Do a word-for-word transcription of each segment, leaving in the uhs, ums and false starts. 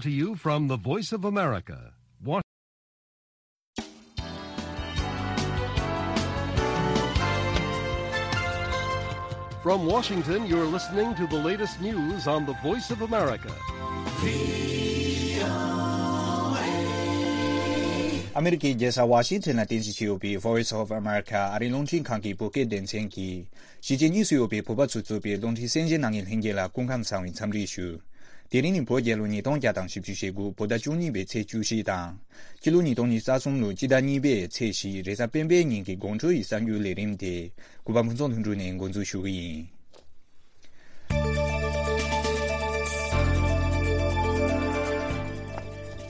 To you from the Voice of America. Wa- From Washington, you're listening to the latest news on the Voice of America. ཨ་མེ་རི་ཀའི་རྒྱལ་ས་ཝ་ཤིང་ཊོན་ལ་རྟེན་གཞི་བྱས་ཡོད་པའི་Voice of America ཨ་རིའི་རླུང་འཕྲིན་ཁང་གི་བོད་སྐད་སྡེ་ཚན་གྱིས། གཞིས་བྱེས་གཉིས་སུ་ཡོད་པའི་བོད་པ་ཚོས་གཙོས་པའི་རླུང་འཕྲིན་གསན་གཟིགས་གནང་མཁན་ལྷན་རྒྱས་ལ་སྐུ་ཁམས་བཟང་བའི་འཚམས་འདྲི་ཞུ། དེ་རིང་ནི་བོད་རྒྱལ་ལོ་ཉིས་སྟོང་བརྒྱ་དང་བཞི་བཅུ་ཞེ་དགུ་བོད་ཟླ་བཅུ་གཉིས་པའི་ཚེས་བཅུ་བཞི་དང་། སྤྱི་ལོ་ཉིས་སྟོང་ཉི་ཤུ་རྩ་གསུམ་ལོའི་སྤྱི་ཟླ་གཉིས་པའི་ཚེས་བཞི་རེས་གཟའ་སྤེན་པའི་ཉིན་གྱི་དགོང་དྲོ་ཡི་གསར་འགྱུར་ལས་རིམ་དེ་གུས་པ་ཕུན་ཚོགས་ལྷུན་གྲུབ་ནས་འགོ་འཛུགས་ཞུ་གི་ཡིན།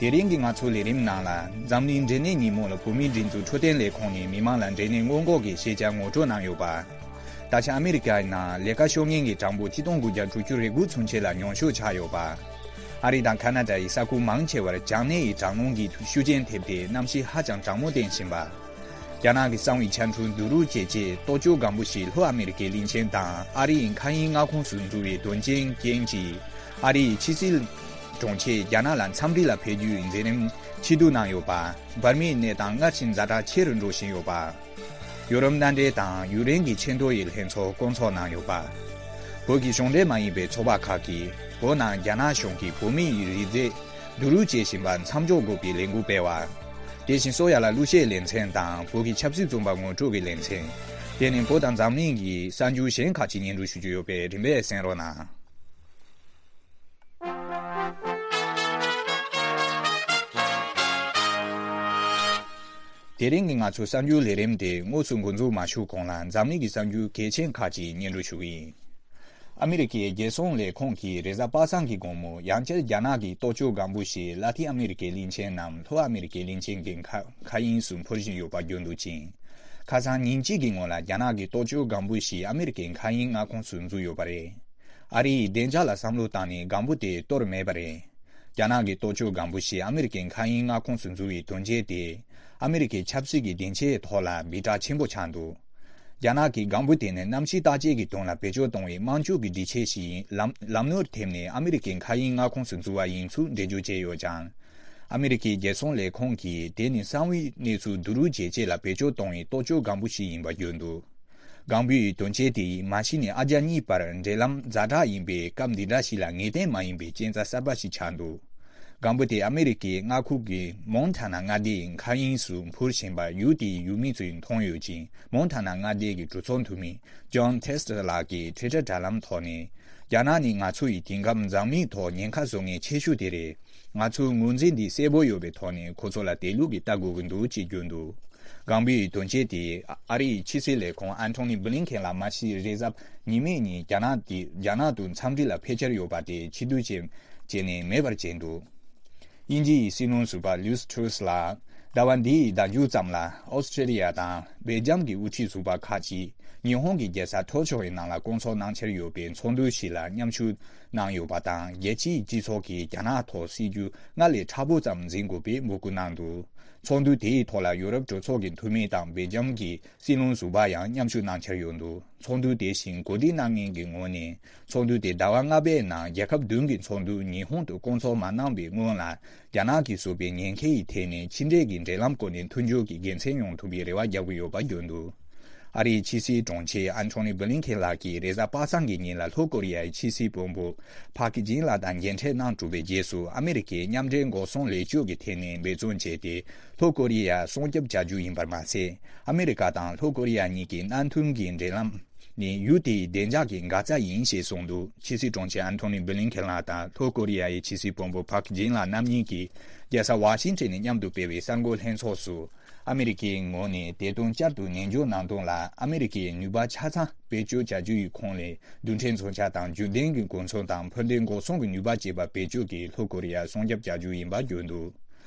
དེ་རིང་གི་ང་ཚོའི་ལས་རིམ་ནང་ལ་འཛམ་གླིང་འབྲས་ནད་ཉིན་མོ་ལ་བོད་མིའི་སྒྲིག་འཛུགས་འཕྲོད་བསྟེན་ལས་ཁུངས་ནས་མི་མང་ལ་འབྲས་ནད་སྔོན་འགོག་གི་ཤེས་བྱ་ངོ་སྤྲོད་གནང་ཡོད་པ། ད་ཆ་ཨ་མེ་རི་ཀའི་ནང་ལས་ཀ་ཤོར་མཁན་གྱི་གྲངས་འབོར་ཆིག་སྟོང་དགུ་བརྒྱ་དྲུག་ཅུ་རེ་དགུ་ཚུན་ཆད་ལ་ཉུང་ཤོས་ཆགས་ཡོད་པ། ཨ་རི་དང་ཁ་ན་ཌ་ཡི་ས་ཁུལ་མང་ཆེ་བར་བྱང་སྣེ་ཡི་གྲང་རླུང་གིས་ཤུགས་རྐྱེན་ཐེབས་ཏེ་གནམ་གཤིས་ཧ་ཅང་གྲང་མོ་བསྟན་བཞིན་པ། རྒྱ་ནག་གི་གསང་བའི་ཆ་འཕྲུལ་བསྡུ་རུབ་བྱས་རྗེས་ལྟོ་ཅོག་སྒམ་པོ་ཞིག་ལྷོ་ཨ་མེ་རི་ཀའི་གླིང་ཆེན་དང་ཨ་རི་ཡི་མཁའ་དབྱིངས་མངའ་ཁོངས་སུ་འཛུལ་བའི་དོན་རྐྱེན་རྐྱེན་གྱིས་ཨ་རི་ཡི་ཕྱི་སྲིད་དྲུང་ཆེས་རྒྱ་ནག་ལ་འཚམས་འདྲི་ལ་ཕེབས་རྒྱུའི་མཛད་རིམ་ཕྱིར་བསྡུ་གནང་ཡོད་པ། འབར་མའི་གནས་སྟངས་སྔར་བཞིན་ཛ་དྲག་ཆེ་རུ་འགྲོ་བཞིན་ཡོད་པ། ཡོ་རོབ་མནའ་འབྲེལ་དང་ཡུཀ་རེན་གྱི་ཆེས་མཐོ་ཡི་ལྷན་ཚོགས་བསྐོང་ཚོགས་གནང་ཡོད་པ། བོད་ཀྱི་གཞུང་འབྲེལ་མ་ཡིན་པའི་ཚོགས་པ་ཁག་གིས་བོད་ནང་རྒྱ་ནག་གཞུང་གིས་བོད་མི་ཡི་རིགས་རྫས་བསྡུ་རུབ་བྱེད་བཞིན་པ་མཚམས་འཇོག་དགོས་པའི་ལས་འགུལ་སྤེལ་བ། དེ་བཞིན་སོ་ཡ་ལ་གླུ་གཞས་ལེ་ཚན་དང་བོད་ཀྱི་ཆབ་སྲིད་བཙོན་པ་ངོ་སྤྲོད་ཀྱི་ལེ་ཚན། དེ་ནི་བོད་དང་འཛམ་གླིང་གི་གསར་འགྱུར་གཞན་ཁག་ཅིག་སྙན་སྒྲོན་ཞུ་རྒྱུ་ཡོད་པས་རིམ་པས་གསན་རོགས་གནང་། དེ་རིང་གི་ང་ཚོའི་གསར་འགྱུར་ལས་རིམ་དེ་དངོས་སུ་འགོ་འཛུགས་མ་ཞུ་གོང་ལ་འཛམ་གླིང་གི་གསར་འགྱུར་གལ་ཆེན་ཁག་ཅིག་སྙན་སྒྲོན་ཞུ་གི་ཡིན། ཨ་མི་རི་ཀའི་རྒྱལ་སྲུང་ལས་ཁུངས་ཀྱིས་རེས་གཟའ་པ་སངས་ཀྱི་དགོང་མོ་ཡང་བསྐྱར་རྒྱ་ནག་གི་ལྟོ་ཅོག་སྒམ་པོ་ཞིག་ལ་ཏིན་ཨ་མི་རི་ཀའི་གླིང་ཆེན་ནམ་ལྷོ་ཨ་མི་རི་ཀའི་གླིང་ཆེན་གྱི་མཁའ་མཁའ་དབྱིངས་སུ་འཕུར་བཞིན་ཡོད་པ་བརྗོད་འདུག་ཅིང་། ཁ་སང་ཉིན་གཅིག་གི་སྔོན་ལ་རྒྱ་ནག་གི་ལྟོ་ཅོག་སྒམ་པོ་ཞིག་ཨ་མི་རི་ཀའི་མཁའ་དབྱིངས་མངའ་ཁོངས་སུ་འཛུལ་ཡོད་པ་རེད། ཨ་རི་ཡིས་བདེ་འཇགས་ལ་བསམ་བློ་བཏང་ནས་སྒམ་པོ་དེ་གཏོར་མེད་པ་རེད། རྒྱ་ནག་གི་ལྟོ་ཅོག་སྒམ་པོ་ཞིག་ཨ་མི་རི་ཀའི་མཁའ་དབྱིངས་མངའ་ཁོངས་སུ་འཛུལ་བའི་དོན་རྐྱེན་དེ། ཨ་མི་རི་ཀའི་ཆབ་སྲིད་ཀྱི་སྡིངས་ཆའི་ཐོག་ལ་སྦིར་གྲགས་ཆེན་པོ་ཆགས་འདུག་རྒྱ་ནག་གི་སྒམ་པོ་དེ་ནི་གནམ་གཤིས་བརྟག་དཔྱད་ཀྱི་དོན་ལ་བེད་སྤྱོད་གཏོང་བའི་དམག་འཁྲུག་གི་སྒྲིག་ཆས་ཤིག་ཡིན་ལམ་ལམ་ནོར་ཐེབས་ནས་ཨ་མི་རི་ཀའི་མཁའ་དབྱིངས་མངའ་ཁོངས་སུ་འཛུལ་བ་ཡིན་ཚུལ་འགྲེལ་བརྗོད་བྱས་ཡོད་ཀྱང་། ཨ་མི་རི་ཀའི་རྒྱལ་སྲུང་ལས་ཁུངས་ཀྱིས་དེ་ནི་གསང་བའི་གནས་ཚུལ་བསྡུ་རུབ་བྱེད་ཆེད་ལ་བེད་སྤྱོད་གཏོང་བའི་ལྟོ་ཅོག་སྒམ་པོ་ཞིག་ཡིན་པ་བརྗོད་འདུག་སྒང་པོའི་དོན་རྐྱེན་དེས་མ་གཞི་ནས་ཨ་རྒྱ་གཉིས་བར་འབྲེལ་ལམ་ཛ་དྲག་ཡིན་པའི་སྐབས་འདི་འདྲ་ཞིག་ལ་ངེས་གཏན་མ་ཡིན་པའི་རྐྱེན་རྩ་གསར་པ་ཞིག་ཆགས་འདུག་སྒང་པོ་དེ་ཨ་མེ་རི་ཀའི་མངའ་ཁུལ་གྱི་མོན་ཐ་ན་མངའ་སྡེའི་མཁའ་དབྱིངས་སུ་འཕུར་བཞིན་པ་ཡུལ་དེའི་ཡུལ་མི་ཚོས་མཐོང་ཡོད་ཅིང་། མོན་ཐ་ན་མངའ་སྡེ་གི་གྲོས་ཚོགས་འཐུས་མི་ཇོན་ཐེ་སི་ཊར་ལགས་ཀྱིས་ཊུའི་ཊར་དྲ་ལམ་ཐོག་ནས། རྒྱ་ནག་ནི་ང་ཚོ་ཡི་དེང་སྐབས་འཛམ་གླིང་ཐོག་ཉེན་ཁ་བཟོ་མཁན་ཆེ་ཤོས་དེ་རེད། ང་ཚོའི་ངོས་འཛིན་འདི་གསལ་པོ་ཡོད་པའི་ཐོག་ནས་ཁོ་ཚོ་ལ་དེ་ལུགས་ཀྱི་ལྟ་དགོས་ཀྱི་འདུག་ཅེས་བརྗོད་འདུག་སྒང་པོའི་དོན་རྐྱེན་དེས་ཨ་རིའི་ཕྱི་སྲིད་ལས་ཁུངས་ཨན་ཐོ་ནི་བྷི་ལིན་ཁེན་ལ་མ་གཞི་རེས་གཟའ་ཉི་མའི་ཉིན་རྒྱ་ནག་དེ་རྒྱ་ནག་ཏུ་འཚམས་འདྲི་ལ་ཕེབས་འཆར་ཡོད་པ་དེ་ཕྱིར་བསྡུ་བྱས་བྱས་ནས་མེད་པར་བྱས་འདུག་དབྱིན་ཇི་ཡི་སྲིད་བློན་ཟུར་པ་ལུས་ཊྲུས་ལགས་ཟླ་བ་འདིའི་ཟླ་མཇུག་ཙམ་ལ་ཨོ་སི་ཀྲེ་ལི་ཡ་དང་སྦེལ་ཇམ་གྱི་དབུ་ཁྲིད་ཟུར་པ་ཁག་ཅིག་ཉི་ཧོང་གི་རྒྱལ་ས་ཊོ་ཀྱོ་ཡི་ནང་ལ་བསྐོང་ཚོགས་གནང་འཆར་ཡོད་པའི་ཚོགས་འདུ་ཞིག་ལ་མཉམ་ཞུགས་གནང་ཡོད་པ་དང་། རྒྱལ་སྤྱིའི་སྤྱི་ཚོགས་ཀྱིས་རྒྱ་ནག་ཐོག་སྲིད་ཇུས་སྔར་ལས་མཁྲེགས་པོ་ཙམ་འཛིན་དགོས་པའི་འབོད་སྐུལ་གནང་འདུག་ཚོགས་འདུ་དེའི་ཐོག་ལ་ཡུ་རོབ་གྲོས་ཚོགས་ཀྱི་འཐུས་མི་དང་སྦེལ་ཇམ་གྱི་སྲིད་བློན་ཟུར་པ་ཡང་མཉམ་ཞུགས་གནང་འཆར་ཡོད་འདུག་ཚོགས་འདུ་དེ་བཞིན་གོ་སྒྲིག་གནང་མཁན་གྱི་ངོས་ནས། ཚོགས་འདུ་དེ་ཟླ་བ་ལྔ་པའི་ནང་རྒྱལ་ཁབ་བདུན་གྱི་ཚོགས་འདུ་ཉི་ཧོང་དུ་བསྐོང་ཚོགས་མ་གནང་བའི་སྔོན་ལ། རྒྱ་ནག་གིས་བཟོས་པའི་ཉེན་ཁའི་ཐད་ནས་ཕྱི་འབྲེལ་གྱི་འབྲེལ་ལམ་སྐོར་ནས་མཐུན་འགྱུར་གྱི་དགེ་མཚན་ཡོང་ཐུབ་པའི་རེ་བ་རྒྱག་གི་ཡོད་པ་བརྗོད་འདུག་ཨ་རིའི་ཕྱི་སྲིད་དྲུང་ཆེ་ཨན་ཐོ་ནི་བྷི་ལིན་ཁེན་ལགས་ཀྱིས་རེས་གཟའ་པ་སངས་ཀྱི་ཉིན་ལ་ལྷོ་ཀོ་རི་ཡའི་ཕྱི་སྲིད་བློན་པོ་ཕག་ཇིན་ལགས་དང་མཇལ་འཕྲད་གནང་གྲུབ་པའི་རྗེས་སུ། ཨ་མེ་རི་ཁའི་མཉམ་འབྲེལ་འགོག་སྲུང་ལས་ལྕོག་གི་ཐད་ནས་འབད་བརྩོན་བྱས་ཏེ། ལྷོ་ཀོ་རི་ཡར་སྲུང་སྐྱོབ་བྱ་རྒྱུ་ཡིན་པར་མ་ཟད། ཨ་མེ་རི་ཀ་དང་ལྷོ་ཀོ་རི་ཡ་གཉིས་ཀྱི་མནའ་མཐུན་གྱི་འབྲེལ་ལམ་ནི་ཡུལ་དེའི་བདེ་འཇགས་ཀྱི་འགག་རྩ་ཡིན་ཞེས་གསུངས་འདུག་ཕྱི་སྲིད་དྲུང་ཆེ་ཨན་ཐོ་ནི་བྷི་ལིན་ཁེན་ལགས་དང་ལྷོ་ཀོ་རི་ཡའི་ཕྱི་སྲིད་བློན་པོ་ཕག་ཇིན་ལགས་རྣམ་གཉིས་ཀྱིས་རྒྱལ་ས་ཝ་ཤིང་ཊོན་ནས་མཉམ་དུ་སྤེལ་བའི་གསར་འགོད་ལྷན་ཚོགས་སུ། ཨ་མེ་རི་ཀའི་ངོས་ནས་དེ་དོན་བསྐྱར་དུ་ནན་བརྗོད་གནང་དོན་ལ། ཨ་མེ་རི་ཀའི་ནུས་པ་ཆ་ཚང་བེད་སྤྱོད་བྱ་རྒྱུ་ཡི་ཁོངས་ལས་རྡུལ་ཕྲན་མཚོན་ཆ་དང་རྒྱུན་ལྡན་གྱི་གོ་མཚོན་དང་འཕུར་མདེལ་འགོག་སྲུང་གི་ནུས་པ་བཅས་པ་བེད་སྤྱོད་ཀྱིས་ལྷོ་ཀོ་རི་ཡར་སྲུང་སྐྱོབ་བྱ་རྒྱུ་ཡིན་པ་བརྗོད་འདུག་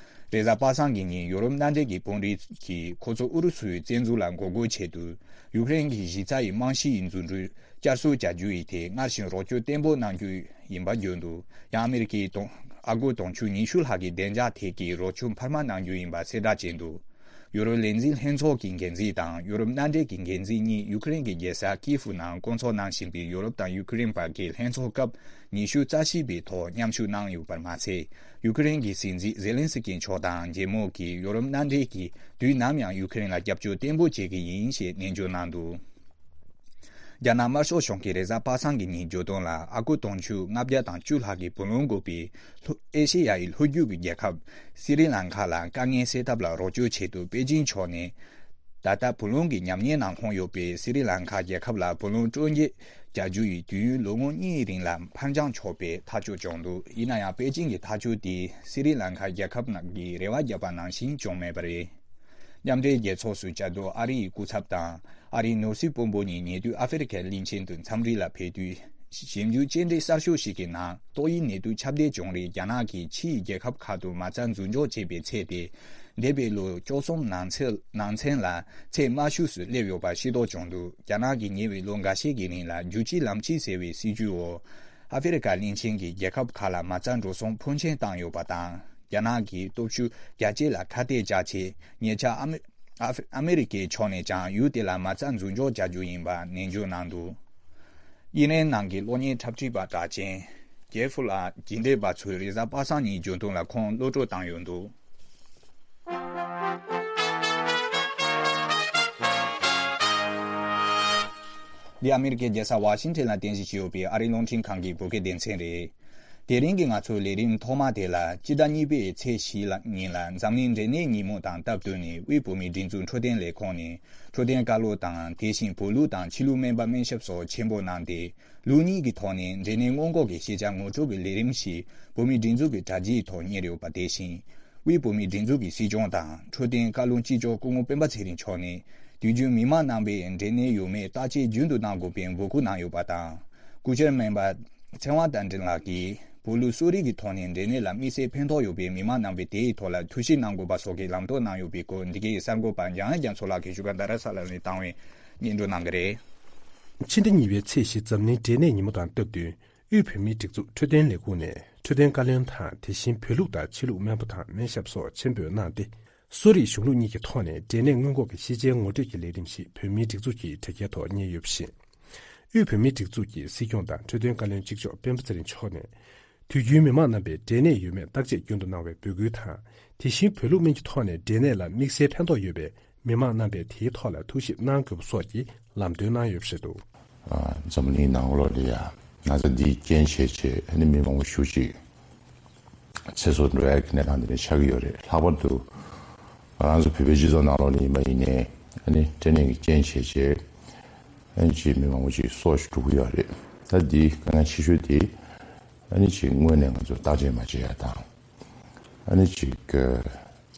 རེས་གཟའ་པ་སངས་ཀྱི་ཉིན་ཡོ་རོབ་མནའ་འབྲེལ་གྱི་དཔོན་རིགས་ཀྱིས་ཁོ་ཚོ་ཨུ་རུ་སུའི་བཙན་འཛུལ་ལ་འགོག་རྒོལ་ཆེད་དུ་ཡུཀ་རེན་གྱི་གཞི་རྩ་ཡི་རྨང་གཞི་ཡི་འཛུགས་སྐྲུན་བསྐྱར་གསོ་བྱ་རྒྱུ་ཡི་ཐད་སྔར་བཞིན་རོགས་སྐྱོར་བརྟན་པོ་གནང་རྒྱུ་ཡིན་པ་བརྗོད་འདུག་ཡང་ཨ་མེ་རི་ཀའི་དོན་ཨ་སྒོར་དུང་ཕྱུར་ཉི་ཤུ་ལྷག་གི་བདེ་འཇགས་ཐད་ཀྱི་རོགས་སྐྱོར་འཕར་མ་གནང་རྒྱུ་ཡིན་པ་གསལ་བསྒྲགས་བྱས་འདུག་ཡུ་རོབ་ལས་འཛིན་ལྷན་ཚོགས་ཀྱི་འགན་འཛིན་དང་ཡུ་རོབ་མནའ་འབྲེལ་གྱི་འགན་འཛིན་གཉིས་ཡུ་ཁུ་རེན་གྱི་རྒྱལ་ས་ཀིའེ་ཧྥུ་ནང་བསྐོང་ཚོགས་གནང་བཞིན་པའི་ཡུ་རོབ་དང་ཡུ་ཁུ་རེན་བར་གྱི་ལྷན་ཚོགས་སྐབས་ཉི་ཤུ་རྩ་བཞི་པའི་ཐོག་མཉམ་ཞུགས་གནང་ཡོད་པར་མ་ཚད། ཡུ་ཁུ་རེན་གྱི་སྲིད་འཛིན་ཛེ་ལན་སི་ཀི་མཆོག་དང་རྒྱལ་མོ་གིས་ཡུ་རོབ་མནའ་འབྲེལ་གྱིས་དུས་ནམ་ཡང་ཡུ་ཁུ་རེན་ལ་རྒྱབ་སྐྱོར་བརྟན་པོ་བྱེད་ཀྱི་ཡིན་ཞེས་ནན་བརྗོད་གནང་འདུག་རྒྱ་ནག་དམར་ཤོག་གཞུང་གིས་རེས་གཟའ་པ་སངས་ཀྱི་ཉིན་བརྗོད་དོན་ལ་ཨ་ཁུ་དུང་ཕྱུར་ལྔ་བརྒྱ་དང་བཅུ་ལྷག་གི་བུ་ལོན་དགོས་པའི་ལྷོ་ཨེ་ཤེ་ཡ་ཡི་ལྷོ་རྒྱུད་ཀྱི་རྒྱལ་ཁབ་སི་རི་ལང་ཀ་ལ་དཀའ་ངལ་སེལ་ཐབས་ལ་རོགས་སྐྱོར་ཆེད་དུ་པེ་ཅིན་ཕྱོགས་ནས། ད་ལྟ་བུ་ལོན་གྱི་ཉམས་ཉེས་ནང་ལྷུང་ཡོད་པའི་སི་རི་ལང་ཀ་རྒྱལ་ཁབ་ལ་བུ་ལོན་སྤྲོད་འཇལ་རྒྱག་རྒྱུ་ཡི་དུས་ཡུན་ལོ་ངོ་གཉིས་རིང་ལ་ཕར་འགྱངས་ཆོག་པའི་ཐག་གཅོད་བྱུང་འདུག་ཡིན་ན་ཡང་པེ་ཅིན་གྱི་ཐག་གཅོད་དེས་སི་རི་ལང་ཀ་རྒྱལ་ཁབ་ནང་གི་རེ་བ་བརྒྱབ་པ་ནང་བཞིན་བྱུང་མེད་པ་རེད། མཉམ་འབྲེལ་རྒྱལ་ཚོགས་སུ་བཅའ་སྡོད་ཨ་རི་ཡི་སྐུ་ཚབ་དང་ཨ་རིའི་ནོར་སྲིད་དཔོན་པོ་གཉིས་ཉེ་དུས་ཨ་ཧྥེ་རི་ཁའི་གླིང་ཆེན་དུ་འཚམས་འདྲི་ལ་ཕེབས་དུས། ཞིབ་འཇུག་བཅར་འདྲི་གསར་ཤོག་ཞིག་གི་ནང་ཏོག་དབྱིབས་ནད་དུག་ཁྱབ་གདལ་བྱུང་རིང་རྒྱ་ནག་གིས་ཕྱིའི་རྒྱལ་ཁབ་ཁག་ཏུ་མ་རྩ་འཛུགས་འཇོག་བྱས་པའི་ཚད་དེ། འདས་པའི་ལོ་བཅུ་གསུམ་ནང་ཚན་ནང་ཚན་ལ་ཚད་དམའ་ཤོས་སུ་སླེབས་ཡོད་པ་ཤེས་རྟོགས་བྱུང་འདུག་རྒྱ་ནག་གིས་ཉེ་བའི་ལོ་འགའ་ཤས་ཀྱི་རིང་ལ་རྒྱུ་ཕྱི་ལམ་ཕྱི་ཟེར་བའི་སྲིད་ཇུས་འོག་ཨ་ཧྥེ་རི་ཁ་གླིང་ཆེན་གྱི་རྒྱལ་ཁབ་ཁག་ལ་མ་རྩ་འགྲོ་སོང་ཕོན་ཆེན་བཏང་ཡོད་པ་དང་། རྒྱ་ནག་གིས་སྟོབས་ཤུགས་རྒྱ་སྐྱེད་ལ་ཁ་གཏད་བཅག་ཆེད་ཉེ་ཆར་ཨ་མི་ཨ་ཧྥེ་ཨ་མི་རི་ཀའི་ཕྱོགས་ནས་ཀྱང་ཡུལ་དེ་ལ་མ་རྩ་འཛུགས་འཇོག་བྱ་རྒྱུ་ཡིན་པ་ནན་བརྗོད་གནང་འདུག་དབྱིན་རན་ནང་གི་གློག་བརྙན་འཁྲབ་ཁྲིད་པ་གྲགས་ཅན་ཇེ་ཧྥུ་ལགས་རྗེས་འདེད་པ་ཚོས་རེས་གཟའ་པ་སངས་ཉིན་བརྗོད་དོན་ལ་ཁོང་གློད་བཀྲོལ་བཏང་ཡོད་འདུག་འདི་ཨ་མི་རི་ཀའི་རྒྱལ་ས་ཝ་ཤིང་ཊོན་ལ་རྟེན་གཞི་བྱས་ཡོད་པའི་ཨ་རིའི་རླུང་འཕྲིན་ཁང་གི་བོད་སྐད་སྡེ་ཚན་རེད། དེ་རིང་གི་ང་ཚོའི་ལས་རིམ་ཐོག་མ་དེ་ལ་སྤྱི་ཟླ་གཉིས་པའི་ཚེས་བཞི་ལ་ཉིན་ལ་འཛམ་གླིང་འབྲས་ནད་ཉིན་མོ་དང་སྟབས་བསྟུན་ནས་དབུས་བོད་མིའི་སྒྲིག་འཛུགས་འཕྲོད་བསྟེན་ལས་ཁུངས་ནས་འཕྲོད་བསྟེན་བཀའ་སློབ་དང་དེ་བཞིན་བོད་ལུགས་དང་ཕྱི་ལུགས་སྨན་པ་སྨན་ཞབས་སོགས་ཆེན་པོ་གནང་སྟེ། ལུགས་གཉིས་ཀྱི་ཐོག་ནས་འབྲས་ནད་སྔོན་འགོག་གི་ཤེས་བྱ་ངོ་སྤྲོད་ཀྱི་ལས་རིམ་ཞིག་བོད་མིའི་སྒྲིག་འཛུགས་ཀྱི་དྲ་རྒྱའི་ཐོག་གཉེར་ཡོད་པ་དེ་བཞིན། དབུས་བོད་མིའི་སྒྲིག་འཛུགས་ཀྱི་སྲིད་སྐྱོང་དང་འཕྲོད་བསྟེན་བཀའ་བློན་གཅིག་ལྕོགས་སྐུ་ངོ་སྤེན་པ་ཚེ་རིང་མཆོག་ནས་དུས་རྒྱུན་མི་མང་རྣམ་པས་འབྲས་ནད་ཡོད་མེད་བརྟག་དཔྱད་རྒྱུན་དུ་གནང་དགོས་པའི་འབོད་སྐུལ་གནང་ཡོད་པ་དང་། སྐུ་བཅར་སྨན་པ་ཚེ་དབང་རྟ་མགྲིན་ལགས་ཀྱིས་བོད་ལུགས་གསོ་རིག་གི་ཐོག་ནས་འབྲས་ནད་ལ་དམིགས་བསལ་ཕན་ཐོགས་ཡོད་པའི་མི་མང་རྣམ་པས་དེའི་ཐོག་ལ་ཐུགས་ཞིབ་གནང་དགོས་པ་སོགས་ཀྱི་ལམ་སྟོན་གནང་ཡོད་པའི་སྐོར་འདི་གའི་གསར་འགོད་པ་འཇམ་དབྱངས་རྒྱ་མཚོ་ལགས་ཀྱིས་བཞུགས་སྒར་རྡ་རམ་ས་ལ་ནས་བཏང་བའི་སྙན་སྒྲོན་གནང་གི་རེད། ཕྱི་ཟླ་གཉིས་པའི་ཚེས་བཞི་འཛམ་གླིང་འབྲས་ནད་ཉིན་མོ་དང་སྟབས་བསྟུན། དབུས་བོད་མིའི་སྒྲིག་འཛུགས་འཕྲོད་བསྟེན་ལས་ཁུངས་ནས་འཕྲོད་བསྟེན་བཀའ་བློན་དང་དེ་བཞིན་བོད་ལུགས་དང་ཕྱི་ལུགས་སྨན་པ་དང་སྨན་ཞབས་སོགས་ཆེན་པོས་གནང་སྟེ། གསོ་རིག་གཞུང་ལུགས་གཉིས་ཀྱི་ཐོག་ནས་འབྲས་ནད་སྔོན་འགོག་གི་ཤེས་བྱའི་ངོ་སྤྲོད་ཀྱི་ལས་རིམ་ཞིག་བོད་མིའི་སྒྲིག་འཛུགས་ཀྱི་དྲ་རྒྱའི་ཐོག་གཉེར་ཡོད་པ་བཞིན། དབུས་བོད་མིའི་སྒྲིག་འཛུགས་ཀྱི་སྲིད་སྐྱོང་དང་འཕྲོད་བསྟེན་བཀའ་བློན་གཅིག་ལྕོགས་སྤེན་པ་ཚེ་རིང་མཆོག་ནས། དུས་རྒྱུན་མི་མང་རྣམ་པས་འབྲས་ནད་ཡོད་མེད་བརྟག་དཔྱད་རྒྱུན་དུ་གནང་བའི་འབོད་སྐུལ་དང་། དེ་བཞིན་བོད་ལུགས་སྨན་གྱི་ཐོག་ནས་འབྲས་ནད་ལ་དམིགས་བསལ་ཕན་ཐོགས་ཡོད་པའི་མི་མང་རྣམ་པས་དེའི་ཐོག་ལ་ཐུགས་ཞིབ་གནང་དགོས་པ་སོགས་ཀྱི་ལམ་སྟོན་གནང་ཡོད་པ་རེད་འདུག་ཨ། འཛམ་གླིང་ནང་ལོགས་ལ་ཡ་ན་ཚ་འདིའི་རྐྱེན་བྱས་བྱས་ཨ་ནི་མི་མང་པོ་ཞེ་པོ་ཅིག་ཚེ་སྲོག་འགྲོ་ཡ་གི་གནས་སྟངས་འདི་འདྲ་ཆགས་ཀྱི་ཡོད་རེད། ལྷག་པར་དུ་ང་རང་ཚོ་བོད་པའི་སྤྱི་ཚོགས་ནང་ལོགས་ལ་ཡིན་པ་ཡིན་ནའི་ཨ་ནི་འབྲས་ནད་ཀྱི་རྐྱེན་བྱས་བྱས་ཨ་ནི་ཅིག་མི་མང་པོ་ཅིག་སྲོག་ཤོར་གྱི་ཡོད་རེད། ད་འདིའི་དཀའ་ངལ་ཆེ་ཤོས་དེ་ཨ་ནི་ཅིག་སྔོན་ནས་ང་ཚོ་བརྟག་དཔྱད་མ་བྱས་ཡ་དང་། ཨ་ནི་ཅིག་བརྟག་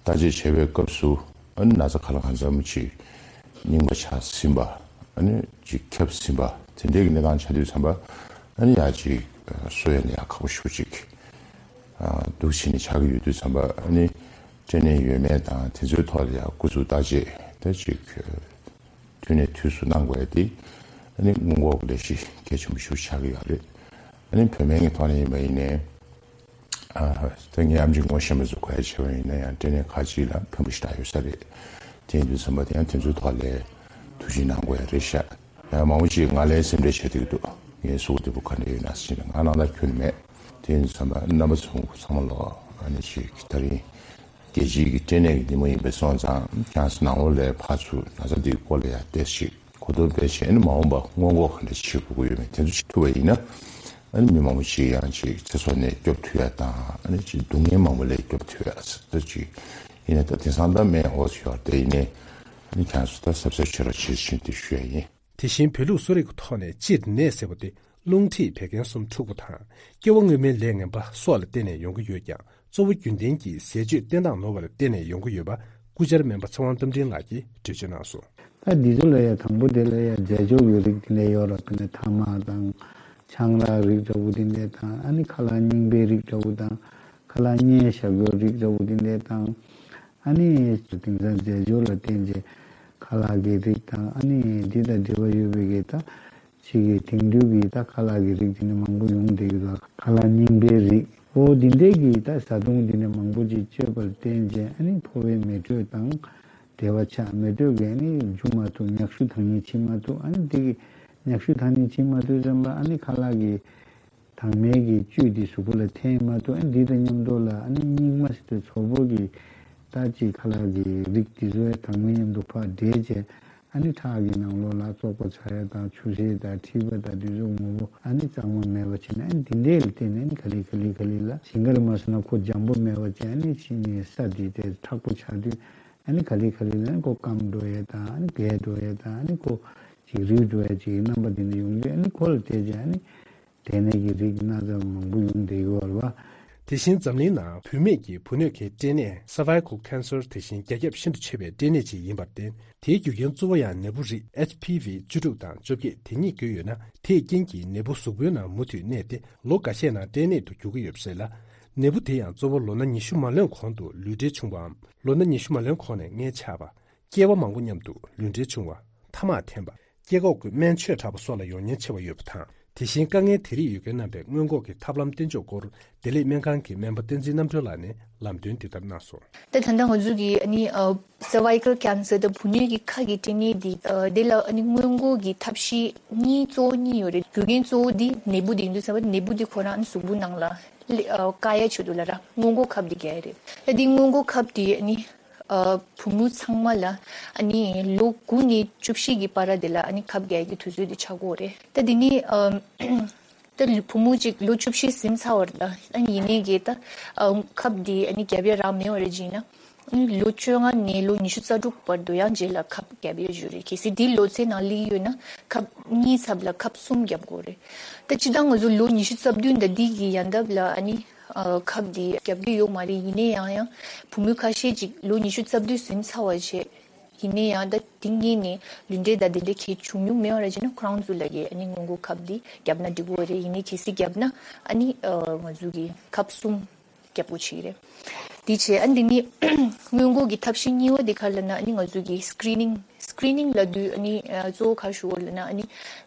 དཔྱད་བྱེད་པའི་སྐབས་སུ་ཨ་ནི་ན་ཚ་ག་ལ་གང་འཚམ་ཅིག་རྙིང་པ་ཆགས་ཟིན་པ། ཨ་ནི་ཅིག་ཁྱབ་ཟིན་པ་དེ་འདྲའི་གི་གནས་སྟངས་ཆགས་དུས་ཙམ་པ་ཨ་ནི་ཡ་ཅིག་གསོ་ཡ་ནི་ཡ་ཁག་པོ་ཞེ་པོ་ཅིག་འདུག་བྱས་ནས་ཆགས་ཀྱི་ཡོད་དུས་ཙམ་པ་ཨ་ནི་འབྲས་ནད་ཡོད་མེད་དང་དེ་ཚོའི་ཐོག་ལ་ཡ་སྐུ་གཟུགས་བརྟག་དཔྱད་དེ་ཅིག་དུས་ནས་དུས་སུ་གནང་དགོས་ཡ་དེ་ཨ་ནི་སྔོན་འགོག་གི་ལས་གཞི་གལ་ཆེན་པོ་ཞིག་ཆགས་ཀྱི་ཡོད་རེད། ཨ་ནི་བོད་སྨན་གྱི་ཐོག་ནས་ཡིན་པ་ཡིན་ནའི། ཨ། ད་ངས་ཨམ་ཆི་ངོ་ཤེས་པ་ཚོ་གོ་ཡ་བྱས་པ་ཡིན་ན་ཡང་འབྲས་ནད་ཁག་ཅིག་ལ་ཕན་པོ་ཞེ་དྲག་ཡོད་ས་རེད། དེ་ཡིན་དུས་ཙམ་པ་དེ་ཡང་དེ་ཚོའི་ཐོག་ལ་ཐུགས་རྗེ་གནང་དགོས་ཡ་རེད་ཤག་ཡང་མང་པོ་ཅིག་ང་ལ་སེམས་ཁྲལ་བྱེད་ཐུབ་ཀྱི་འདུག་ངའི་གཟུགས་པོ་བདེ་པོ་ག་འདྲ་ཡོད་ན་ཟེར་ནས་ང་ནང་ལ་ཁྱོན་ནས་མེད། དེ་ཡིན་དུས་ཙམ་པ་རྣམ་པ་ཚོ་ཚང་མ་ལོག་ཨ་ནི་ཅིག་ད་རིང་རྒྱལ་སྤྱིའི་གི་འབྲས་ནད་ཀྱི་ཉིན་མོ་ཡིན་པས་སོང་ཙང་ཁྱེད་རང་ཚོ་ནང་ལོགས་ལ་ཕར་ཚུར་ན་ཚ་འདིའི་སྐོར་ལ་ཡ་བལྟས་ཤིག་གོ་བསྡུར་སྤེལ་བྱས་ནས་མ་འོངས་པ་སྔོན་འགོག་ག་འདྲ་བྱེད་དགོས་ཀྱི་ཡོད་མེད་དེ་ཚོ་བྱེད་ཐུབ་པ་ཡིན་ན། ཨ་ནི་མི་མང་པོ་ཞིག་ཡང་ཅིག་ཚེ་སྲོག་ནས་སྐྱོབ་ཐུབ་ཡ་དང་ཨ་ནི་ཅིག་སྡུག་བསྔལ་མང་པོ་ལས་སྐྱོབ་ཐུབ་ཡ་ཟེར་ཅིག་ཡིན་ན་ད་དེང་སང་ད་སྨན་ཡག་པོ་ཡོད་རེད། དེ་ཡིན་ནའི་ཨ་ནི་ཁྱེད་ཚོ་ད་གཟབ་གཟབ་བྱེད་རོགས་བྱེད་བཞིན་དེ་ཞུ་ཡ་ཡིན། དེ་བཞིན་བོད་ལུགས་གསོ་རིག་གི་ཐོག་ནས་སྤྱིར་ནད་ཟེར་བ་དེ་རླུང་མཁྲིས་བད་ཀན་གསུམ་འཁྲུགས་པ་དང་སྐྱེ་བ་སྔོན་མའི་ལས་ངན་པ་སོགས་ལ་བརྟེན་ནས་ཡོང་གི་ཡོད་ཀྱང་། གཙོ་བོ་རྒྱུན་ལྡན་གྱི་ཟས་སྤྱོད་བསྟེན་སྟངས་ནོར་བ་ལ་བརྟེན་ནས་ཡོང་གི་ཡོད་པ་སྐུ་བཅར་སྨན་པ་ཚེ་དབང་རྟ་མགྲིན་ལགས་ཀྱིས་འགྲེལ་བརྗོད་གནང་སོང་། ད་འདི་ཚོ་ལ་ཡ་དང་པོ་དེ་ལ་ཡ་རྫས་སྦྱོར་གྱི་རིགས་དེ་འདྲ་ཡོད་ར། ཁ་ནས་ཐ་མག་དང་ཆང་རག་རིགས་འདྲ་བོ་དེ་འདྲ་དང་ཨ་ནི་ཁ་ལག་རྙིང་པའི་རིགས་འདྲ་བོ་དང་ཁ་ལག་བརྙན་བཞག་ཡོད་རིགས་འདྲ་བོ་དེ་འདྲ་དང་ཨ་ནི་དེང་སང་རྫས་སྦྱོར་ལ་བརྟེན་བྱས་ཁ་ལག་གི་རིགས་དང་ཨ་ནི་འདི་དང་འབྲེལ་བ་ཡོད་པའི་གི་ད། ཅིག་གི་དེང་དུས་ཀྱི་ད་ཁ་ལག་གི་རིགས་དེ་ནི་མང་པོ་ཡོང་བསྡད་ཀྱི་འདུག་ཁ་ལག་རྙིང་པའི་རིགས་འོ་དེ་འདྲས་ཀྱི་ད་བཟའ་བཏུང་དེ་ནི་མང་པོ་ཅིག་སྤྱོད་པར་བརྟེན་བྱས་ཨ་ནི་ཕོ་བའི་མེ་དྲོད་དང་ བདེ་བ་ཆགས་མེ་ཏོག་གི་ཨ་ནི་འཇུ་མ་ཐུབ། མྱག་ཤུ་དང་ནི་ཕྱིན་མ་ཐུབ། ཨ་ནི་དེ་གི་མྱག་ཤུ་དང་ནི་ཕྱིན་མ་ཐུབ་ཙམ་པ་ཨ་ནི་ཁ་ལག་གི་དྭངས་མའི་གི་བཅུད་དེ་གཟུགས་པོ་ལ་འཐེན་མ་ཐུབ། ཨ་ནི་དེ་དང་མཉམ་དུ་ལ་ཨ་ནི་སྙིགས་མ་ཟེར་དུས་ཚོགས་པོ་གི་ད་ཅིག་ཁ་ལག་གི་རིགས་དེ་ཚོའི་དྭངས་མའི་མཉམ་དུ་ཕར་འདྲེས་བྱས། ཨ་ནི་ཁྲག་གི་ནང་ལོགས་ལ་བཙོག་པ་ཆགས་ཡ་དང་ཆུ་སེར་དང་མཁྲིས་པ་དང་དེ་ཚོ་ངོ་བོ་ཨ་ནི་གཙང་མ་མེད་པ་བྱས་ནས། ཨ་ནི་དེ་འདྲའི་ལ་བརྟེན་ནས་ཨ་ནི་ག་ལེ་ག་ལེ་ག་ལེ་ལ་ཞིང་ཁར་མ་སོང་ན་ཁོ་འཇམ་པོ་མེད་པ་བྱས། ཨ་ནི་ཕྱི་ནས་ས་དེ་དེ་མཁྲེགས་པོ་ཆགས་དུས་ཨ་ནི་ག་ལེ་ག་ལེ་ལ་ཨ་ནི་ཁོ་སྐམ་འགྲོ་ཡ་དང་ཨ་ནི་རྒས་འགྲོ་ཡ་དང་ཨ་ནི་ཁོ་ཅིག་རུལ་འགྲོ་ཡ་ཅིག་རྣམ་པ་དེ་འདྲ་ཡོང་དུས་ཨ་ནི་ཁོ་ལ་བལྟས་བྱས་ཨ་ནི། དེ་ནས་ཀྱི་རིགས་སྣ་ཚོགས་མང་པོ་ཡོང་བསྡད་ཡོད་རེད་བ། དེ་བཞིན་འཛམ་གླིང་ནང་བུད་མེད་ཀྱི་བུ་སྣོད་ཀྱི་སྐྲན་ནད་cervical cancer དེ་བཞིན་རྒྱ་ཁྱབ་ཤིན་ཏུ་ཆེ་བའི་སྐྲན་ནད་ཅིག་ཡིན་པར་བརྟེན། དེའི་རྒྱུ་རྐྱེན་གཙོ་བོ་ཡང་ནད་འབུ་རིགས་H P V བཅུ་དྲུག་དང་བཅོ་བརྒྱད་དེ་གཉིས་ཀྱི་ཡོད་ན། དེའི་རྐྱེན་གྱིས་ནད་འབུ་གཟུགས་པོའི་ནང་མུ་མཐུད་གནས་ཏེ་ལོ་འགའ་ཤས་ནང་སྐྲན་ནད་དུ་འགྱུར་གྱི་ཡོད་པ་རེད་ལ། ནད་འབུ་དེ་ཡང་གཙོ་བོ་ལོ་ན་ཉི་ཤུ་མ་ལོན་གོང་དུ་ལུས་འབྲེལ་བྱུང་བའམ་ལོ་ན་ཉི་ཤུ་མ་ལོན་གོང་ནས་མངལ་ཆགས་པ། སྐྱེས་པ་མང་པོ་མཉམ་དུ་ལུས་འབྲེལ་བྱུང་བ། ཐ་མག་འཐེན་པ། སྐྱེ་འགོག་གི་སྨན་མཆོད་དྲག་པོ་སོགས་ལ་ཡོང་ཉེན་ཆེ་བ་ཡོད་པ་དང་། དེ་བཞིན་དཀའ་ངལ་དེ་རིགས་ཡོད་མཁན་རྣམ་པའི་སྔོན་འགོག་གི་ཐབས་ལམ་བསྟེན་ཕྱོགས་སྐོར་བདེ་ལེགས་སྨན་ཁང་གི་སྨན་པ་བསྟན་འཛིན་རྣམ་གྲོལ་ལགས་ནས་ལམ་སྟོན་འདི་ལྟར་གནང་སོང་། ད་ད་ལྟ་ང་ཚོ་གི་ཨ་ནི་ཨ་cervical cancer དང་བུ་སྣོད་ཀྱི་ཁ་གི་སྐྲན་ནད་འདི་ཨ་དེ་ལ་ཨ་ནི་སྔོན་འགོག་གི་ཐབས་ཤེས་གཉིས་གཙོ་བོ་གཉིས་ཡོད་རེད། རྒྱུ་རྐྱེན་གཙོ་བོ་འདི་ནད་འབུ་འདི་ཡིན་དུས་ཙམ་པ་ནད་འབུ་འདི་ཁོ་རང་ཨ་ནི་གཟུགས་པོ་ནང་ལ་ལ་ཨ་བཀག་ཡ་ཆེད་དུ་ལ་ར་སྔོན་འགོག་ཁབ་འདི་རྒྱག་ཡ་རེད། ད་འདི་སྔོན་འགོག་ཁབ་འདི་ཨ་ནི། ཨ་བུ་མོ་ཚང་མ་ལ་ཨ་ནི་ལོ་དགུ་ནས་བཅུ་བཞི་གི་བར་དེ་ལ་ཨ་ནི་ཁབ་རྒྱག་གི་དུས་ཚོད་དེ་ཆགས་ཀྱི་ཡོད་རེད། ད་དེ་ནི་ཨ་ད་བུ་མོ་གཅིག་ལོ་བཅུ་བཞི་ཟིན་ཚར་བ་རེད། ད་ཨ་ནི་ཡིན་ནའི་གི་ད་ཨ་ཁབ་དེ་ཨ་ནི་རྒྱབ་ཡ་རག་མེད་པ་རེད་བྱས་ན། ཨ་ནི་ལོ་བཅོ་ལྔ་ནས་ལོ་ཉི་ཤུ་རྩ་དྲུག་བར་དུ་ཡང་རྗེས་ལ་ཁབ་རྒྱབ་ཡ་ཡོད་རེད། གལ་སྲིད་དེ་ལོ་ཚད་ནང་སླེབས་ཡོད་ན་ཁབ་གཉིས་ཚབ་ལ་ཁབ་གསུམ་རྒྱབ་དགོས་རེད། ད་སྤྱིར་བཏང་ང་ཚོ་ལོ་ཉི་ཤུ་རྩ་བདུན་ད་འདི་གི་ཡན་འདབ་ལ་ཨ་ནི། ཨ་ཁབ་འདི་རྒྱབ་ཀྱི་ཡོད་མ་རེད། ཡིན་ནའི་ཡང་ཡང་བུ་མོ་ཁ་ཤས་ཅིག་ལོ་ཉི་ཤུ་རྩ་བདུན་ཟིན་ཚར་བ་བྱས། ཡིན་ནའི་ཡང་ད་དེ་སྔོན་ནས་ལུས་འབྲེལ་དང་དེ་འདྲ་གང་ཡང་བྱུང་མྱོང་མེད་པ་རེད་བྱས་ན་ཁོ་རང་ཚོ་ལ་གི་ཨ་ནི་སྔོན་འགོག་ཁབ་འདི་བརྒྱབ་ན་འགྲིག་གི་རེད། ཡིན་ནའི་གལ་སྲིད་བརྒྱབ་ན་ཨ་ནི་ཨ་ང་ཚོ་གི་ཁབ་གསུམ་རྒྱབ་དགོས་བྱས་རེད། དེ་བྱས་ཨ་ནི་དེ་ནི་སྔོན་འགོག་གི་ཐབས་ཤེས་གཉིས་པ་དེ་ག་རེ་ལབ་ན་ཨ་ནི་ང་ཚོ་གི་screening screening ལབ་དུས་ཨ་ནི་ཨ་གཙོ་བོ་ག་རེ་ཞུ་དགོས་ལབ་ན་ཨ་ནི་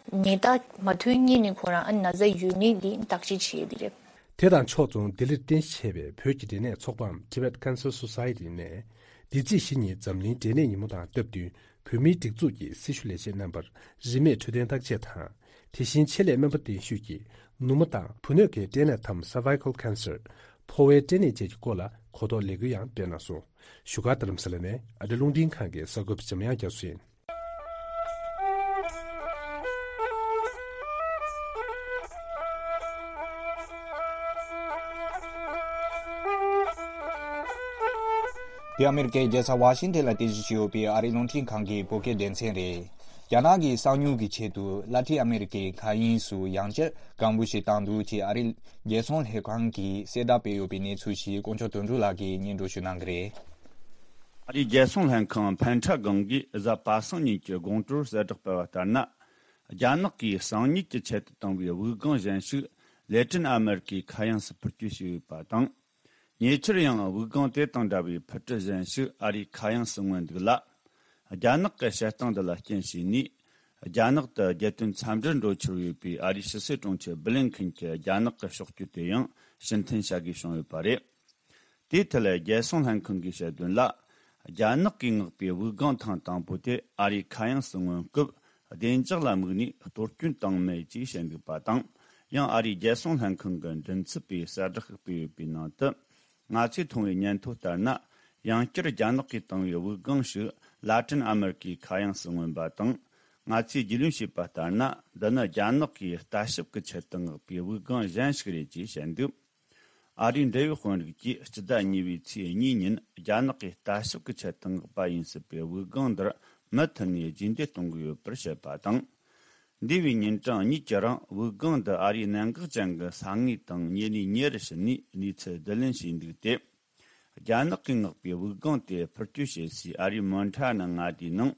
ནད་རྟགས་མ་ཐོན་སྔོན་ནས་ཁོ་རང་ཨ་ནི་ན་ཚ་ཡོད་མེད་འདི་བརྟག་དཔྱད་བྱེད་ཡ་དེ་རེད། དེ་དང་ཕྱོགས་མཚུངས་ལྡི་ལིར་རྟེན་གཞི་བྱས་པའི་བོད་ཀྱི་འབྲས་ནད་ཚོགས་པའམ་Tibet Cancer Society ནས། འདི་ཚེས་བཞི་ཉིན་འཛམ་གླིང་འབྲས་ནད་ཉིན་མོ་དང་སྟབས་བསྟུན་བོད་མིའི་སྒྲིག་འཛུགས་ཀྱི་སྲི་ཞུ་ལས་བྱེད་རྣམ་པར་རིན་མེད་འཕྲོད་བསྟེན་བརྟག་དཔྱད་དང་། དེ་བཞིན་ཆེད་ལས་སྨན་པ་གདན་ཞུས་ཀྱིས་ནུ་མ་དང་བུ་སྣོད་ཀྱི་སྐྲན་ནད་དམ་cervical cancer། ཕོ་བའི་སྐྲན་ནད་བཅས་ཀྱི་སྐོར་ལ་གོ་རྟོགས་ལས་འགུལ་ཡང་སྤེལ་གནང་སོང་། བཞུགས་སྒར་རྡ་རམ་ས་ལ་ནས་ཨ་རི་རླུང་འཕྲིན་ཁང་གི་གསར་འགོད་པ་འཇམ་དབྱངས་རྒྱ་མཚོ་ཡིན། འདི་ཨ་མེ་རི་ཀའི་རྒྱལ་ས་ཝ་ཤིང་ཏན་ལ་རྟེན་གཞི་བྱས་ཡོད་པའི་ཨ་རིའི་རླུང་འཕྲིན་ཁང་གི་བོད་སྐད་སྡེ་ཚན་རེད། རྒྱ་ནག་གིས་གསང་ཉུལ་གྱི་ཆེད་དུ་ལ་ཏིན་ཨ་མེ་རི་ཀའི་མཁའ་དབྱིངས་སུ་ཡང་བསྐྱར་སྒམ་པོ་ཞིག་བཏང་འདུག་ཅེས་ཨ་རིའི་རྒྱལ་སྲུང་ལྷན་ཁང་གིས་གསལ་བསྒྲགས་སྤེལ་ཡོད་པའི་གནས་ཚུལ་ཞིག་དཀོན་མཆོག་དོན་གྲུབ་ལགས་ཀྱིས་སྙན་སྒྲོན་ཞུ་གནང་གི་རེད། ཨ་རིའི་རྒྱལ་སྲུང་ལྷན་ཁང་ཕན་ཁྲ་སྒང་གིས་གཟའ་པ་སངས་ཉིན་གྱི་དགོང་དྲོར་གསལ་བསྒྲགས་སྤེལ་བ་ལྟར་ན། རྒྱ་ནག་གིས་གསང་ཉུལ་གྱི་ཆེད་དུ་བཏང་བའི་དབུགས་ལྒང་གཞན་ཞིག་ལེ་ཏིན་ཨ་མེ་རི་ཀའི་མཁའ་དབྱིངས་སུ་འཕུར་སྐྱོད་བྱས་ཡོད་པ་དང་། ཉེ་ཆར་ཡང་དབུགས་ལྒང་དེ་དང་འདྲ་བའི་འཕུར་གྲུ་གཞན་ཞིག་ཨ་རིའི་མཁའ་དབྱིངས་སུ་མངོན་འདུག་ལ། རྒྱ་ནག་གི་བཤད་སྟངས་འདི་ལ་རྐྱེན་བྱས་ནས། རྒྱ་ནག་ཏུ་རྒྱལ་དོན་འཚམས་འདྲིར་འགྲོ་འཆར་ཡོད་པའི་ཨ་རིའི་ཕྱི་སྲིད་དྲུང་ཆེ་སྦི་ལིན་ཁིན་གྱི་རྒྱ་ནག་གི་ཕྱོགས་བསྐྱོད་དེ་ཡང་ཕྱིར་འཐེན་བྱ་དགོས་བྱུང་ཡོད་པ་རེད། དེའི་ཐད་རྒྱལ་སྲུང་ལྷན་ཁང་གིས་བཤད་དོན་ལ། རྒྱ་ནག་གིས་མངགས་པའི་དབུགས་ལྒང་ཐེངས་དང་པོ་དེ་ཨ་རིའི་མཁའ་དབྱིངས་སུ་མངོན་སྐབས་བདེ་འཇགས་ལ་དམིགས་ནས་གཏོར་སྐྱོན་བཏང་མེད་ཅེས་བཤད་འདུག་པ་དང་། ཡང་ཨ་རིའི་རྒྱལ་སྲུང་ལྷན་ཁང་གི་མགྲིན་ཚབ་པས་གསལ་བསྒྲགས་ཤིག་སྤེལ་ཡོད་པའི་ནང་དུ། ང་ཚོས་མཐོང་བའི་སྙན་ཐོ་ལྟར་ན། ཡང་བསྐྱར་རྒྱ་ནག་གིས་བཏང་བའི་དབུགས་ལྒང་ཞིག་ལ་ཏིན་ཨ་མེ་རི་ཀའི་མཁའ་དབྱིངས་སུ་མངོན་པ་དང་། ང་ཚོས་རྒྱུས་ལོན་བྱས་པ་ལྟར་ན། འདི་ནི་རྒྱ་ནག་གིས་ལྟ་ཞིབ་ཀྱི་ཆེད་དུ་མངགས་པའི་དབུགས་ལྒང་གཞན་ཞིག་རེད་ཅེས་བཤད་འདུག་ཨ་རིའི་འབྲེལ་ཡོད་དཔོན་རིགས་ཀྱིས་སྤྱི་ཟླ་གཉིས་པའི་ཚེས་གཉིས་ཉིན་རྒྱ་ནག་གིས་ལྟ་ཞིབ་ཀྱི་ཆེད་དུ་མངགས་པ་ཡིན་སྲིད་པའི་དབུགས་ལྒང་འདིར་མུ་མཐུད་ནས་རྗེས་འདེད་གཏོང་གི་ཡོད་པར་བཤད་པ་དང་། འདས་པའི་ཉིན་གྲངས་གཉིས་ཀྱི་རིང་དབུགས་ལྒང་འདི་ཨ་རིའི་གནད་འགག་ཅན་གྱི་ས་ངོས་དང་ཉེ་ནས་ཉེ་རུ་ཕྱིན་ནས་གནས་ཚུལ་བསྡུ་ལེན་བྱས་འདུག་སྟེ། རྒྱ་ནག་གིས་མངགས་པའི་དབུགས་ལྒང་དེ་འཕུར་སྐྱོད་བྱེད་སའི་ཨ་རིའི་མོན་ཁྲ་ནི་མངའ་སྡེའི་ནང་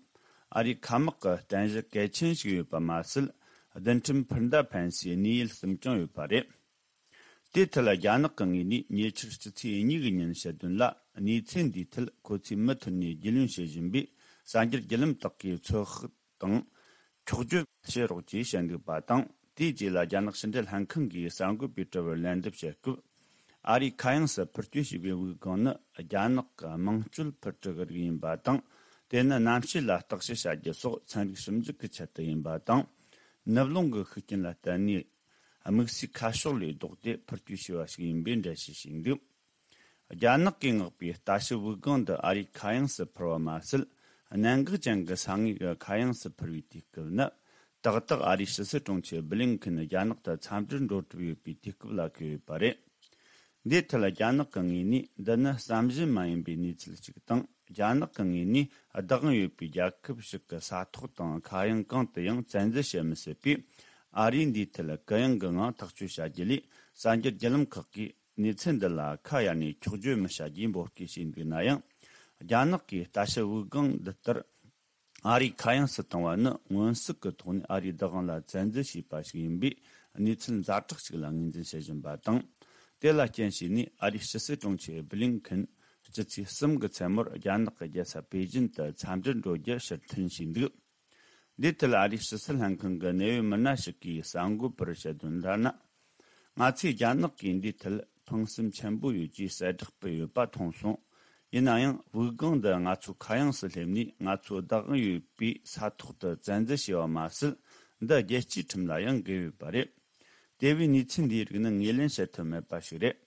ཨ་རིའི་མཁའ་དམག་གི་རྟེན་གཞི་གལ་ཆེན་ཞིག་ཡོད་པ་མ་ཟད། རྡུལ་ཕྲན་འཕུར་མདའ་འཕེན་སའི་གནས་ཡུལ་གསུམ་ཀྱང་ཡོད་པ་རེད། དེའི་ཐད་ལ་རྒྱ་ནག་གི་ངོས་ནས་ཉེ་ཆར་སྤྱི་ཚེས་གཉིས་ཀྱི་ཉིན་བཤད་དོན་ལ། གནས་ཚུལ་འདིའི་ཐད་ཁོ་ཚོས་མུ་མཐུད་ནས་རྒྱུས་ལོན་བྱེད་བཞིན་པས། གསར་འགྱུར་བརྒྱུད་ལམ་དག་གིས་ཚོད་དཔག་དང་འཁྱོག་བརྗོད་བྱེད་རོགས་ཅེས་བཤད་འདུག་པ་དང་། དེའི་རྗེས་ལ་རྒྱ་ནག་ཕྱི་འབྲེལ་ལྷན་ཁང་གིས་གསར་འགོད་པའི་དྲི་བར་ལན་འདེབས་བྱེད་སྐབས། ཨ་རིའི་མཁའ་དབྱིངས་སུ་འཕུར་སྐྱོད་བྱས་པའི་དབུགས་ལྒང་ནི་རྒྱ་ནག་གི་དམངས་སྤྱོད་འཕུར་གྲུ་གི་རིགས་ཡིན་པ་དང་། དེ་ནི་གནམ་གཤིས་ལ་བརྟག་དཔྱད་བྱ་རྒྱུ་སོགས་ཚན་རིག་ཞིབ་འཇུག་གི་ཆེད་དུ་ཡིན་པ་དང་། ནུབ་རླུང་གི་ཤུགས་རྐྱེན་ལ་བརྟེན་ནས་དམིགས་བསལ་ཁ་ཕྱོགས་ལས་ལྡོག་སྟེ་འཕུར་སྐྱོད་བྱས་པ་ཞིག་ཡིན་པའི་འགྲེལ་བཤད་བྱས་འདུག་རྒྱ་ནག་གིས་མངགས་པའི་ལྟ་ཞིབ་དབུགས་ལྒང་འདི་ཨ་རིའི་མཁའ་དབྱིངས་སུ་འཕུར་བ་མ་ཟད། གནད་འགག་ཅན་གྱི་ས་ངོས་ཀྱི་མཁའ་དབྱིངས་སུ་འཕུར་བའི་དུས་སྐབས་ནི། ཏག་ཏག་ཨ་རིའི་ཕྱི་སྲིད་དྲུང་ཆེ་བྷི་ལིན་ཁིན་རྒྱ་ནག་ཏུ་འཚམས་འདྲིར་འགྲོ་གྲབས་ཡོད་པའི་དུས་སྐབས་ལ་འཁེལ་ཡོད་པ་རེད། འདིའི་ཐད་རྒྱ་ནག་གི་ངོས་ནས་འདི་ནི་བསམ་བཞིན་མ་ཡིན་པའི་གནས་ཚུལ་ཞིག་དང་། རྒྱ་ནག་གི་ངོས་ནས་བདག་དབང་ཡོད་པའི་རྒྱལ་ཁབ་ཞིག་གི་ས་ཐོག་དང་མཁའ་དབྱིངས་གང་དུ་ཡང་བཙན་འཛུལ་བྱེད་མི་སྲིད་པས། ཨ་རིས་འདིའི་ཐད་གུ་ཡངས་ཀྱི་ངང་ཐག་གཅོད་བྱ་རྒྱུ་ལས། གསར་འགྱུར་བརྒྱུད་ལམ་ཁག་གིས་གནས་ཚུལ་འདི་ལ་ཁ་གཡར་ནས་འཁྱོག་བརྗོད་མི་བྱ་རྒྱུའི་འབོད་སྐུལ་བྱས་འདུག་ན་ཡང་། རྒྱ་ནག་གིས་ལྟ་ཞིབ་དབུགས་ལྒང་འདི་ལྟར་ཨ་རིའི་མཁའ་དབྱིངས་སུ་བཏང་བ་ནི་མངོན་གསལ་གྱི་ཐོག་ནས་ཨ་རིའི་བདག་དབང་ལ་བཙན་འཛུལ་བྱས་པ་ཞིག་ཡིན་པས། གནས་ཚུལ་ཛ་དྲག་ཅིག་ལ་ངོས་འཛིན་བྱེད་བཞིན་པ་དང་། དེ་ལ་རྐྱེན་བྱས་ནས་ཨ་རིའི་ཕྱི་སྲིད་དྲུང་ཆེ་བྷི་ལིན་ཁིན་སྤྱི་ཚེས་གསུམ་གྱི་མཚན་མོར་རྒྱ་ནག་གི་རྒྱལ་ས་པེ་ཅིན་དུ་འཚམས་འདྲིར་འགྲོ་རྒྱུ་ཕྱིར་འཐེན་བྱས་འདུག་འདིའི་ཐད་ཨ་རིའི་ཕྱི་སྲིད་ལྷན་ཁང་གི་གནད་ཡོད་མི་སྣ་ཞིག་གིས་གསར་འགོད་པར་བཤད་དོན་ལྟར་ན། ང་ཚོས་རྒྱ་ནག་གིས་འདིའི་ཐད་ཕངས་སེམས་ཆེན་པོ་ཡོད་ཅེས་གསལ་བསྒྲགས་སྤེལ་ཡོད་པ་མཐོང་སོང་། ཡིན་ན་ཡང་། དབུགས་ལྒང་འདི་ང་ཚོའི་མཁའ་དབྱིངས་སུ་སླེབས་ནས་ང་ཚོའི་བདག་དབང་ཡོད་པའི་ས་ཐོག་ཏུ་བཙན་འཛུལ་བྱས་པ་མ་ཟད། འདི་རྒྱལ་སྤྱིའི་ཁྲིམས་ལ་ཡང་འགལ་ཡོད་པ་རེད། དེ་བས་གནས་ཚུལ་འདིའི་རིགས་ནི་ངོས་ལེན་བྱེད་ཐུབ་མེད་པ་ཞིག་རེད།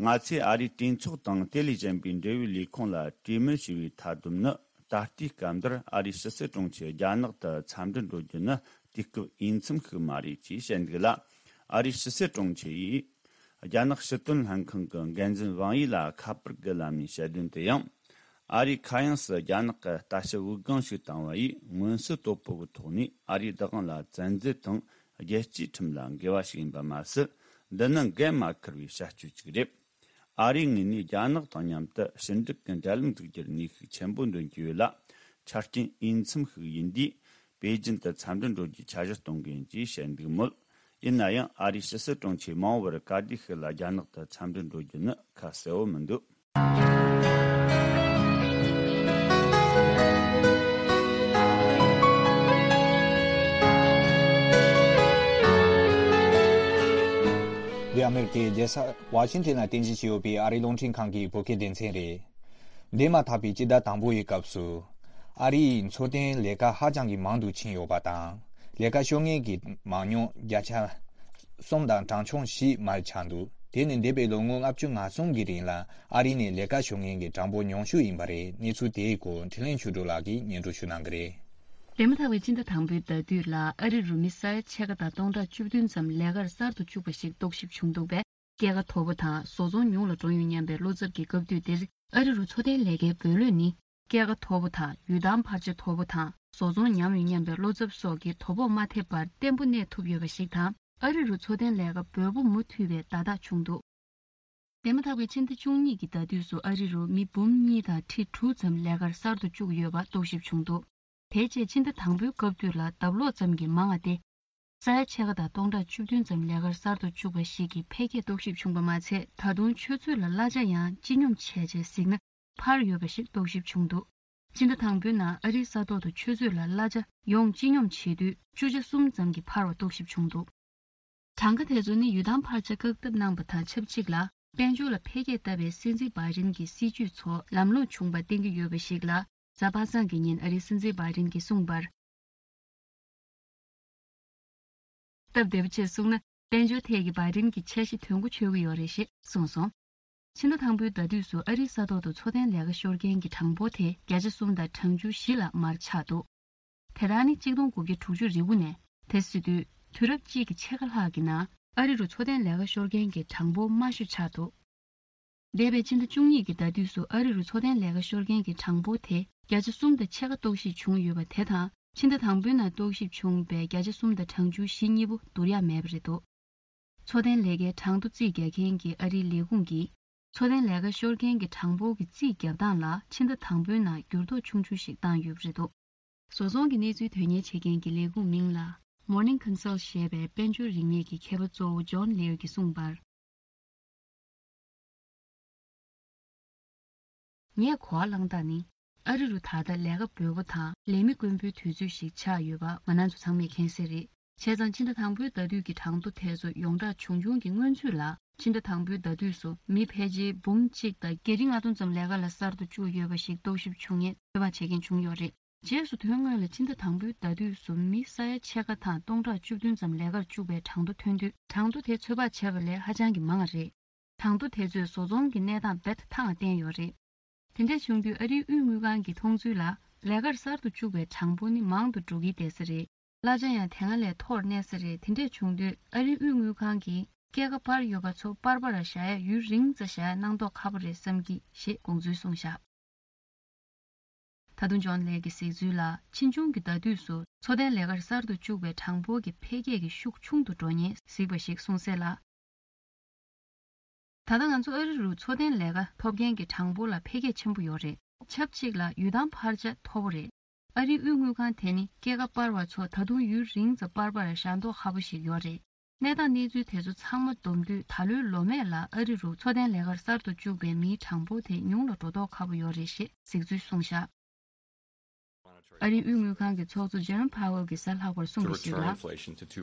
ང་ཚོས་ཨ་རིའི་གྲོས་ཚོགས་དང་དེ་ལས་གཞན་པའི་འབྲེལ་ཡོད་ལས་ཁུངས་ལ་གྲོས་མོལ་བྱས་པའི་མཐའ་སྡོམ་ནི། ད་ལྟའི་སྐབས་འདིར་ཨ་རིའི་ཕྱི་སྲིད་དྲུང་ཆེ་རྒྱ་ནག་ཏུ་འཚམས་འདྲིར་འགྲོ་རྒྱུ་ནི་དུས་སྐབས་འོས་འཚམ་ཞིག་མ་རེད་ཅེས་བཤད་འདུག་ལ། ཨ་རིའི་ཕྱི་སྲིད་དྲུང་ཆེ་ཡིས་རྒྱ་ནག་ཕྱི་དོན་ལྷན་ཁང་གི་འགན་འཛིན་ཝང་ཡི་ལ་ཁ་པར་གྱི་ལམ་ནས་བཤད་དོན་དུ་ཡང་། ཨ་རིའི་མཁའ་དབྱིངས་སུ་རྒྱ་ནག་གི་ལྟ་ཞིབ་དབུགས་ལྒང་ཞིག་བཏང་བ་ཡིས་མངོན་གསལ་དོད་པོ་གི་ཐོག་ནས་ཨ་རིའི་བདག་དབང་ལ་བཙན་འཛུལ་དང་རྒྱལ་སྤྱིའི་ཁྲིམས་ལ་འགལ་བ་ཞིག་ཡིན་པ་མ་ཟད། འདི་ནི་འགན་མ་འཁུར་བའི་བྱ་སྤྱོད་ཅིག་རེད། ཨ་རིའི་ངོས་ནས་རྒྱ་ནག་དང་མཉམ་དུ་ཕྱི་འབྲེལ་གྱི་འབྲེལ་ལམ་འཛུགས་རྒྱུར་ནུས་ཤུགས་ཆེན་པོ་འདོན་གྱི་ཡོད་ལ། ཆ་རྐྱེན་འོས་འཚམ་ཞིག་ཡིན་དུས། པེ་ཅིན་དུ་འཚམས་འདྲིར་འགྲོ་རྒྱུའི་འཆར་གཞི་གཏོང་གི་ཡིན་ཅེས་བཤད་འདུག་མོད། ཡིན་ན་ཡང་ཨ་རིའི་ཕྱི་སྲིད་དྲུང་ཆེ་མ་འོངས་པར་ག་དུས་ཤིག་ལ་རྒྱ་ནག་ཏུ་འཚམས་འདྲིར་འགྲོ་རྒྱུ་ནི་ཁ་གསལ་བོ་མི་འདུག་འདི་ཨ་མེ་རི་ཀའི་རྒྱལ་ས་ཝ་ཤིང་ཊོན་ལ་རྟེན་གཞི་བྱས་ཡོད་པའི་ཨ་རིའི་རླུང་འཕྲིན་ཁང་གི་བོད་སྐད་སྡེ་ཚན་རེད། འདས་མ་ཐག་པའི་སྤྱི་ཟླ་དང་པོ་ཡི་སྐབས་སུ། ཨ་རི་ཡིས་འཚོ་རྟེན་ལས་ཀ་ཧ་ཅང་གི་མང་དུ་ཕྱིན་ཡོད་པ་དང་། ལས་ཀ་ཤོར་མཁན་གྱི་མང་ཉུང་བརྒྱ་ཆ་གསུམ་དང་གྲངས་ཆུང་བཞི་མར་ཆག་འདུག་དེ་ནི་འདས་པའི་ལོ་ངོ་ལྔ་བཅུ་ང་གསུམ་གྱི་རིང་ལ་ཨ་རི་ནས་ལས་ཀ་ཤོར་མཁན་གྱི་གྲངས་འབོར་ཉུང་ཤོས་ཡིན་པ་རེད། གནས་ཚུལ་དེའི་སྐོར་འཕྲིན་ལས་ཆོས་སྒྲོན་ལགས་ཀྱིས་སྙན་སྒྲོན་ཞུ་གནང་གི་རེད། འདས་མ་ཐག་པའི་སྤྱི་ཟླ་དང་པོའི་ཟླ་དུས་ལ་ཨ་རི་རུ་མི་ས་ཡ་ཕྱེད་ཀ་དང་སྟོང་ཕྲག་བཅུ་བདུན་ཙམ་ལས་ཀར་གསར་དུ་བཅུག་པ་ཞིག་རྟོག་ཞིབ་བྱུང་འདུག་པས། སྐྱེད་ཀ་མཐོ་པོ་དང་བཟོ་ཚོང་ཉུང་ལ་འགྲོ་ཡོང་སྙམ་པའི་བློ་འཚབ་ཀྱི་སྐབས་དུས་འདིར། ཨ་རི་རུ་འཚོ་རྟེན་ལས་ཀའི་འབོད་བློས་ནི། སྐྱེད་ཀ་མཐོ་པོ་དང་ཡུལ་ཐང་འཕར་ཆ་མཐོ་པོ་དང་བཟོ་ཚོང་ཉམས་ཡོང་སྙམ་པའི་བློ་འཚབ་སོགས་ཀྱི་དོ་ཕོག་མ་ཐེབས་པར་བརྟན་པོ་གནས་ཐུབ་ཡོད་པ་ཞིག་དང་། ཨ་རི་རུ་འཚོ་རྟེན་ལས་ཀ་འབོལ་པོ་མུ་མཐུད་པའི་བརྡ་རྟགས་བྱུང་འདུག་འདས་མ་ཐག་པའི་ཕྱི་ཟླ་བཅུ་གཉིས་ཀྱི་ཟླ་དུས་སུ་ཨ་རི་རུ་མི་འབུམ་གཉིས་དང་ཁྲི་དྲུག་ཙམ་ལས་ཀར་གསར་དུ་བཅུག་ཡོད་པ་རྟོག་ཞིབ་བྱུང་འདུག་དེ་རྗེས་ཕྱི་ཟླ་དང་པོའི་སྐབས་དུས་ལ་ལྡབ་ལོག་ཙམ་གྱིས་མང་བ་སྟེ། ས་ཡ་ཕྱེད་ཀ་དང་སྟོང་ཕྲག་བཅུ་བདུན་ཙམ་ལས་ཀར་གསར་དུ་བཅུག་པ་ཞིག་གི་འཕེལ་རྒྱས་རྟོག་ཞིབ་བྱུང་པ་མ་ཚད། ད་དུང་ཆུ་ཚོད་ལ་གླ་ཆ་ཡང་སྤྱི་སྙོམས་བྱས་རྗེས་གཟིགས་ན་འཕར་ཡོད་པ་ཞིག་རྟོག་ཞིབ་བྱུང་འདུག་ཕྱི་ཟླ་དང་པོའི་ནང་ཨ་རིའི་ས་ཐོག་ཏུ་ཆུ་ཚོད་ལ་གླ་ཆ་ཡོངས་སྤྱི་སྙོམས་བྱེད་དུས་བཅུ་ཆ་གསུམ་ཙམ་གྱིས་འཕར་བ་རྟོག་ཞིབ་བྱུང་འདུག་གྲངས་ཀ་དེ་ཚོ་ནི་ཡུལ་ཐང་འཕར་ཆ་བཀག་ཐབས་གནང་པ་དང་ཆབས་ཅིག་ལ། དཔལ་འབྱོར་ལ་འཕེལ་རྒྱས་བཏབ་པའི་སྲིད་འཛིན་བྷའི་ཌེན་གྱི་སྲིད་ཇུས་ཚོ་ལམ་ལྷོང་བྱུང་བ་བསྟན་གྱི་ཡོད་པ་ཞིག་ལ། གཟའ་པ་སངས་ཀྱི་ཉིན་ཨ་རིའི་སྲིད་འཛིན་བྷའི་ཌེན་གྱིས་གསུངས་པར། སྟབས་བདེ་པོ་བྱས་གསུངས་ན། དཔལ་འབྱོར་ཐད་ཀྱི་བྷའི་ཌེན་གྱི་འཆར་གཞི་དོན་གོ་ཆོད་ཀྱི་ཡོད་རེད་ཞེས་གསུངས་སོང་། ཕྱི་ཟླ་དང་པོའི་ཟླ་དུས་སུ་ཨ་རིའི་ས་ཐོག་ཏུ་འཚོ་རྟེན་ལས་ཀ་ཤོར་མཁན་གྱི་གྲངས་འབོར་དེ་བརྒྱ་ཆ་གསུམ་དང་གྲངས་ཆུང་བཞི་ལ་མར་ཆག་འདུག་དེ་དག་ནི་གཅིག་སྟོང་དགུ་བརྒྱ་དྲུག་ཅུ་རེ་དགུ་ནས། དེ་སྲིད་དུས་དུས་རབས་གཅིག་གི་ཕྱེད་ཀ་ལྷག་གི་ནང་ཨ་རི་རུ་འཚོ་རྟེན་ལས་ཀ་ཤོར་མཁན་གྱི་གྲངས་འབོར་དམའ་ཤོས་ཆགས་འདུག་འདས་པའི་ཕྱི་ཟླ་བཅུ་གཉིས་ཀྱི་ཟླ་དུས་སུ་ཨ་རི་རུ་འཚོ་རྟེན་ལས་ཀ་ཤོར་མཁན་གྱི་གྲངས་འབོར་དེ་བརྒྱ་ཆ་གསུམ་དང་ཕྱེད་ཀ་རྟོག་ཞིབ་བྱུང་ཡོད་པ་དེ་དང་། ཕྱི་ཟླ་དང་པོའི་ནང་རྟོག་ཞིབ་བྱུང་བའི་བརྒྱ་ཆ་གསུམ་དང་གྲངས་ཆུང་བཞི་གཉིས་པོ་བསྡུར་ཡག་མེད་པ་རེད་འདུག་འཚོ་རྟེན་ལས་ཀའི་གྲངས་ཐོ་རྩིས་རྒྱག་མཁན་གྱི་ཨ་རིའི་ལས་ཁུངས་ཀྱིས། འཚོ་རྟེན་ལས་ཀ་ཤོར་མཁན་གྱི་གྲངས་འབོར་གྱི་རྩིས་རྒྱག་སྟངས་ལ་ཕྱི་ཟླ་དང་པོའི་ནང་འགྱུར་ལྡོག་ཆུང་ཆུང་ཞིག་བཏང་ཡོད་པ་རེད་འདུག་བཟོ་ཚོང་གི་གནས་ཚུལ་དོན་གཉེར་བྱེད་མཁན་གྱི་ལས་ཁུངས་མིང་ལ་Morning Consult ཞེས་པའི་དཔལ་འབྱོར་རིག་གནས་ཀྱི་མཁས་པ་གཙོ་བོ་ཇོན་ལེའུ་གིས་གསུངས་པར། ངས་གོ་བ་བླངས་སྟངས་ནི། ཨ་རི་རུ་ད་ལྟ་ལས་ཀ་འབོལ་པོ་དང་ལས་མི་དཀོན་པོའི་དུས་ཚོད་ཞིག་ཆགས་ཡོད་པ་ང་རང་ཚོ་ཚང་མས་མཁྱེན་གསལ་རེད། བྱས་ཙང་ཕྱི་ཟླ་དང་པོའི་ཟླ་དུས་ཀྱི་གྲངས་ཐོ་དེ་ཚོ་ཡོངས་གྲགས་བྱུང་བྱུང་གི་སྔོན་ཚུད་ལ། ཕྱི་ཟླ་དང་པོའི་ཟླ་དུས་སུ་མི་ཕལ་ཆེར་འབུམ་གཅིག་དང་བརྒྱད་ཁྲི་ལྔ་སྟོང་ཙམ་ལས་ཀ་ལ་གསར་དུ་བཅུག་ཡོད་པ་ཞིག་རྟོག་ཞིབ་བྱུང་ཡས་ཚོད་དཔག་བྱེད་མཁན་བྱུང་ཡོད་རེད། རྗེས་སུ་དོན་དངོས་ལ་ཕྱི་ཟླ་དང་པོའི་ཟླ་དུས་སུ་མི་ས་ཡ་ཕྱེད་ཀ་དང་སྟོང་ཕྲག་བཅུ་བདུན་ཙམ་ལས་ཀར་བཅུག་པའི་གྲངས་ཐོ་ཐོན་དུས། གྲངས་ཐོ་དེ་ཚོད་དཔག་བྱས་པ་ལས་ཧ་ཅང་གི་མང་བ་རེད། གྲངས་ཐོ་དེ་ཚོས་བཟོ་ཚོང་གི་གནས་སྟངས་རྦད་དེ་ཐང་ལ་བསྟན་ཡོད་རེད། དེ་འདྲ་བྱུང་དུས་ཨ་རིའི་དབུས་དངུལ་ཁང་གི་མཐོང་ཚུལ་ལ། ལས་ཀར་གསར་དུ་བཅུག་པའི་གྲངས་འབོར་ནི་མང་དུ་འགྲོ་གི་བསྡད་ས་རེད། གླ་ཆ་ཡང་དེ་སྔ་ལས་མཐོར་གནས་ས་རེད། དེ་འདྲ་བྱུང་དུས་ཨ་རིའི་དབུས་དངུལ་ཁང་གིས་སྐྱེད་ཀ་སྤར་ཡོད་པ་ཚོ་པར་པར་བཞག་ཡ་ཡུན་རིང་ཙམ་བཞག་ཡ་གནང་མདོག་ཁ་པོ་རེད་བསམ་གི་ཞེས་དགོངས་ཚུལ་གསུངས་བཞག་ད་དུང་ཇོན་ལེག་གིས་གཟིགས་ཚུལ་ལ། ཕྱིས་འབྱུང་གི་ཟླ་དུས་སུ་འཚོ་རྟེན་ལས་ཀར་གསར་དུ་བཅུག་པའི་གྲངས་འབོར་གྱི་འཕེལ་རྒྱས་ཀྱི་ཤུགས་ཆུང་དུ་འགྲོ་ཉེན་གཟིགས་པ་ཞིག་གསུངས་གསལ་ལ། ད་ལྟ་ང་ཚོ་ཨ་རི་རུ་འཚོ་རྟེན་ལས་ཀ་ཐོབ་མཁན་གྱི་གྲངས་འབོར་ལ་འཕེལ་རྒྱས་ཆེན་པོ་ཡོད་རེད། ཆབས་ཅིག་ལ་ཡུལ་ཐང་འཕར་ཆ་མཐོ་པོ་རེད། ཨ་རིའི་དབུས་དངུལ་ཁང་དེ་ནི་སྐྱེད་ཀ་སྤར་བ་ཚོ་ད་དུང་ཡུན་རིང་ཙམ་པར་པར་བཞག་མདོག་ཁ་པོ་ཞིག་ཡོད་རེད། གནས་སྟངས་གནས་ཚུལ་དེ་ཚོ་ཚང་མ་བསྡོམས་དུས་ད་ལོའི་ལོ་སྨད་ལ་ཨ་རི་རུ་འཚོ་རྟེན་ལས་ཀར་གསར་དུ་བཅུག་པའི་མིའི་གྲངས་འབོར་དེ་ཉུང་ལ་འགྲོ་མདོག་ཁ་པོ་ཡོད་རེད་ཞེས་གཟིགས་ཚུལ་གསུངས་བཞག་ཨ་རིའི་དབུས་དངུལ་ཁང་གི་ཚོགས་གཙོ་ཇེ་རོམ་ཕ་ཝེལ་གྱིས་གཟའ་ལྷག་པར་གསུངས་པ་ཞིག་ལ། དཔལ་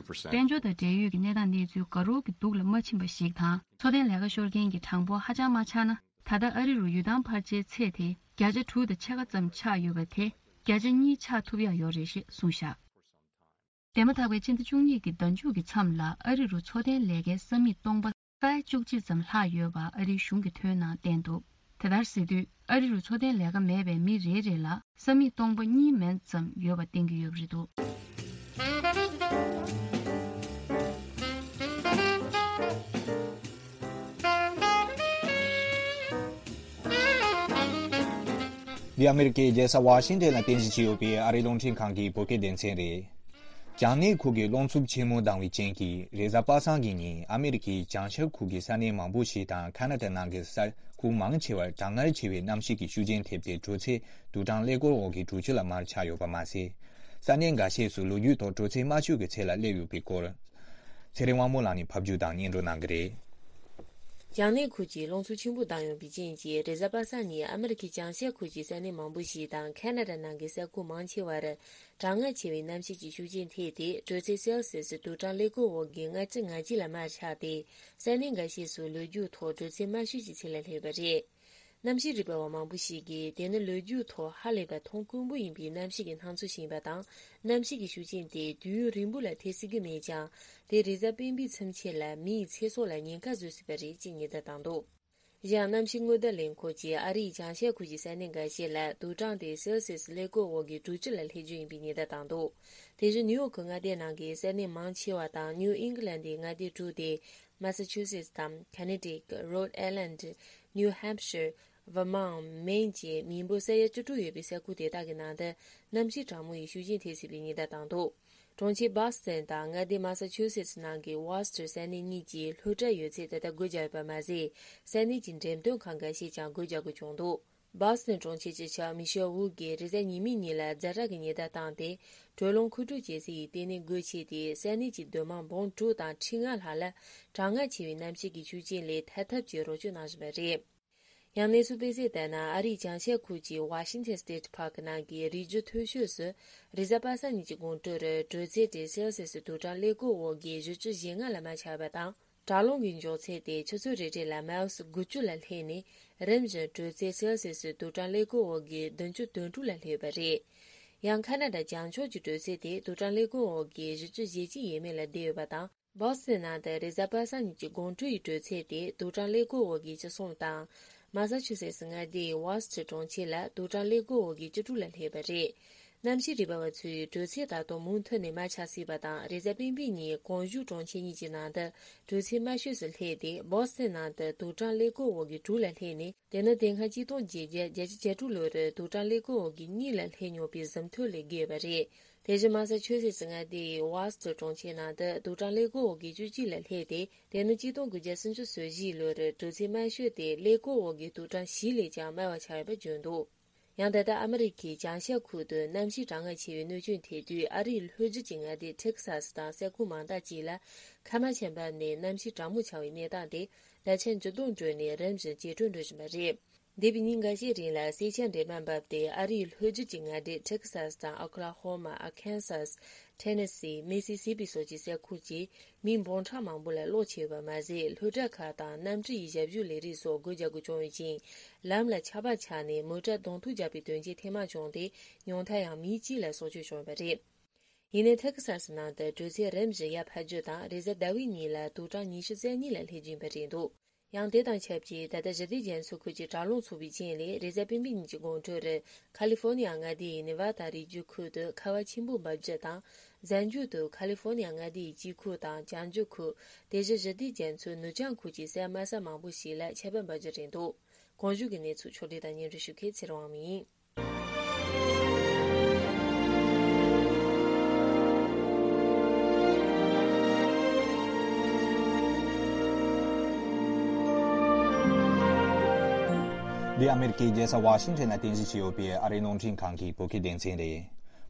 འབྱོར་དང་འབྲེལ་ཡོད་ཀྱི་གནས་སྟངས་གནས་ཚུལ་དགའ་རབ་ཀྱི་སྡུག་ལ་མ་ཕྱིན་པ་ཞིག་དང་། འཚོ་རྟེན་ལས་ཀ་ཤོར་མཁན་གྱི་གྲངས་འབོར་ཧ་ཅང་མ་ཆག་ན། ད་ལྟ་ཨ་རི་རུ་ཡུལ་ཐང་འཕར་ཆའི་ཚད་དེ་བརྒྱ་ཆ་དྲུག་དང་ཕྱེད་ཀ་ཙམ་ཆག་ཡོད་པ་དེ་བརྒྱ་ཆ་གཉིས་ཆག་ཐུབ་ཡག་ཡོད་རེད་ཞེས་གསུངས་བཞག་དེ་མ་ཐག་པའི་ཕྱི་ཟླ་བཅུ་གཉིས་ཀྱི་ཟླ་མཇུག་གི་མཚམས་ལ་ཨ་རི་རུ་འཚོ་རྟེན་ལས་ཀའི་ས་མིག་སྟོང་པ་ས་ཡ་བཅུ་གཅིག་ཙམ་ལྷག་ཡོད་པ་ཨ་རིའི་གཞུང་གིས་ཐོན་ནང་བསྟན་འདུག་དེ་ལྟར་ཟེར་དུས་ཨ་རི་རུ་འཚོ་རྟེན་ལས་ཀ་མེད་པའི་མི་རེ་རེ་ལ་ས་མིག་སྟོང་པ་གཉིས་མན་ཙམ་ཡོད་པ་བསྟན་གྱི་ཡོད་པ་རེད་འདུག་འདི་ཨ་མེ་རི་ཀའི་རྒྱལ་ས་ཝ་ཤིང་ཏན་ལ་རྟེན་གཞི་བྱས་ཡོད་པའི་ཨ་རིའི་རླུང་འཕྲིན་ཁང་གི་བོད་སྐད་སྡེ་ཚན་རེད། རྒྱང་ནས་ཁུལ་གྱི་རླུང་འཚུབ་ཆེན་མོ་ལྡང་བའི་རྐྱེན་གྱིས། རེས་གཟའ་པ་སངས་ཀྱི་ཉིན་ཨ་མེ་རི་ཀའི་བྱང་ཤར་ཁུལ་གྱི་ས་གནས་མང་པོ་ཞིག་དང་། ཁ་ན་ཌ་ནང་གི་ས་ཁུལ་མང་ཆེ་བར་གྲང་ངར་ཆེ་བའི་གནམ་གཤིས་ཀྱི་ཤུགས་རྐྱེན་ཐེབས་ཏེ། དྲོད་ཚད་དུག་སྦྲང་ཀླད་ཀོར་འོག་གི་དྲོད་སྐྱིད་ལ་མར་ཆག་ཡོད་པ་མ་ཟད། ས་གནས་འགའ་ཤས་སུ་ལོ་རྒྱུས་ཐོག་དྲོད་ཚད་དམའ་ཤོས་ཀྱི་ཚད་ལ་སླེབས་ཡོད་པའི་སྐོར། ཚེ་རིང་དབང་མོ་ལགས་ནས་ཕབ་སྒྱུར་དང་སྙན་སྒྲོན་གནང་གི་རེད། རྒྱང་ནས་ཁུལ་གྱི་རླུང་འཚུབ་ཆེན་པོ་ལྡང་ཡོང་བའི་རྐྱེན་གྱིས། རེས་གཟའ་པ་སངས་ཉིན་ཨ་མེ་རི་ཁའི་བྱང་ཤར་ཁུལ་གྱི་ས་གནས་མང་པོ་ཞིག་དང་། ཁ་ན་ཌ་ནང་གི་ས་ཁུལ་མང་ཆེ་བར་གྲང་ངར་ཆེ་བའི་གནམ་གཤིས་ཀྱི་ཤུགས་རྐྱེན་ཐེབས་ཏེ། དྲོད་ཚད་སེལ་སི་སི་དུག་སྦྲང་ཀླད་ཀོར་འོག་གི་ལྔ་བཅུ་ང་གཅིག་ལ་མར་ཆག་སྟེ། ས་གནས་འགའ་ཤས་སུ་ལོ་རྒྱུས་ཐོག་དྲོད་ཚད་དམའ་ཤོས་ཀྱི་ཚད་ལ་སླེབས་པ་རེད། གནམ་གཤིས་རིག་པ་བ་མང་པོ་ཞིག་གིས། དེ་ནི་ལོ་རྒྱུས་ཐོག་ཧ་ལས་པ་མཐོང་དཀོན་པོ་ཡིན་པའི་གནམ་གཤིས་ཀྱི་སྣང་ཚུལ་ཞིག་ཡིན་པ་དང་། གནམ་གཤིས་ཀྱི་ཤུགས་རྐྱེན་དེ་དུས་ཡུན་རིང་པོ་ལ་ཐེབས་སྲིད་ཀྱི་མེད་ཀྱང་། དེ་རེས་གཟའ་སྤེན་པའི་མཚམས་ཕྱེད་ལ་མིའི་ཚེ་སྲོག་ལ་ཉེན་ཁ་བཟོ་སྲིད་པ་རེད་ཅེས་ཉེན་བརྡ་བཏང་འདུག་གཞན། གནམ་གཤིས་སྔོན་བརྡ་ལས་ཁུངས་ཀྱིས་ཨ་རིའི་བྱང་ཤར་ཁུལ་གྱི་ས་གནས་འགའ་ཤས་ལ་དུག་སྦྲང་དེ་སེལ་སི་སི་ཀླད་ཀོར་འོག་གི་དྲོད་སྐྱིད་ལ་སླེབས་རྒྱུ་ཡིན་པའི་ཉེན་བརྡ་བཏང་འདུག་དེ་བཞིན་ནིའུ་ཡོག་གི་མངའ་སྡེ་ནང་གི་ས་གནས་མང་ཆེ་བ་དང་། ནིའུ་ཨིང་ལན་ཌའི་མངའ་སྡེ་དྲུག་སྟེ། མ་ས་ཆུ་སེ་ཊི་དང་། ཁ་ནེ་ཊི་ཀེ་ཊི། རོཌ་ཨའི་ལན་ཌི། ནིའུ་ཧེམ་ཤར། ཝར་མོན་ཊི། མེན་བཅས་མི་འབོར་ས་ཡ་བཅུ་དྲུག་ཡོད་པའི་ས་ཁུལ་དེ་དག་གི་ནང་དུ་གནམ་གཤིས་གྲང་མོ་ཡི་ཤུགས་རྐྱེན་ཐེབས་སྲིད་པའི་ཉེན་བརྡ་བཏང་འདུག་གྲོང་ཁྱེར་སྦོ་སི་ཊོན་དང་མངའ་སྡེ་མ་ས་ཆུ་སེ་ཊི་ནང་གི་ཝོ་སི་ཊར་ས་གནས་གཉིས་ཀྱིས་སློབ་གྲྭ་ཡོད་ཚད་ད་ལྟ་སྒོ་བརྒྱབ་ཡོད་པ་མ་ཟད། ས་གནས་ཀྱི་འགྲེམས་སྟོན་ཁང་འགའ་ཤས་ཀྱང་སྒོ་རྒྱག་དགོས་བྱུང་འདུག་སྦོ་སི་ཊོན་གྲོང་ཁྱེར་སྤྱི་ཁྱབ་མི་ཤེལ་ཝུ་གིས་རེས་གཟའ་ཉི་མའི་ཉིན་ལ་ཛ་དྲག་གི་ཉེན་བརྡ་བཏང་སྟེ། དྲོད་རླུང་མཁོ་སྤྲོད་བྱེད་སའི་ལྟེ་གནས་སྒོ་ཕྱེ་སྟེ། ས་གནས་ཀྱི་སྡོད་དམངས་འབུམ་དྲུག་དང་ཁྲི་ལྔ་ལྷག་ལ་གྲང་ངར་ཆེ་བའི་གནམ་གཤིས་ཀྱི་ཤུགས་རྐྱེན་ལས་ཐར་ཐབས་ཀྱི་རོགས་སྐྱོར་གནང་བཞིན་པ་རེད། ཡང་གནས་ཚུལ་སྤེལ་གསལ་ལྟར་ན། ཨ་རིའི་བྱང་ཤར་ཁུལ་གྱི་ཝ་ཤིང་ཐན་སི་ཊེ་ཊི་པཱར་ཀི་ནང་གི་རི་རྒྱུད་མཐོ་ཤོས་སུ། རེས་གཟའ་པ་སངས་ཉིན་གྱི་དགོང་དྲོ་རུ་དྲོད་ཚད་དེ་སེལ་སི་སི་དུག་སྦྲང་ཀླད་ཀོར་འོག་གི་བཞི་བཅུ་ཞེ་ལྔ་ལ་མར་ཆག་པ་དང་། དྲག་རླུང་གི་མགྱོགས་ཚད་དེ་ཆུ་ཚོད་རེ་རེ་ལ་མའིལ་དགུ་བཅུ་ལ་སླེབས་ནས། རིམ་བཞིན་དྲོད་ཚད་སེལ་སི་སི་དུག་སྦྲང་ཀླད་ཀོར་འོག་གི་བདུན་ཅུ་དོན་དྲུག་ལ་སླེབས་པ་རེད། ཡང་ཁ་ན་ཌ་བྱང་ཕྱོགས་ཀྱི་དྲོད་ཚད་དེ་དུག་སྦྲང་ཀླད་ཀོར་འོག་གི་བཞི་བཅུ་ཞེ་གཅིག་ཡས་མས་ལ་བསྡད་ཡོད་པ་དང་། སྦོ་སི་ཊོན་ནང་དུ་རེས་གཟའ་པ་སངས་ཉིན་གྱི་དགོང་དྲོ་ཡི་དྲོད་ཚད་དེ་དུག་སྦྲང་ཀླད་ཀོར་འོག་གི་བཅུ་གསུམ་དང་། མ་ས་ཆུ་སེ་ཊི་མངའ་སྡེའི་ཝོ་སི་ཊར་གྲོང་ཁྱེར་ལ་དུག་སྦྲང་ཀླད་ཀོར་འོག་གི་བཅུ་དྲུག་ལ་སླེབས་པ་རེད། གནམ་གཤིས་རིག་པ་བ་ཚོས་དྲོད་ཚད་ད་དུང་མུ་མཐུད་ནས་མར་ཆག་སྲིད་པ་དང་། རེས་གཟའ་སྤེན་པའི་ཉིན་གོང་ཞུས་གྲོང་ཁྱེར་གཉིས་ཀྱི་ནང་དུ་དྲོད་ཚད་དམའ་ཤོས་སུ་སླེབས་ཏེ། སྦོ་སི་ཊོན་ནང་དུ་དུག་སྦྲང་ཀླད་ཀོར་འོག་གི་དྲུག་ལ་སླེབས་ནས། དེ་ནི་དེ་སྔ་གཅིག་སྟོང་བརྒྱད་བརྒྱ་བརྒྱད་ཅུ་གྱ་དྲུག་ལོ་རུ་དུག་སྦྲང་ཀླད་ཀོར་འོག་གི་གཉིས་ལ་སླེབས་མྱོང་བའི་ཟིན་ཐོ་ལས་བརྒལ་བ་རེད། དེ་བཞིན་མ་ས་ཆུ་སེ་ཊི་མངའ་སྡེའི་ཝོ་སི་ཊར་གྲོང་ཁྱེར་ནང་དུ་དུག་སྦྲང་ཀླད་ཀོར་འོག་གི་བཅུ་གཅིག་ལ་སླེབས་ཏེ། དེ་ནི་གཅིག་སྟོང་དགུ་བརྒྱ་སུམ་ཅུ་སོ་བཞི་ལོ་རུ་དྲོད་ཚད་དམའ་ཤོས་དེ་ཀླད་ཀོར་འོག་གི་དུག་སྦྲང་བཞི་ལས་ཀྱང་དམའ་བ་ཆགས་ཡོད་པ་བརྗོད་འདུག་ཡང་ད་ལྟ་ཨ་མི་རི་ཀའི་བྱང་ཤར་ཁུལ་དུ་གནམ་གཤིས་གྲང་ངར་ཆེ་བའི་གནོད་སྐྱོན་ཐེབས་དུས། ཨ་རིའི་ལྷོ་རྒྱུད་ཀྱི་མངའ་སྡེ་ཊེག་སཱ་སི་དང་ས་ཁུལ་མང་དག་ཅིག་ལ་ཁ་མ་ཆེམས་པ་ནས་གནམ་གཤིས་གྲང་མོ་ཆགས་པའི་གནས་སྟངས་དེ་བརྒྱ་ཆ་བཅུ་སྟོང་བགྲོད་ནས་རིམ་བཞིན་ཇེ་དྲག་འགྲོ་བཞིན་པ་རེད། འདས་པའི་ཉིན་འགའ་ཤས་རིང་ལ་སེར་ཆ་འདྲེས་མ་བབས་ཏེ། ཨ་རིའི་ལྷོ་རྒྱུད་ཀྱི་མངའ་སྡེ་ཊེག་སཱས་དང་ཨོ་ཁ་ལ་ཧོ་མ། ཨར་ཁན་སཱས། ཊེ་ནེ་སི། མི་སི་སི་པི་སོགས་ཀྱི་ས་ཁུལ་གྱི་མི་འབུམ་ཕྲག་མང་པོ་ལ་གློག་ཆད་པ་མ་ཟད། སློབ་གྲྭ་ཁག་དང་གནམ་གྲུ་ཡི་ཞབས་ཞུ་ལས་རིགས་སོགས་སྒོ་རྒྱག་དགོས་བྱུང་ཡོད་ཅིང་། ལམ་ལ་ཆར་པ་ཆགས་ནས་མོ་ཊ་གདོང་ཐུག་བརྒྱབ་པའི་དོན་རྐྱེན་ཐེངས་མང་བྱུང་སྟེ། ཉུང་མཐར་ཡང་མི་གཅིག་ལ་སྲོག་སྐྱོན་བྱུང་ཡོད་པ་རེད། ཡིན་ནའི་ཊེག་སཱས་ནང་དུ་དྲོད་ཚད་རིམ་བཞིན་ཡར་འཕར་རྒྱུ་དང་། རེས་གཟའ་ཟླ་བའི་ཉིན་ལ་དུག་གྲངས་ཉི་ཤུ་རྩ་གཉིས་ལ་སླེབས་ཀྱིན་པ་རེད་འདུག་ཡང་དེ་དང་ཆབས་ཅིག་ད་ལྟ་ཞི་བདེ་རྒྱ་མཚོའི་ཁུལ་གྱི་དྲག་རླུང་འཚུབ་པའི་རྐྱེན་ལས། རེས་གཟའ་སྤེན་པའི་ཉིན་གྱི་དགོང་དྲོ་རུ་ཁ་ལི་ཧྥོ་ནི་ཡ་མངའ་སྡེ་ཡི་ནེ་ཝ་ད་རི་རྒྱུད་ཁུལ་དུ་ཁ་བ་ཆེན་པོ་འབབ་རྒྱུ་དང་། གཟའ་མཇུག་ཏུ་ཁ་ལི་ཧྥོ་ནི་ཡ་མངའ་སྡེ་ཡི་དཀྱིལ་ཁུལ་དང་བྱང་ཕྱོགས་ཁུལ། དེ་བཞིན་ཞི་བདེ་རྒྱ་མཚོའི་ནུབ་བྱང་ཁུལ་གྱི་ས་དམའ་ས་མང་པོ་ཞིག་ལ་ཆར་པ་འབབ་རྒྱུ་རེད་འདུག་གོང་ཞུས་ཀྱི་གནས་ཚུལ་ཕྱོགས་སྒྲིག་དང་སྙན་སྒྲོན་ཞུ་མཁན་ཚེ་རིང་དབང་མོ་ཡིན། འདི་ཨ་མེ་རི་ཀའི་རྒྱལ་ས་ཝ་ཤིང་ཊོན་ལ་རྟེན་གཞི་བྱས་ཡོད་པའི་ཨ་རིའི་རླུང་འཕྲིན་ཁང་གི་བོད་སྐད་སྡེ་ཚན་རེད།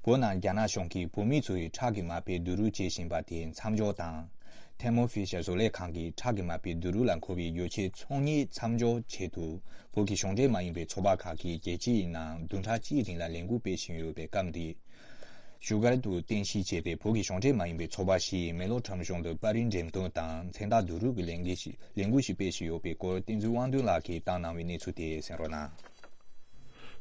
བོད་ནང་རྒྱ་ནག་གཞུང་གིས་བོད་མི་ཚོའི་ཁྲག་གི་མ་དཔེ་བསྡུ་རུབ་བྱེད་བཞིན་པ་དེ་མཚམས་འཇོག་དང་། ཐེར་མོ་ཕི་ཤར་བཟོ་ལས་ཁང་གི་ཁྲག་གི་མ་དཔེ་བསྡུ་རུབ་ལ་མཁོ་བའི་ཡོ་བྱད་ཚོང་གཉེར་མཚམས་འཇོག་ཆེད་དུ། བོད་ཀྱི་གཞུང་འབྲེལ་མ་ཡིན་པའི་ཚོགས་པ་ཁག་གིས་རྒྱལ་སྤྱིའི་ནང་བདུན་ཕྲག་གཅིག་རིང་ལ་ལས་འགུལ་སྤེལ་བཞིན་ཡོད་པའི་སྐབས་འདིར། བཞུགས་སྒར་དུ་རྟེན་གཞི་བྱས་པའི་བོད་ཀྱི་གཞུང་འབྲེལ་མ་ཡིན་པའི་ཚོགས་པ་ཞིག་མེག་ལོར་ཁྲོམ་གཞུང་དུ་པར་རིས་འགྲེམས་སྟོན་དང་མཚན་རྟགས་བསྡུ་རུབ་ཀྱི་ལས་འགུལ་ཞིག་ལས་འགུལ་ཞིག་སྤེལ་བཞིན་ཡོད་པའི་སྐོར། བསྟན་འཛིན་དབང་འདུས་ལགས་ཀྱིས་བཏང་གནང་བའི་གནས་ཚུལ་དེ་གསན་རོགས་གནང་།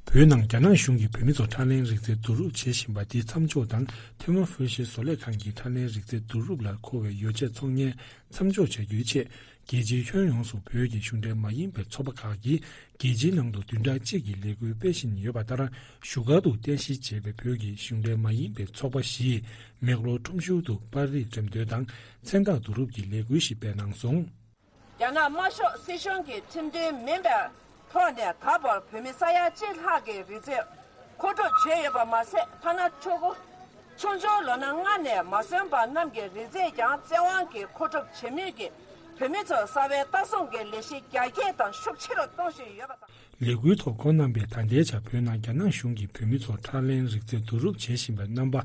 བོད་ནང་རྒྱ་ནག་གཞུང་གིས་བོད་མི་ཚོ་ཁྲག་ལེན་རིག་རྩལ་བསྡུ་རུབ་བྱེད་བཞིན་པ་དེ་མཚམས་འཇོག་དང་། ཐེར་མོ་ཕི་ཤར་བཟོ་ལས་ཁང་གི་ཁྲག་ལེན་རིག་རྩལ་བསྡུ་རུབ་ལ་མཁོ་བའི་ཡོ་བྱད་ཚོང་གཉེར་མཚམས་འཇོག་བྱ་རྒྱུའི་ཆེད། རྒྱལ་སྤྱིའི་ཁྱོན་ཡོངས་སུ་བོད་ཀྱི་གཞུང་འབྲེལ་མ་ཡིན་པའི་ཚོགས་པ་ཁག་གིས་རྒྱལ་སྤྱིའི་ནང་དུ་བདུན་ཕྲག་གཅིག་གི་ལས་འགུལ་སྤེལ་བཞིན་ཡོད་པ་ལྟར། བཞུགས་སྒར་དུ་རྟེན་གཞི་བྱས་པའི་བོད་ཀྱི་གཞུང་འབྲེལ་མ་ཡིན་པའི་ཚོགས་པ་ཞིག་མེག་ལོར་ཁྲོམ་གཞུང་དུ་པར་རིས་འགྲེམས་སྟོན་དང་མཚན་རྟགས་བསྡུ་རུབ་ཀྱི་ལས་འགུལ་ཞིག་སྤེལ་གནང་སོང་། རྒྱ་ནག་དམར་ཤོག་སྲིད་གཞུང་གི་ཁྲིམས་མཐུན་མིན་པའི་ཐོག་ནས་ད་བར་བོད་མི་ས་ཡ་གཅིག་ལྷག་གི་རིག་རྩལ་མཁོ་སྒྲུབ་བྱས་ཡོད་པ་མ་ཟད། ཐ་ན་ཕྲུ་གུ་ཆུང་ཆུང་ལོ་ན་ལྔ་ནས་མ་སོན་པ་རྣམས་ཀྱི་རིག་རྩལ་ཀྱང་བཙན་དབང་གིས་མཁོ་སྒྲུབ་བྱེད་མུས་ཀྱི་བོད་མི་ཚོར་གསར་བའི་ལྟ་སྲུང་གི་ལས་གཞི་རྒྱ་སྐྱེད་དང་ཤུགས་ཆེ་རུ་གཏོང་བཞིན་ཡོད་པ་དང་། ལས་འགུལ་ཐོག་ཁོང་རྣམ་པས་ད་ལྟའི་ཆར་བོད་ནང་རྒྱ་ནག་གཞུང་གིས་བོད་མི་ཚོར་ཁྲག་ལེན་རིག་རྩལ་བསྡུ་རུབ་བྱེད་བཞིན་པའི་རྣམ་པ་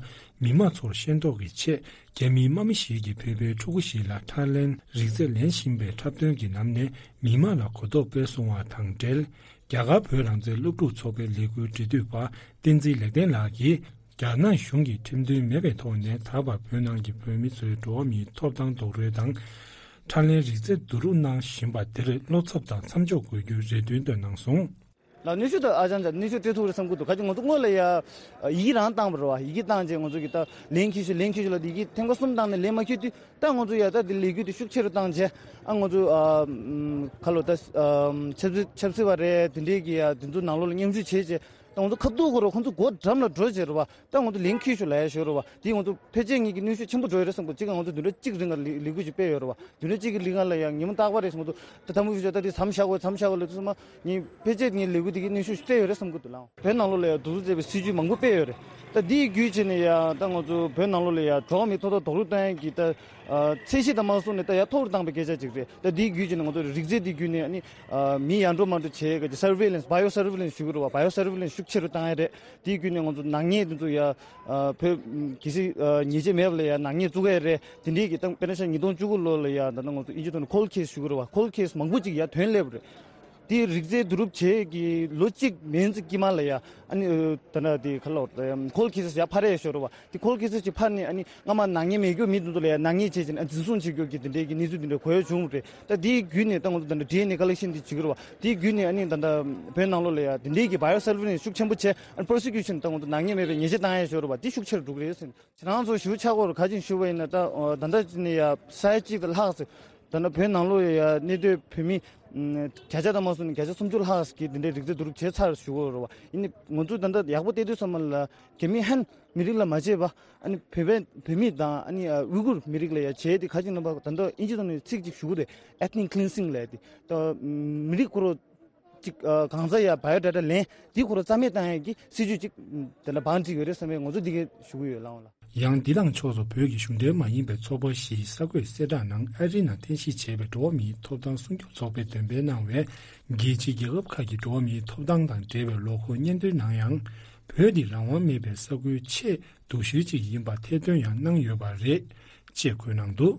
མི་མང་ཚོར་ཤེས་རྟོགས་ཀྱི་ཆེད། རྒྱ་མིའི་དམག་མི་ཞིག་གིས་བོད་པའི་ཕྲུ་གུ་ཞིག་ལ་ཁྲག་ལེན་རིག་རྩལ་ལེན་བཞིན་པའི་འཁྲབ་སྟོན་གྱི་ནང་ནས་མི་མང་ལ་གོ་རྟོགས་སྤེལ་སོང་བ་དང་འབྲེལ། རྒྱ་གར་བོད་རང་བཙན་སློབ་ཕྲུག་ཚོགས་པའི་ལས་འགུལ་འབྲེལ་མཐུད་པ་བསྟན་འཛིན་ལེགས་ལྡན་ལགས་ཀྱིས། རྒྱ་ནག་གཞུང་གིས་ཁྲིམས་མཐུན་མེད་པའི་ཐོག་ནས་ད་བར་བོད་ནང་གི་བོད་མི་ཚོའི་འགྲོ་བ་མིའི་ཐོབ་ཐང་རྡོག་རོལ་དང་། ཁྲག་ལེན་རིག་རྩལ་བསྡུ་རུབ་གནང་བཞིན་པ་དེར་བློ་འཚབ་དང་མཚམས་འཇོག་དགོས་རྒྱུའི་རེ་འདུན་བཏོན་གནང་སོང་། ལ་གནོན་ཤུགས་དང་ཨ་ཅང་ཅང་གནོན་ཤུགས་སྤྲད་ཐུབ་རེད་བསམ་གྱི་འདུག་ག་ཅི་ང་ཚོ་སྔོན་ལ་ཡ་ཡི་གེ་རང་བཏང་བ་རེད་བ། ཡི་གེ་བཏང་རྗེས་ང་ཚོ་གི་ད་ལན་འཁྱེར་ཤོག་ལན་འཁྱེར་ཤོག་ལ་ཡི་གེ་ཐེངས་མ་གསུམ་བཏང་ནས་ལན་མ་འཁྱེར་དུས། ད་ང་ཚོ་ཡ་ད་དེ་ལས་འགུལ་དེ་ཤུགས་ཆེ་རུ་བཏང་རྗེས་ཨ་ང་ཚོ་ཨ་ཁ་ལོ་ད་ཆབ་སྲིད་ཆབ་སྲིད་པ་རེད། དེ་འདྲས་ཀྱི་ཡ་དེ་ཚོ་ནང་ལོགས་ལ་མཉམ་ཞུགས་བྱས་རྗེས། ད་ང་ཚོ་ཁ་ཐུག་ཁོ་ར་ཁོ་ཚོ་སྒོ་འགྲམ་ལ་འགྲོ་བྱས་རེད་བ། ད་ང་ཚོ་ལན་འཁྱེར་ཤོག་ལབ་ཡ་ཞོར་རེད་བ། དེ་ང་ཚོ་ཕལ་ཆེར་ངེད་ཀྱི་གནོན་ཤུགས་ཆེན་པོ་འགྲོ་ཡ་རེད་བསམ་གི་འདུག་གཅིག་ང་ཚོ་བདུན་ཕྲག་གཅིག་རིང་ལ་ལས་ལས་འགུལ་ཞིག་སྤེལ་ཡོད་རེད་བ། བདུན་ཕྲག་གཅིག་གི་ལས་འགུལ་ལ་ཡ་ཉིན་མོ་རྟག་པར་རེད་ང་ཚོ་ད་ཐ་མུ་ཤུ་ཤ་ད་དེ་མཚམས་བཞག་དགོས་མཚམས་བཞག་དགོས་ལབ་དུས་ཙམ་པ་ངས་ཕལ་ཆེར་ངའི་ལས་འགུལ་དེ་གི་གནོན་ཤུགས་སྤྲད་ཡོད་རེད་བསམ་གི་འདུག་ལགས། བོད་ནང་ལོགས་ལ་ཡ་གདུག་རྩུབ་བརྗེ་བའི་སྲིད་ཇུས་མང་པོ་སྤེལ་ཡོད་རེད། ད་དེའི་བརྒྱུད་བྱས་ནས་ཡ་ད་ང་ཚོ་བོད་ནང་ལོགས་ལ་ཡ་འགྲོ་བ་མིའི་ཐོབ་ཐང་རྡོག་རོལ་གཏོང་ཡ་གི་ད་ཚད་གཞི་དང་མ་སོང་ནས་ད་ཡ་མཐོ་རུ་བཏང་པའི་སྐད་ཆ་ཅིག་རེད། ད་དེའི་བརྒྱུད་བྱས་ནས་ང་ཚོ་རིག་རྩལ་དེའི་བརྒྱུད་ནས་ཨ་ནི་མི་ཡར་འགྲོ་མར་འགྲོ་བྱེད་ཡ་གི་surveillance bio surveillance ཞུ་གི་རེད་བ། bio surveillance ཤུགས་ཆེ་རུ་བཏང་ཡ་རེད། དེའི་བརྒྱུད་ནས་ང་ཚོ་ནག་ཉེས་དེ་ཚོ་ཡ་བོད་གལ་སྲིད་ཉེས་ཆད་མེད་པ་ལ་ཡ་ནག་ཉེས་བཙུགས་ཡ་རེད། དེ་འདྲའི་གི་ད་དཔེར་ན་ཆ་ཉིས་སྟོང་བཅུ་དགུ་ལོ་ལ་ཡ་ད་ནང་ང་ཚོ་ཨིན་ཇི་ཐོག་ནས་cold case ཞུ་གི་རེད་བ། cold case མང་པོ་ཅིག་ཡ་ཐོན་སླེབས་པ་རེད། དེའི་རིག་རྩལ་བསྡུ་རུབ་བྱེད་ཀྱི་ལོ་གཅིག་མན་ཙམ་དཀྱིལ་མ་ལ་ཡ་ཨ་ནི་ད་ནང་དེ་ག་ལ་cold case ཡ་འཕར་ཡ་ཞོར་རེད་བ། དེ་cold case ཅིག་འཕར་ནས་ཨ་ནི་སྔ་མ་ནག་ཉེས་མེད་རྒྱུ་མི་དེ་ཚོ་ལ་ཡ་ནག་ཉེས་བྱས་ཅིང་ཨ་འཛིན་བཟུང་བྱེད་རྒྱུ་གི་དེ་འདྲའི་གི་གནས་ཚུལ་དེ་འདྲ་གོ་ཡ་བྱུང་རེད། ད་དེའི་བརྒྱུད་ནས་ད་ང་ཚོ་ད་ལྟ་ཌི་ཨེན་ཨེ་collection དེ་བྱེད་ཀྱི་རེད་བ། དེའི་བརྒྱུད་ནས་ཨ་ནི་ད་ལྟ་བོད་ནང་ལོགས་ལ་ཡ་དེ་འདྲའི་གི་bio surveillance ཤུགས་ཆེན་པོ་བྱས་ཨ་ནི་prosecution ད་ང་ཚོ་ནག་ཉེས་མེད་པའི་ཉེས་ཆད་བཏང་ཡ་ཞོར་རེད་བ། དེ་ཤུགས་ཆེ་རུ་འགྲོ་གི་རེད་ཟེར། ཁྱེད་རང་ཚོ་ཞུ་ཆ་སྐོར་ག་ཅིག་ཞུ་བ་ཡིན་ན་ད་ད་ལྟ་ནས་ཡ་ས་ཡ་གཅིག་དང་ལྷག་ཙམ་ད་ནང་བོད་ནང་ལོགས་ཡ་གནས་སྡོད་བོད་མི་བརྒྱ་ཆ་དང་མ་སོང་ནས་བརྒྱ་ཆ་སུམ་ཅུ་ལྷག་ཙམ་གྱིས་དེ་འདྲའི་རིག་རྩལ་བསྡུ་རུབ་བྱས་ཚར་ཞུ་གི་ཡོད་རེད་བ། ཡིན་ནའི་ང་ཚོ་ད་ལྟ་ཡག་པོ་བལྟས་དུས་ཙམ་པ་ལ་རྒྱ་མི་ཧན་མི་རིགས་ལ་མ་བྱས་པ་ཨ་ནི་བོད་པའི་བོད་མི་དང་ཨ་ནི་ཨ་ཝི་གུར་མི་རིགས་ལ་ཡ་བྱས་ཏེ་ག་ཅིག་ལབ་པ་ད་ལྟ་ཨིན་ཇི་ཐོག་ནས་ཚིག་ཅིག་ཞུ་གི་རེད། ethnic cleansing ལབ་ཡ་དེ་ད་མི་རིགས་ཁོ་རང་ཅིག་ཨ་གང་ཟག་ཡ་bio data ལེན་འདི་ཁོ་རང་རྩ་མེད་བཏང་ཡ་གི་སྲིད་ཇུས་ཅིག་དེ་འདྲ་བང་བསྒྲིགས་ཡོད་རེད་བསམ་པའི་ང་ཚོ་འདི་གས་ཞུ་གི་ཡོད་ལགས་འོང་ལགས། ཡང་འདི་དང་ཕྱོགས་སུ་བོད་ཀྱི་གཞུང་འབྲེལ་མ་ཡིན་པའི་ཚོགས་པ་ཞིག་གསར་འགོད་གསལ་བསྒྲགས་ནང་ཨ་རིའི་ནང་རྟེན་གཞི་བྱས་པའི་འགྲོ་བ་མིའི་ཐོབ་ཐང་སྲུང་སྐྱོབ་ཚོགས་པས་འདོན་སྤེལ་གནང་བའི་རྒྱལ་སྤྱིའི་རྒྱལ་ཁབ་ཁག་གི་འགྲོ་བ་མིའི་ཐོབ་ཐང་དང་འབྲེལ་བའི་ལོ་འཁོར་སྙན་ཐོའི་ནང་ཡང་། བོད་འདི་རང་དབང་མེད་པའི་ས་ཁུལ་ཆེས་སྡུག་ཤོས་ཅིག་ཡིན་པ་ཐེར་འདོན་ཡང་གནང་ཡོད་པ་རེད། ཅེས་འཁོད་གནང་འདུག་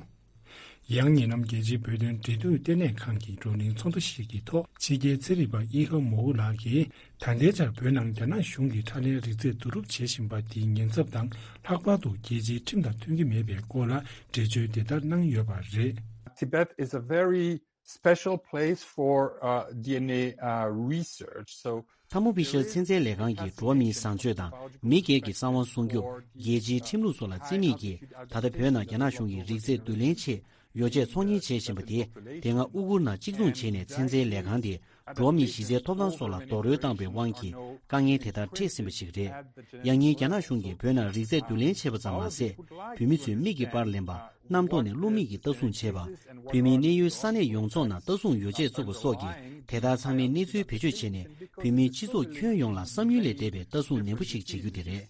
ཡང་ཉེ་ལམ་རྒྱལ་སྤྱིའི་བོད་དོན་འབྲེལ་མཐུད་ལྟེ་གནས་ཁང་གི་བགྲོ་གླེང་ཚོགས་འདུ་ཞིག་གི་ཐོག་ཕྱི་རྒྱལ་ཚན་རིག་པ་ཨི་ཧ་མོ་ཝུ་ལགས་ཀྱིས། ད་ལྟའི་ཆར་བོད་ནང་རྒྱ་ནག་གཞུང་གིས་ཁྲག་ལན་རིག་རྫས་བསྡུ་རུབ་བྱེད་བཞིན་པ་དེའི་ཉེན་ཚབས་དང་། ལྷག་པར་དུ་རྒྱལ་སྤྱིའི་ཁྲིམས་དང་མཐུན་གྱི་མེད་པའི་སྐོར་ལ་འགྲེལ་བརྗོད་དེ་ལྟར་གནང་ཡོད་པ་རེད། Tibet is a very special place for uh, D N A uh, research. So ཐ་མུ་བི་ཤལ་ཚན་རྩལ་ལས་ཁང་གིས་འགྲོ་བ་མིའི་བཟང་སྤྱོད་དང་མི་སྒེར་གྱི་གསང་བ་སྲུང་སྐྱོབ། རྒྱལ་སྤྱིའི་ཁྲིམས་ལུགས་སོགས་ལ་བརྩི་མེད་ཀྱིས། ད་ལྟ་བོད་ནང་རྒྱ་ནག་གཞུང་གིས་རིག་རྫས་བསྡུ་ལེན་ཆེད་ཡོ་བྱད་ཚོང་གཉེར་བྱེད་བཞིན་པ་དེ། དེ་སྔ་ཨུ་གུར་ནང་གཅིག་མཚུངས་བྱས་ནས་ཚན་རྩལ་ལས་ཁང་དེ་འགྲོ་བ་མིའི་གཞི་རྩའི་ཐོབ་ཐང་སོགས་ལ་རྡོག་རོལ་བཏང་པའི་དབང་གིས་དཀའ་ངལ་དེ་ལྟར་འཕྲད་ཟིན་པ་ཞིག་རེད། ཡང་སྙིང་རྒྱ་ནག་གཞུང་གིས་བོད་ནང་རིག་རྫས་བསྡུ་ལེན་བྱས་པ་ཙམ་མ་ཟད། བོད་མི་ཚོའི་མིག་གི་པར་ལེན་པ། གནམ་ཐོག་ནས་བླུག་མིག་གིས་ལྟ་སྲུང་བྱས་པ། བོད་མིའི་གནས་ཡུལ་ས་གནས་ཡོངས་རྫོགས་ནང་ལྟ་སྲུང་ཡོ་བྱད་བཙུགས་པ་སོགས་ཀྱིས་དེ་ལྟར་ཚང་མའི་གནས་ཚུལ་བེད་སྤྱོད་བྱས་ནས། བོད་མིའི་སྤྱི་ཚོགས་ཁྱོན་ཡོངས་ལ་བསམ་ཡུལ་ལས་འདས་པའི་ལྟ་སྲུང་ནན་པོ་ཞིག་བྱེད་རྒྱུ་དེ་རེད།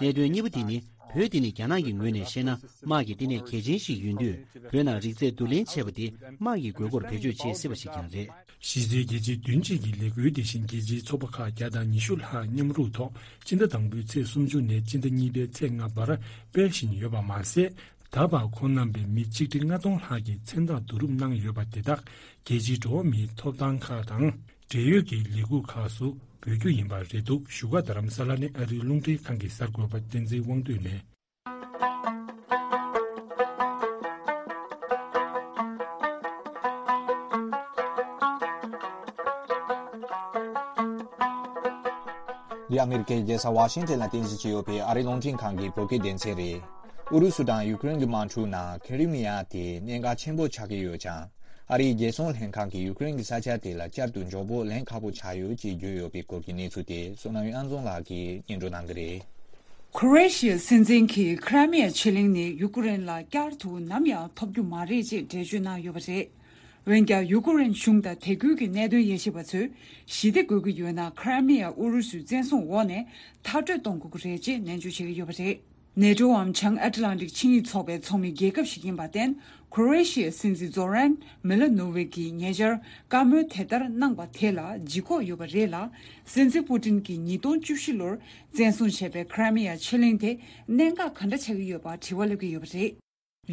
གནད་དོན་གཉིས་པ་དེ་ནི། བོད་འདི་ནི་རྒྱ་ནག་གི་ངོས་ནས་བཤད་ན་དམག་གི་ལྟེ་གནས་གལ་ཆེན་ཞིག་ཡིན་དུས། བོད་ནང་རིག་རྫས་བསྡུ་ལེན་བྱས་པ་དེ་དམག་གི་དགོས་མཁོར་བེད་སྤྱོད་བྱེད་སྲིད་པ་ཞིག་ཀྱང་རེད། གཞི་རྩའི་རྒྱལ་སྤྱིའི་བདུན་གཅིག་གི་ལས་འགུལ་དེ་བཞིན་རྒྱལ་སྤྱིའི་ཚོགས་པ་ཁག་བརྒྱ་དང་ཉི་ཤུ་ལྷག་མཉམ་རུབ་ཐོག་སྤྱི་ཟླ་དང་པོའི་ཚེས་སུམ་ཅུ་ནས་སྤྱི་ཟླ་གཉིས་པའི་ཚེས་ལྔ་བར་སྤེལ་བཞིན་ཡོད་པ་མ་ཟད། ད་བར་ཁོང་རྣམ་པས་མི་ཆིག་ཁྲི་ལྔ་སྟོང་ལྷག་གི་མཚན་རྟགས་བསྡུ་རུབ་གནང་ཡོད་པ་དེ་དག་རྒྱལ་སྤྱིའི་འགྲོ་བ་མིའི་ཐོབ་ཐང་ཁག་དང་འབྲེལ་ཡོད་ཀྱི་ལས་ཁུངས་ཁག་སུ་འབུལ་རྒྱུ་ཡིན་པ་རེད་འདུག་བཞུགས་སྒར་རྡ་རམ་ས་ལ་ནས་ཨ་རིའི་རླུང་འཕྲིན་ཁང་གི་གསར་འགོད་པ་བསྟན་འཛིན་དབང་འདུས་ནས། འདི་ཨ་མི་རི་ཀའི་རྒྱལ་ས་ཝ་ཤིང་ཏན་ལ་རྟེན་གཞི་བྱས་ཡོད་པའི་ཨ་རིའི་རླུང་འཕྲིན་ཁང་གི་བོད་སྐད་སྡེ་ཚན་རེད། ཨུ་རུ་སུ་དང་ཡུ་ཀེ་རེན་གྱི་དམག་འཁྲུག་ནང་ཁེ་རི་མི་ཡ་དེ་གནད་འགག་ཆེན་པོ་ཆགས་ཀྱི་ཡོད་ཀྱང་། ཨ་རིའི་རྒྱལ་སྲུང་ལྷན་ཁང་གིས་ཡུ་ཀེ་རེན་གྱི་ས་ཆ་དེ་ལ་བསྐྱར་དུ་མགྱོགས་པོ་ལེན་ཁག་པོ་ཆགས་ཡོད་ཅེས་བརྗོད་ཡོད་པའི་སྐོར་གྱི་གནས་ཚུལ་དེ་བསོད་ནམས་དབྱངས་འཛོམས་ལགས་ཀྱིས་སྙན་སྒྲོན་གནང་གི་རེད། ཁོ་རེ་ཤི་ཡའི་སྲིད་འཛིན་གྱིས་ཁི་ར་མི་ཡ་ཕྱེད་གླིང་ནི་ཡུ་ཀེ་རེན་ལ་བསྐྱར་དུ་ནམ་ཡང་ཐོབ་རྒྱུ་མ་རེད་ཅེས་འགྲེལ་བརྗོད་གནང་ཡོད་པ་རེད། འོན་ཀྱང་ཡུ་ཀེ་རེན་གཞུང་དང་དེ་ཁུལ་གྱི་གནད་དོན་དབྱེ་ཞིབ་པ་ཚོས་ཞི་བདེ་དགོས་ཀྱི་ཡོད་ན་ཁི་ར་མི་ཡ་ཨུ་རུ་སུའི་བཙན་བཟུང་འོག་ནས་མཐར་སྐྲོད་གཏོང་དགོས་ཀྱི་རེད་ཅེས་ནན་བརྗོད་བྱེད་ཀྱི་ཡོད་པ་རེད། ནེ་ཊོའམ་བྱང་ཨེཊ་ལན་ཊིག་ཆིངས་ཡིག་ཚོགས་པའི་ཚོགས་མི་རྒྱལ་ཁབ་ཞིག་ཡིན་པར་བརྟེན། ཁོ་རེ་ཤི་ཡའི་སྲིད་འཛིན་ཛོ་རན་མི་ལ་ནོ་ཝིག་གིས་ཉེ་ཆར་བཀའ་མོལ་དེ་ལྟར་གནང་པ་དེ་ལ་ལྗིད་ཁོག་ཡོད་པ་རེད་ལ། སྲིད་འཛིན་པུ་ཏིན་གྱིས་ཉིས་སྟོང་བཅུ་བཞི་ལོར་བཙན་བཟུང་བྱས་པའི་ཁི་ར་མི་ཡ་ཕྱེད་གླིང་དེ་གནད་འགག་ག་འདྲ་ཆགས་ཀྱི་ཡོད་པར་དྲི་བ་སླེབས་ཀྱི་ཡོད་པ་རེད།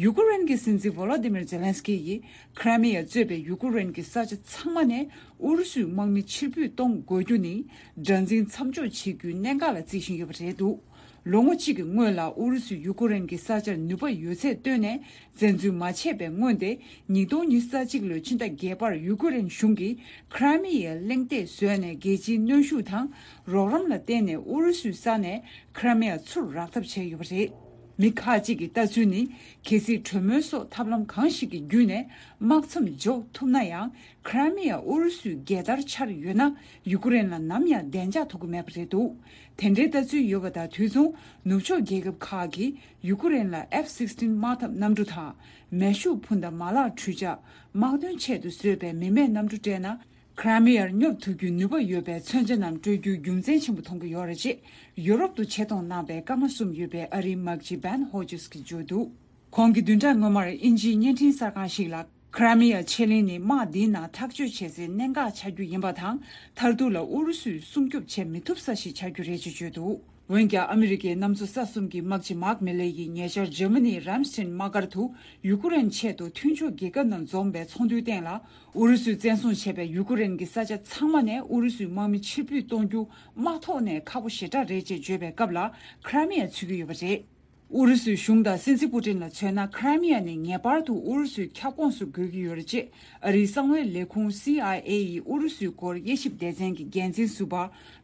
ཡུ་ཀེ་རེན་གྱི་སྲིད་འཛིན་ཝོ་ལོ་ཏི་མིར་ཛེ་ལན་སི་ཀི་ཡིས་ཁི་ར་མི་ཡ་གཙོས་པའི་ཡུ་ཀེ་རེན་གྱི་ས་ཆ་ཚང་མ་ནས་ཨུ་རུ་སུའི་དམག་མི་ཕྱིར་འབུད་གཏོང་དགོས་རྒྱུ་ནི་དགྲར་འཛིན་མཚམས་འཇོག་བྱེད་རྒྱུའི་གནད་འགག་ལ་བརྩི་བཞིན་ཡོད་པ་རེད་འདུག་ལོ་ངོ་གཅིག་གི་སྔོན་ལ་ཨུ་རུ་སུས་ཡུ་ཀེ་རེན་གྱི་ས་ཆར་ནུས་པ་ཡོད་ཚད་བཏོན་ནས་བཙན་འཛུལ་མ་བྱས་པའི་སྔོན་ཏེ། ཉིས་སྟོང་ཉི་ཤུ་རྩ་གཅིག་ལོའི་ཕྱི་ཟླ་བརྒྱད་པར་ཡུ་ཀེ་རེན་གཞུང་གིས་ཁི་ར་མི་ཡའི་གླེང་སྟེགས་བཟོས་ནས་རྒྱལ་སྤྱིའི་གནོན་ཤུགས་དང་རོགས་རམ་ལ་བརྟེན་ནས་ཨུ་རུ་སུའི་ས་ནས་ཁི་ར་མི་ཡ་ཚུར་རག་ཐབས་བྱས་ཡོད་པ་རེད། མི་ཁག་ཅིག་གི་ལྟ་ཚུལ་ནི། གལ་སྲིད་གྲོས་མོལ་སོགས་ཐབས་ལམ་གང་ཞིག་གི་བརྒྱུད་ནས་དམག་མཚམས་འཇོག་ཐུབ་ན་ཡང་། ཁི་ར་མི་ཡ་ཨུ་རུ་སུའི་རྒྱལ་དར་འཕྱར་ཡོད་ན། ཡུ་ཀེ་རེན་ལ་ནམ་ཡང་བདེ་འཇགས་ཐོབ་ཀྱི་མེད་པ་རེད་འདུག་དེ་འདྲའི་ལྟ་ཚུལ་ཡོད་པ་དང་དུས་མཚུངས། ནུབ་ཕྱོགས་རྒྱལ་ཁབ་ཁག་གིས་ཡུ་ཀེ་རེན་ལ་ཨེཕ་སིག་སི་ཊིན་དམག་འཐབ་གནམ་གྲུ་དང་། མེ་ཤུགས་འཕུར་མདའ་མ་ལག་འཕྲུལ་ཆས། དམག་དོན་ཆེད་དུ་བཟོས་པའི་མི་མེད་གནམ་གྲུ་སྤྲད་ན། ཁི་ར་མི་ཡར་སྙོབ་ཐུབ་རྒྱུའི་ནུས་པ་ཡོད་པའི་མཚོན་ཆ་རྣམས་སྤྲོད་རྒྱུ་རྒྱུ་མཚན་ཆེན་པོ་མཐོང་གི་ཡོད་རེད་ཅེས་ཡུ་རོབ་ཏུ་ཆེད་གཏོང་གནང་པའི་སྐར་མ་གསུམ་ཡོད་པའི་ཨ་རིའི་དམག་སྤྱི་བན་ཧོ་ཇེས་ཀྱིས་བརྗོད་འདུག་ཁོང་གིས་བདུན་ཕྲག་སྔོན་མར་དབྱིན་ཇིའི་བརྙན་འཕྲིན་གསར་ཁང་ཞིག་ལ། ཁི་ར་མི་ཡ་ཕྱེད་གླིང་ནི་དམག་འདིའི་ནང་ཐག་གཅོད་བྱེད་སའི་གནད་འགག་ཆགས་རྒྱུ་ཡིན་པ་དང་། མཐར་ཐུག་ལ་ཨུ་རུ་སུས་སྲུང་སྐྱོབ་བྱེད་མི་ཐུབ་ས་ཞིག་ཆགས་རྒྱུ་རེད་ཅེས་བརྗོད་འདུག་འོན་ཀྱང་ཨ་མི་རི་ཀའི་གནམ་མཚོ་ས་གསུམ་གྱི་དམག་སྤྱི་མཱག་མི་ལེ་ཡིས་ཉེ་ཆར་འཇར་མ་ནིའི་རམ་སི་ཊིན་དམག་སྒར་དུ་ཡུ་ཀེ་རེན་ཆེད་དུ་མཐུན་ཕྱོགས་རྒྱལ་ཁབ་རྣམས་འཛོམས་པའི་ཚོགས་འདུའི་སྟེང་ལ། ཨུ་རུ་སུས་བཙན་བཟུང་བྱས་པའི་ཡུ་ཀེ་རེན་གྱི་ས་ཆ་ཚང་མ་ནས་ཨུ་རུ་སུའི་དམག་མི་ཕྱིར་འབུད་གཏོང་རྒྱུ་དམག་ཐོག་ནས་ཁག་པོ་ཞེ་དྲག་རེད་ཅེས་བརྗོད་པའི་སྐབས་ལ་ཁི་ར་མི་ཡ་ཚུད་ཀྱི་ཡོད་པ་རེད། ཨུ་རུ་སུའི་གཞུང་དང་སྲིད་འཛིན་པུ་ཏིན་ལ་མཚོན་ན། ཁི་ར་མི་ཡ་ནི་ངེས་པར་དུ་ཨུ་རུ་སུའི་ཁྱབ་ཁོངས་སུ་དགོས་ཀྱི་ཡོད་རེད་ཅེས་ཨ་རིའི་གསང་བའི་ལས་ཁུངས་སི་ཨའི་ཨེ་ཡི་ཨུ་རུ་སུའི་སྐོར་དབྱེ་ཞིབ་སྡེ་ཚན་གྱི་འགན་འཛིན་ཟུར་པ་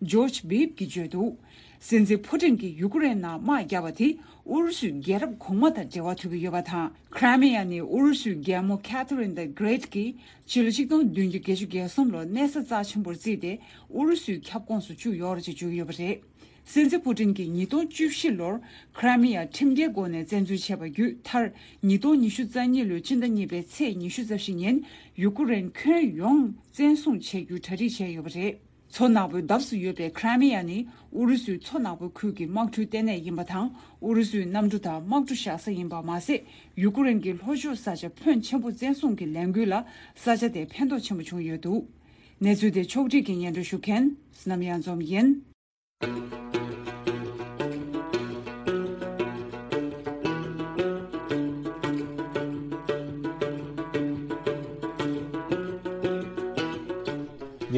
ཇོརྗ་བིབ་ཀྱིས་བརྗོད་འདུག་སྲིད་འཛིན་ཕུ་ཏིན་གྱིས་ཡུ་ཀེ་རེན་ནང་དམག་བརྒྱབ་པ་དེ་ཨུ་རུ་སུའི་རྒྱལ་རབས་གོང་མ་དང་འབྲེལ་བ་ཐུག་གི་ཡོད་པ་དང་། ཁི་ར་མི་ཡ་ནི་ཨུ་རུ་སུའི་རྒྱལ་མོ་ཁེ་ཐི་རིན་ད་གྷི་རེ་ཊི་ཀྱིས་ཕྱི་ལོ་ཆིག་སྟོང་བདུན་བརྒྱ་བརྒྱད་ཅུ་གྱ་གསུམ་ལོར་གནས་ས་རྩ་ཆེན་པོར་བརྩིས་ཏེ་ཨུ་རུ་སུའི་ཁྱབ་ཁོངས་སུ་བཅུག་ཡོད་རེད་ཅེས་བརྗོད་ཀྱི་ཡོད་པ་རེད། སྲིད་འཛིན་པུ་ཏིན་གྱིས་ཉིས་སྟོང་བཅུ་བཞི་ལོར་ཁི་ར་མི་ཡ་ཁྲིམས་འགལ་སྒོ་ནས་བཙན་འཛུལ་བྱས་པ་བརྒྱུད། མཐར་ཉིས་སྟོང་ཉི་ཤུ་རྩ་གཉིས་ལོའི་ཕྱི་ཟླ་གཉིས་པའི་ཚེས་ཉི་ཤུ་རྩ་བཞི་ཉིན་ཡུ་ཀེ་རེན་ཁྱོན་ཡོངས་བཙན་བཟུང་བྱེད་རྒྱུའི་གྲ་སྒྲིག་བྱས་ཡོད་པ་རེད། མཚོ་ནག་པོའི་འདབས་སུ་ཡོད་པའི་ཁི་ར་མི་ཡ་ནི་ཨུ་རུ་སུའི་མཚོ་ནག་པོའི་ཁུལ་གྱི་དམག་འཁྲུག་ལྟེ་གནས་ཡིན་པ་དང་། ཨུ་རུ་སུའི་གནམ་གྲུ་དང་དམག་གྲུ་བཞག་ས་ཡིན་པ་མ་ཟད། ཡུ་ཀེ་རེན་གྱི་ལྷོ་ཕྱོགས་ས་ཆ་ཕོན་ཆེན་པོ་བཙན་བཟུང་གི་ལས་འགུལ་ལ་ས་ཆ་དེ་ཕན་ཐོགས་ཆེན་པོ་བྱུང་ཡོད་འདུག་གནས་ཚུལ་དེ་ཕྱོགས་སྒྲིག་གིས་སྙན་སྒྲོན་ཞུ་མཁན་བསོད་ནམས་གཡང་འཛོམས་ཡིན།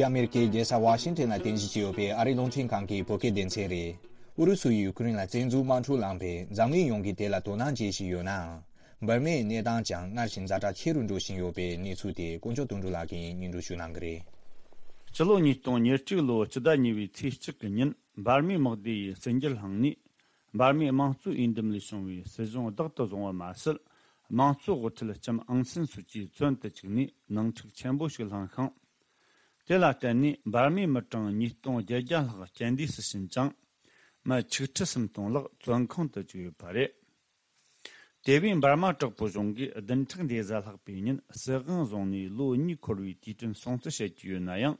འདི་ཨ་མེ་རི་ཀའི་རྒྱལ་ས་ཝ་ཤིང་ཊོན་ལ་རྟེན་གཞི་བྱས་ཡོད་པའི་ཨ་རིའི་རླུང་འཕྲིན་ཁང་གི་བོད་སྐད་སྡེ་ཚན་རེད། ཨུ་རུ་སུས་ཡུ་ཀེ་རེན་ལ་བཙན་འཛུལ་དམག་འཁྲུག་བསླངས་པས་འཛམ་གླིང་ཡོངས་ཀྱིས་དེ་ལ་དོ་སྣང་བྱེད་བཞིན་ཡོད་ནའང་། འབར་མའི་གནས་སྟངས་ཀྱང་སྔར་བཞིན་ཛ་དྲག་ཆེ་རུ་འགྲོ་བཞིན་ཡོད་པའི་གནས་ཚུལ་དེ་དཀོན་མཆོག་དོན་གྲུབ་ལགས་ཀྱིས་སྙན་སྒྲོན་ཞུ་གནང་གི་རེད། སྤྱི་ལོ་ཉིས་སྟོང་ཉེར་གཅིག་ལོའི་སྤྱི་ཟླ་གཉིས་པའི་ཚེས་གཅིག་གི་ཉིན་འབར་མའི་དམག་སྡེ་ཡི་ཟིན་བྲིས་བསླངས་ནས། འབར་མའི་དམངས་གཙོའི་འོས་འདེམས་ལས་བྱུང་བའི་སྲིད་གཞུང་བདག་ཏུ་བཟུང་བ་མ་ཟད། དམངས་གཙོའི་དབུ་ཁྲིད་ལྕམ་ཨང་སན་སུ་ཅི་བཙོན་དུ་བཅུག་ནས་ནང་འཁྲུག་ཆེན་པོ་ཞིག་བསླངས་ཤིང་། དེ་ལ་བརྟེན་ནས་འབར་མའི་མི་གྲངས་ཉིས་སྟོང་བརྒྱད་བརྒྱ་ལྷག་རྐྱེན་འདས་སུ་ཕྱིན་ཅིང་། མི་ཆིག་ཁྲི་སུམ་སྟོང་ལྷག་བཙོན་ཁང་དུ་བཅུག་ཡོད་པ་རེད། དེ་བས་འབར་མ་དྲག་པོའི་གཞུང་གིས་བདུན་ཕྲག་འདི་གཟའ་ལྷག་པའི་ཉིན་སྲིད་དབང་བཟུང་ནས་ལོ་གཉིས་འཁོར་བའི་དུས་དྲན་སྲུང་བརྩི་བྱེད་ཀྱི་ཡོད་ན་ཡང་།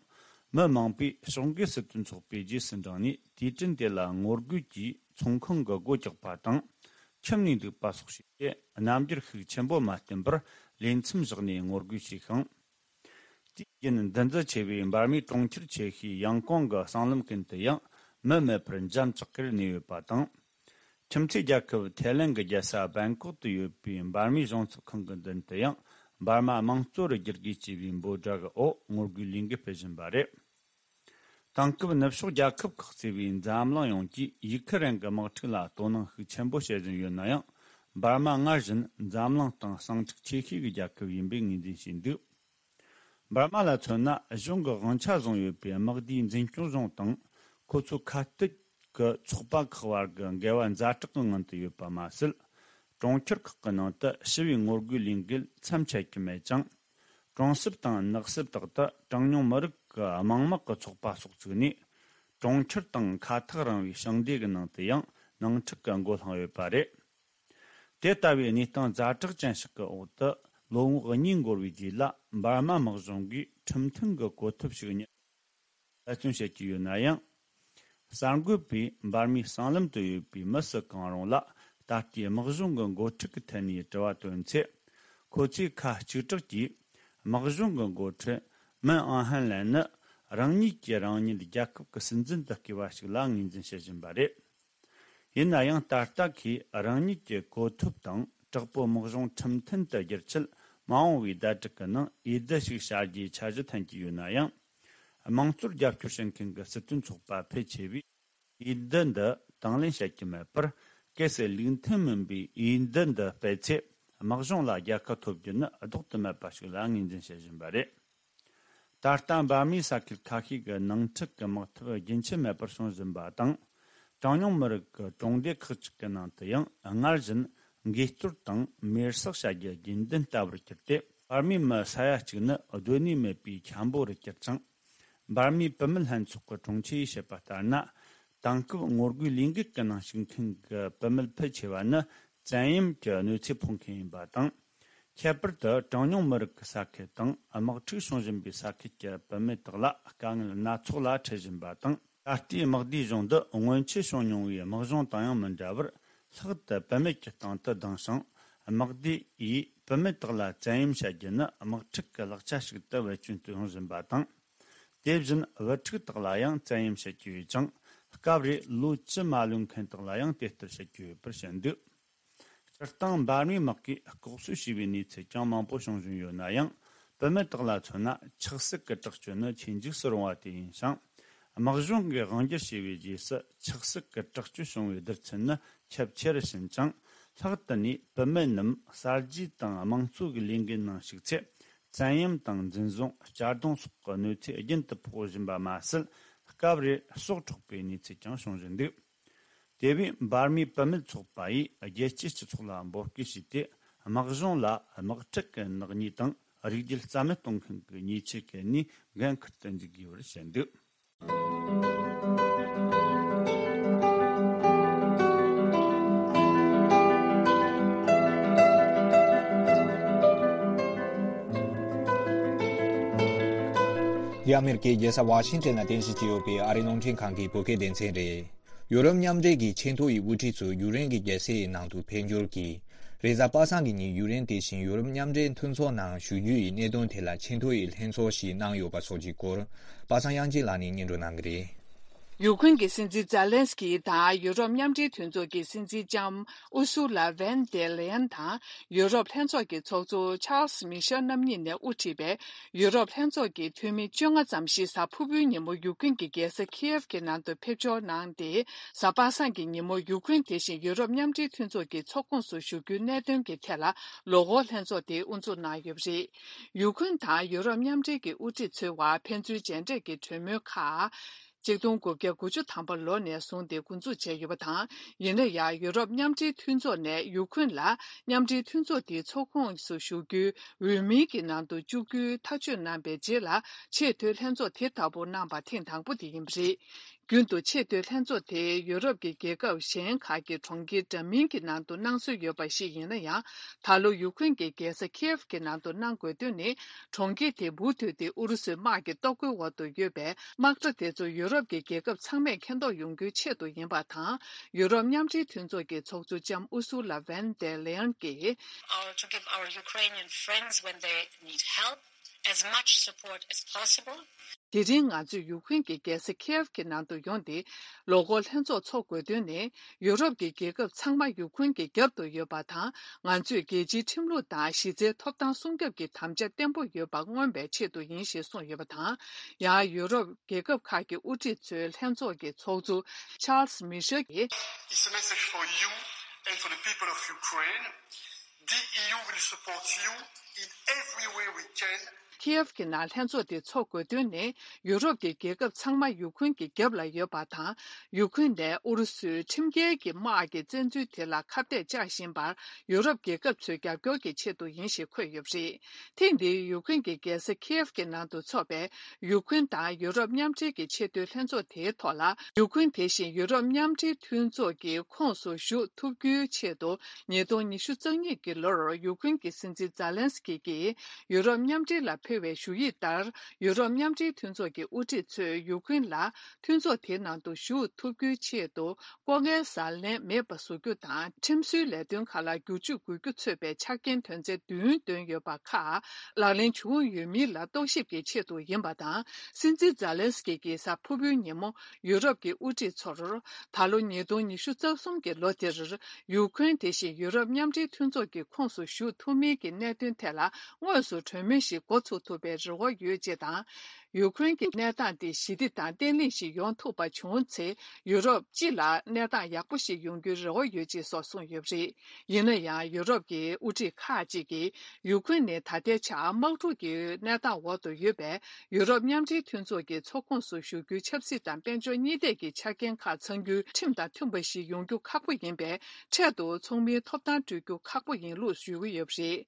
མི་མང་པོས་ཕྱོགས་འགལ་སྲིད་དོན་ཚོགས་པའི་རྗེས་སུ་འབྲངས་ནས་དུས་དྲན་དེ་ལ་ངོ་རྒོལ་གྱིས་ཚོང་ཁང་གི་སྒོ་བཀྱགས་པ་དང་། ཁྱིམ་ནས་འདུག་པ་སོགས་བྱས་ཏེ། རྣམ་འགྱུར་ཤུགས་ཆེན་པོ་མ་བསྟན་པར་ལས་མཚམས་བཞག་ནས་ངོ་རྒོལ་བྱས་ཤིང་། དུས་རྒྱུན་འདུ་འཛི་ཆེ་བའི་འབར་མའི་གྲོང་ཁྱེར་ཆེ་ཤོས་ཡང་ཀོང་གི་སྲང་ལམ་ཀུན་ཏུ་ཡང་མི་མེད་པར་འཇམ་ཅག་གེར་གནས་ཡོད་པ་དང་། ཁྱིམ་མཚེས་རྒྱལ་ཁབ་ཐའི་ལན་གྱི་རྒྱལ་ས་བེང་ཀོག་ཏུ་ཡོད་པའི་འབར་མའི་གཞུང་ཚབ་ཁང་གི་མདུན་དུ་ཡང་འབར་མ་དམངས་གཙོ་རུ་བསྒྱུར་དགོས་ཅེས་པའི་འབོད་སྒྲ་གི་འོག་ངོ་རྒོལ་ལས་འགུལ་སྤེལ་བཞིན་པ་རེད། དེང་སྐབས་ནུབ་ཕྱོགས་རྒྱལ་ཁབ་ཁག་གཙོས་པའི་འཛམ་གླིང་ཡོངས་ཀྱིས་ཡུ་ཁི་རན་གྱི་དམག་འཁྲུག་ལ་དོ་སྣང་ཤུགས་ཆེན་པོ་བྱེད་བཞིན་ཡོད་ན་ཡང་། འབར་མ་སྔར་བཞིན་འཛམ་གླིང་སྟེང་ཟིང་འཁྲུག་ཆེ་ཤོས་ཀྱི་རྒྱལ་ཁབ་ཡིན་པའི་ངོས་འཛིན་བྱས་འདུག་འབར་མ་ལ་མཚོན་ན། གཞུང་གི་དབང་ཆ་བཟུང་ཡོད་པའི་དམག་སྡེའི་འཛིན་སྐྱོང་གཞུང་དང་། ཁོ་ཚོའི་ཁ་གཏད་ཀྱི་ཚོགས་པ་ཁག་བར་གྱི་འགལ་བ་ཛ་དྲག་གི་ངང་དུ་ཡོད་པ་མ་ཟད། གྲོང་ཁྱེར་ཁག་གི་ནང་དུ་ཞི་བའི་ངོ་རྒོལ་ལས་འགུལ་མཚམས་ཆད་ཀྱི་མེད་ཅིང་། གྲོང་གསེབ་དང་ནགས་གསེབ་དག་ཏུ་གྲངས་ཉུང་མི་རིགས་ཀྱི་དམངས་དམག་གི་ཚོགས་པ་སོགས་བཙུགས་ནས། གྲོང་ཁྱེར་དང་ཁ་ཐག་རིང་བའི་ཞིང་སྡེ་གི་ནང་དུ་ཡང་ནང་འཁྲུག་གི་མགོ་བསླངས་ཡོད་པ་རེད། དེ་ལྟ་བུའི་གནས་སྟངས་ཛ་དྲག་ཅན་ཞིག་གི་འོག་ཏུ། ལོ་ངོ་གཉིས་འགོར་བའི་རྗེས་ལ། འབར་མ་དམག་གཞུང་གིས་ཁྲིམས་མཐུན་གྱི་གོ་ཐོབ་ཞིག་རྙེད། འབད་བརྩོན་བྱེད་ཀྱི་ཡོད་ན་ཡང་། གསར་འགོད་པས་འབར་མའི་གསང་ལམ་དུ་ཡོད་པའི་མི་སུ་གང་རུང་ལ། ད་ལྟའི་དམག་གཞུང་གི་འགོ་ཁྲིད་ཀྱི་ཐད་ནས་དྲི་བ་བཏོན་ཚེ། ཁོ་ཚོས་ཁ་གཅིག་གྲགས་ཀྱིས། དམག་གཞུང་གི་འགོ་ཁྲིད་མིན་ཨང་ཧན་ལན་ནི། རང་ཉིད་ཀྱིས་རང་ཉིད་རྒྱལ་ཁབ་ཀྱི་སྲིད་འཛིན་དུ་བསྐོས་པ་ཞིག་ལ་ངོས་འཛིན་བྱེད་བཞིན་པ་རེད། ཡིན་ན་ཡང་། ད་ལྟ་ཁོས་རང་ཉིད་ཀྱི་གོ་ཐོབ་དང་། དྲག་པོའི་དམག་གཞུང་ཁྲིམས་མཐུན་དུ་བསྒྱུར་ཆེད། མ་འོངས་པའི་ཟླ་དྲུག་གི་ནང་འོས་བསྡུ་ཞིག་བྱ་རྒྱུའི་འཆར་གཞི་འཐེན་གྱི་ཡོད་ན་ཡང་། དམངས་གཙོར་རྒྱབ་སྐྱོར་བྱེད་མཁན་གྱི་སྲིད་དོན་ཚོགས་པ་ཕལ་ཆེ་བས། འོས་བསྡུ་འདི་དང་ལེན་བྱེད་ཀྱི་མེད་པར། གལ་སྲིད་ལུགས་མཐུན་མིན་པའི་འོས་བསྡུ་འདི་སྤེལ་ཚེ། དམག་གཞུང་ལ་རྒྱལ་ཁ་ཐོབ་རྒྱུ་ནི་ལྡོག་ཏུ་མེད་པ་ཞིག་ལ་ངོས་འཛིན་བྱེད་བཞིན་པ་རེད། ད་ལྟ་འབར་མའི་ས་ཁུལ་ཁ་ཤས་ཀྱི་ནང་འཁྲུག་གི་དམག་འཐབ་རྒྱུན་ཆད་མེད་པར་བྱུང་བཞིན་པ་དང་། གྲངས་ཉུང་མི་རིགས་ཀྱི་གྲོང་སྡེ་ཁག་ཅིག་གི་ནང་དུ་ཡང་སྔར་བཞིན་འགོས་གཏོར་དང་མེར་སྲེག་བྱ་རྒྱུ་རྒྱུན་ལྡན་ལྟ་བུར་གྱུར་ཏེ། འབར་མའི་མི་ས་ཡ་གཅིག་ནི་སྡོད་གནས་མེད་པའི་འཁྱམ་པོ་རུ་གྱུར་ཅིང་། འབར་མའི་བུད་མེད་ལྷན་ཚོགས་ཀྱི་དྲུང་ཆེ་ཡིས་བཤད་པ་ལྟར་ན། དེང་སྐབས་ངོ་རྒོལ་ལས་འགུལ་གྱི་ནང་ཞུགས་མཁན་གྱི་བུད་མེད་ཕལ་ཆེ་བ་ནི། བཙན་གཡེམ་གྱི་གནོད་འཚེ་ཕོག་མཁན་ཡིན་པ་དང་། ཁྱད་པར་དུ་གྲངས་ཉུང་མི་རིགས་ཀྱི་ས་ཁུལ་དང་དམག་འཁྲུག་བྱུང་བཞིན་པའི་ས་ཁུལ་གྱི་བུད་མེད་དག་ལ་དཀའ་ངལ་སྣ་ཚོགས་ལ་འཕྲད་བཞིན་པ་དང་། ད་ལྟའི་དམག་སྡེའི་གཞུང་འདི་སྔོན་ཆད་བྱུང་མྱོང་བའི་དམག་གཞུང་དང་ཡང་མི་འདྲ་བར། ལྷག་ཏུ་བུད་མེད་ཀྱི་སྟེང་དུ་ལྡང་ཞིང་། དམག་སྡེ་ཡིས་བུད་མེད་དག་ལ་བཙན་གཡེམ་བྱ་རྒྱུ་ནི་དམག་འཁྲུག་གི་ལག་ཆ་ཞིག་ཏུ་བེད་སྤྱོད་དུ་ཡོང་བཞིན་པ་དང་། དེ་བཞིན་བུ་ཕྲུག་དག་ལ་ཡང་བཙན་གཡེམ་བྱེད་ཀྱི་ཡོད་ཅིང་། སྐབས་རེ་ལོ་བཅུ་མ་ལོན་མཁན་དག་ལ་ཡང་དེ་ལྟར་བྱེད་ཀྱི་ཡོད་པར་བཤད་འདུག་སྤྱིར་བཏང་འབར་མའི་དམག་གིས་ལྐོག་གསོད་བྱས་པའི་གནས་ཚུལ་ཀྱང་མང་པོ་བྱུང་བཞིན་ཡོད་ན་ཡང་། བུད་མེད་དག་ལ་མཚོན་ན་ཆགས་སྲེད་ཀྱི་དྲག་སྤྱོད་ནི་ཆེས་འཇིགས་སུ་རུང་བ་དེ་ཡིན་ཞིང་། དམག་གཞུང་གིས་དབང་སྒྱུར་བྱས་པའི་རྗེས་སུ་ཆགས་སྲེད་ཀྱི་དྲག་སྤྱོད་བྱུང་བའི་བསྡུར་ཚད་ནི་ཁྱབ་ཆེ་རུ་ཕྱིན་ཅིང་། ལྷག་ཏུ་ནས་བུད་མེད་རྣམས་གསར་བརྗེ་དང་དམངས་གཙོ་གི་ལས་འགུལ་ནང་ཞུགས་ཚེ། བཙན་གཡེམ་དང་འཛིན་བཟུང་། གཅར་རྡུང་སོགས་ཀྱི་གནོད་འཚེ་རྒྱུན་དུ་ཕོག་བཞིན་པ་མ་ཟད། སྐབས་རེར་སྲོག་འཕྲོག་པའི་གནས་ཚུལ་ཀྱང་བྱུང་བཞིན་འདུག་དེ་བས་འབར་མའི་བུད་མེད་ཚོགས་པ་ཡིས་རྒྱལ་སྤྱིའི་སྤྱི་ཚོགས་ལ་འབོད་སྐུལ་བྱས་ཏེ། དམག་གཞུང་ལ་དམག་འཁྲུག་གི་ནག་ཉེས་དང་རིགས་རྒྱུད་རྩ་མེད་གཏོང་མཁན་གྱི་ཉེས་ཆད་འགེལ་ནས་འགན་འཁུར་དུ་འཇུག་དགོས་པར་བཤད་འདུག་འདི་ཨ་མེ་རི་ཀའི་རྒྱལ་ས་ཝ་ཤིང་ཊོན་ལ་རྟེན་གཞི་བྱས་ཡོད་པའི་ཨ་རིའི་རླུང་འཕྲིན་ཁང་གི་བོད་སྐད་སྡེ་ཚན་རེད། ཡོ་རོབ་མཉམ་འབྲེལ་གྱི་ཆེས་མཐོ་ཡི་དབུ་ཁྲིད་ཚོ་ཡུཀ་རེན་གྱི་རྒྱལ་སའི་ནང་དུ་ཕེབས་འབྱོར་གྱིས། རེས་གཟའ་པ་སངས་ཀྱི་ཉིན་ཡུཀ་རེན་དེ་བཞིན་ཡོ་རོབ་མཉམ་འབྲེལ་མཐུན་ཚོགས་ནང་ཞུགས་རྒྱུ་ཡི་གནད་དོན་ཐད་ལ་ཆེས་མཐོ་ཡི་ལྷན་ཚོགས་ཤིག་གནང་ཡོད་པ་སོགས་ཀྱི་སྐོར། པ་སངས་དབྱངས་ཅན་ལགས་ནས་སྙན་སྒྲོན་གནང་གི་རེད། ཡུ་ཁུན་གྱི་སྲིད་འཛིན་ཛེ་ལན་སི་ཀི་དང་ཡུ་རོབ་མཉམ་འབྲེལ་མཐུན་ཚོགས་ཀྱི་སྲིད་འཛིན་ལྕམ་ཨུ་སུ་ལ་ཝན་ཏེ་ལེ་ཡན་དང་ཡུ་རོབ་ལྷན་ཚོགས་ཀྱི་ཚོགས་གཙོ་ཆཱལ་སི་མི་ཤེལ་རྣམ་གཉིས་ནས་དབུ་ཁྲིད་པའི་ཡུ་རོབ་ལྷན་ཚོགས་ཀྱི་འཐུས་མི་བཅོ་ལྔ་ཙམ་ཞིག་གཟའ་ཕུར་བུའི་ཉིན་མོ་ཡུ་ཁུན་གྱི་རྒྱལ་ས་ཁིའེབ་ཀྱི་ནང་དུ་ཕེབས་འབྱོར་གནང་སྟེ། གཟའ་པ་སངས་ཀྱི་ཉིན་མོ་ཡུ་ཁུན་དེ་བཞིན་ཡུ་རོབ་མཉམ་འབྲེལ་མཐུན་ཚོགས་ཀྱི་ཚོགས་ཁོངས་སུ་ཞུགས་རྒྱུའི་གནད་དོན་གྱི་ཐད་ལ་ལོ་འཁོར་ལྷན་ཚོགས་དེ་དབུ་འཛུགས་གནང་ཡོད་པ་རེད། ཡུ་ཁུན་དང་ཡུ་རོབ་མཉམ་འབྲེལ་གྱི་དབུ་ཁྲིད་ཚོའི་བར་ཕན་ཚུན་མཇལ་འཕྲད་ཀྱི་གྲོས་མོལ་ཁག་གཅིག་སྟོང་དགུ་བརྒྱ་དགུ་བཅུ་ཐམ་པ་ལོ་ནས་བཟུང་སྟེ་འགོ་འཛུགས་བྱས་ཡོད་པ་དང་། ཡིན་ན་ཡང་ཡུ་རོབ་མཉམ་འབྲེལ་མཐུན་ཚོགས་ནས་ཡུ་ཁུན་ལ་མཉམ་འབྲེལ་མཐུན་ཚོགས་དེའི་ཚོགས་ཁོངས་སུ་ཞུགས་རྒྱུའི་འོས་མིའི་གི་ནང་དུ་བཅུག་རྒྱུའི་ཐག་གཅོད་གནང་པའི་རྗེས་ལ་ཆེས་མཐོའི་ལྷན་ཚོགས་དེ་ལྟ་བུ་གནང་པ་ཐེངས་དང་པོ་དེ་ཡིན་པ་རེད། རྒྱུན་དུ་ཆེས་མཐོའི་ལྷན་ཚོགས་དེ་ཡུ་རོབ་ཀྱི་རྒྱལ་ཁབ་གཞན་ཁག་གི་གྲོང་ཁྱེར་འདྲ་མིན་གྱི་ནང་དུ་གནང་སྲོལ་ཡོད་པ་ཞིག་ཡིན་ན་ཡང་། ད་ལོ་ཡུ་ཁུན་གྱི་རྒྱལ་ས་ཁིའེབ་ཀྱི་ནང་དུ་གནང་དགོས་དོན་ནི། གྲོང་ཁྱེར་དེ་མུ་མཐུད་དེ་ཨུ་རུ་སུའི་དམག་གི་གཏོར་རྒོལ་འོག་ཏུ་ཡོད་པས། དམག་གྲ་དེ་ཚོ་ཡུ་རོབ་ཀྱི་རྒྱལ་ཁབ་ཚང་མས་མཁྱེན་རྟོགས་ཡོང་རྒྱུའི་ཆེད་དུ་ཡིན་པ་དང་། ཡུ་རོབ་མཉམ་འབྲེལ་མཐུན་ཚོགས་ཀྱི་ཚོགས་གཙོ་ལྕམ་ཨུ་སུ་ལ་ཝན་ཏེ་ལེ་ཡན་གྱིས། Or to give our Ukrainian friends when they need help, as much support as possible. དེ་རིང་ང་ཚོས་ཡུ་ཁུན་གྱི་རྒྱལ་ས་ཁིའེབ་ཀྱི་ནང་དུ་ཡོང་སྟེ། ལོ་འཁོར་ལྷན་ཚོགས་འཚོགས་དགོས་དོན་ནི། ཡུ་རོབ་ཀྱི་རྒྱལ་ཁབ་ཚང་མ་ཡུ་ཁུན་གྱི་རྒྱབ་ཏུ་ཡོད་པ་དང་། ང་ཚོས་རྒྱལ་སྤྱིའི་ཁྲིམས་ལུགས་དང་གཞི་རྩའི་ཐོབ་ཐང་སྲུང་སྐྱོབ་ཀྱི་དམ་བཅའ་བརྟན་པོ་ཡོད་པ་མངོན་པའི་ཆེད་དུ་ཡིན་ཞེས་གསུངས་ཡོད་པ་དང་། ཡང་ཡུ་རོབ་རྒྱལ་ཁབ་ཁག་གི་དབུ་ཁྲིད་ཚོའི་ལྷན་ཚོགས་ཀྱི་ཚོགས་གཙོ་ཆཱལ་སི་མི་ཤེལ་གྱིས། It's a message for you and for the people of Ukraine. The E U will support you in every way we can. ཁིའེབ་ཀྱི་ནང་ལྷན་ཚོགས་དེ་འཚོགས་དགོས་དོན་ནི། ཡུ་རོབ་ཀྱི་རྒྱལ་ཁབ་ཚང་མ་ཡུ་ཁུན་གྱི་རྒྱབ་ལ་ཡོད་པ་དང་། ཡུ་ཁུན་ནས་ཨུ་རུ་སུའི་ཁྲིམས་འགལ་གྱི་དམག་གི་བཙན་འཛུལ་དེ་ལ་ཁ་གཏད་བཅག་བཞིན་པར་ཡུ་རོབ་རྒྱལ་ཁབ་ཚོའི་རྒྱབ་སྐྱོར་གྱི་ཆེད་དུ་ཡིན་ཞེས་འཁོད་ཡོད་པ་རེད། ཐེངས་འདིའི་ཡུ་ཁུན་གྱི་རྒྱལ་ས་ཁིའེབ་ཀྱི་ནང་དུ་འཚོགས་པའི་ཡུ་ཁུན་དང་ཡུ་རོབ་མཉམ་འབྲེལ་གྱི་ཆེས་མཐོའི་ལྷན་ཚོགས་དེའི་ཐོག་ལ། ཡུ་ཁུན་དེ་བཞིན་ཡུ་རོབ་མཉམ་འབྲེལ་མཐུན་ཚོགས་ཀྱི་ཁོངས་སུ་ཞུགས་ཐུབ་རྒྱུའི་ཆེད་དུ། ཉིས་སྟོང་ཉི་ཤུ་རྩ་གཉིས་ཀྱི་ལོར་ཡུ་ཁུན་གྱི་སྲིད་འཛིན་ཛཱ་ལན་སི་ཀི་གིས་ཡུ་རོབ་མཉམ་འབྲེལ་ལ་ཕུལ་བའི་ཞུ་ཡིག་ལྟར། ཡུ་རོབ་མཉམ་འབྲེལ་མཐུན་ཚོགས་ཀྱི་དབུ་ཁྲིད་ཚོས་ཡུ་ཁུན་ལ་མཐུན་ཚོགས་དེའི་ནང་དུ་ཞུགས་ཐུབ་རྒྱུའི་ཆེད་དུ། ལྐོག་རྔན་ཟ་ལེན་མེད་པ་བཟོ་རྒྱུ་དང་། ཁྲིམས་བཟོའི་ལས་དོན་ཁག་ལ་བསྒྱུར་བཅོས་དགོས་རྒྱུ་ཚོད་པའི་ཆ་རྐྱེན་དོན་ཚན་བདུན་བཏོན་ཡོད་པ་ཁག་ལག་ལེན་བྱུང་ཡོད་མིན་ལ་རྟོག་ཞིབ་ཀྱི་ཆེད་དུ་ཡིན་པ་དང་། སྲིད་འཛིན་ཛཱ་ལན་སི་ཀི་གིས་གཟའ་ཕུར་བུའི་ཉིན་མོ། ཡུ་རོབ་ཀྱི་དབུ་ཁྲིད་ཚོར། ད་ལོ་ཉིས་སྟོང་ཉི་ཤུ་རྩ་གསུམ་གྱི་ལོ་དེར། ཡུ་ཁུན་དེ་བཞིན་ཡུ་རོབ་མཉམ་འབྲེལ་མཐུན་ཚོགས་ཀྱི་ཁོངས་སུ་ཞུགས་ཐུབ་མིན་གྱི་གནད་དོན་ཐད་ལ་དངོས་སུ་གྲོས་མོལ་ཞིག་འགོ་ཚུགས་ཐུབ་པའི་རེ་བ་ཡོད་ཅེས་དང་། ཡུ་ཁུན་གྱི་གནས་སྟངས་དེ་ཞི་བདེ་དང་བརྟན་ལྷིང་ཞིག་ཡོང་ཐུབ་པ་བྱུང་ཚེ། ཡུ་རོབ་སྤྱི་ལ་གནས་སྟངས་ཡག་པོ་ཞིག་ཡོང་རྒྱུའི་རེ་བ་ཡོད་ཅེས་སོགས་གསུངས་ཡོད་པ་རེད། ཡིན་ན་ཡང་། ཡུ་རོབ་ཀྱི་དབུ་ཁྲིད་ཁག་ཅིག་གིས། ཡུ་ཁུན་ནི་ད་ལྟའི་ཆར་དམག་འཁྲུག་གི་གནས་སྟངས་འོག་ཏུ་ཡོད་པས། ཡུ་རོབ་མཉམ་འབྲེལ་མཐུན་ཚོགས་ཀྱི་ཚོགས་ཁོངས་སུ་ཞུགས་རྒྱུའི་ཆབ་སྲིད་དང་དཔལ་འབྱོར་གཉིས་ཐད་ཀྱི་ཆ་རྐྱེན་ཁག་ཚང་རྒྱུའི་ཁྲིམས་དང་མཐུན་པ་ཞིག་ཡོང་རྒྱུ་ཁག་པོ་ཡིན་པས། འཕྲལ་དུ་ཚོགས་མིའི་ཐོབ་ཐང་སྤྲོད་རྒྱུ་ཁག་པོ་ཡིན་ལུགས་ཞུ་གི་ཡོད་པ་རེད།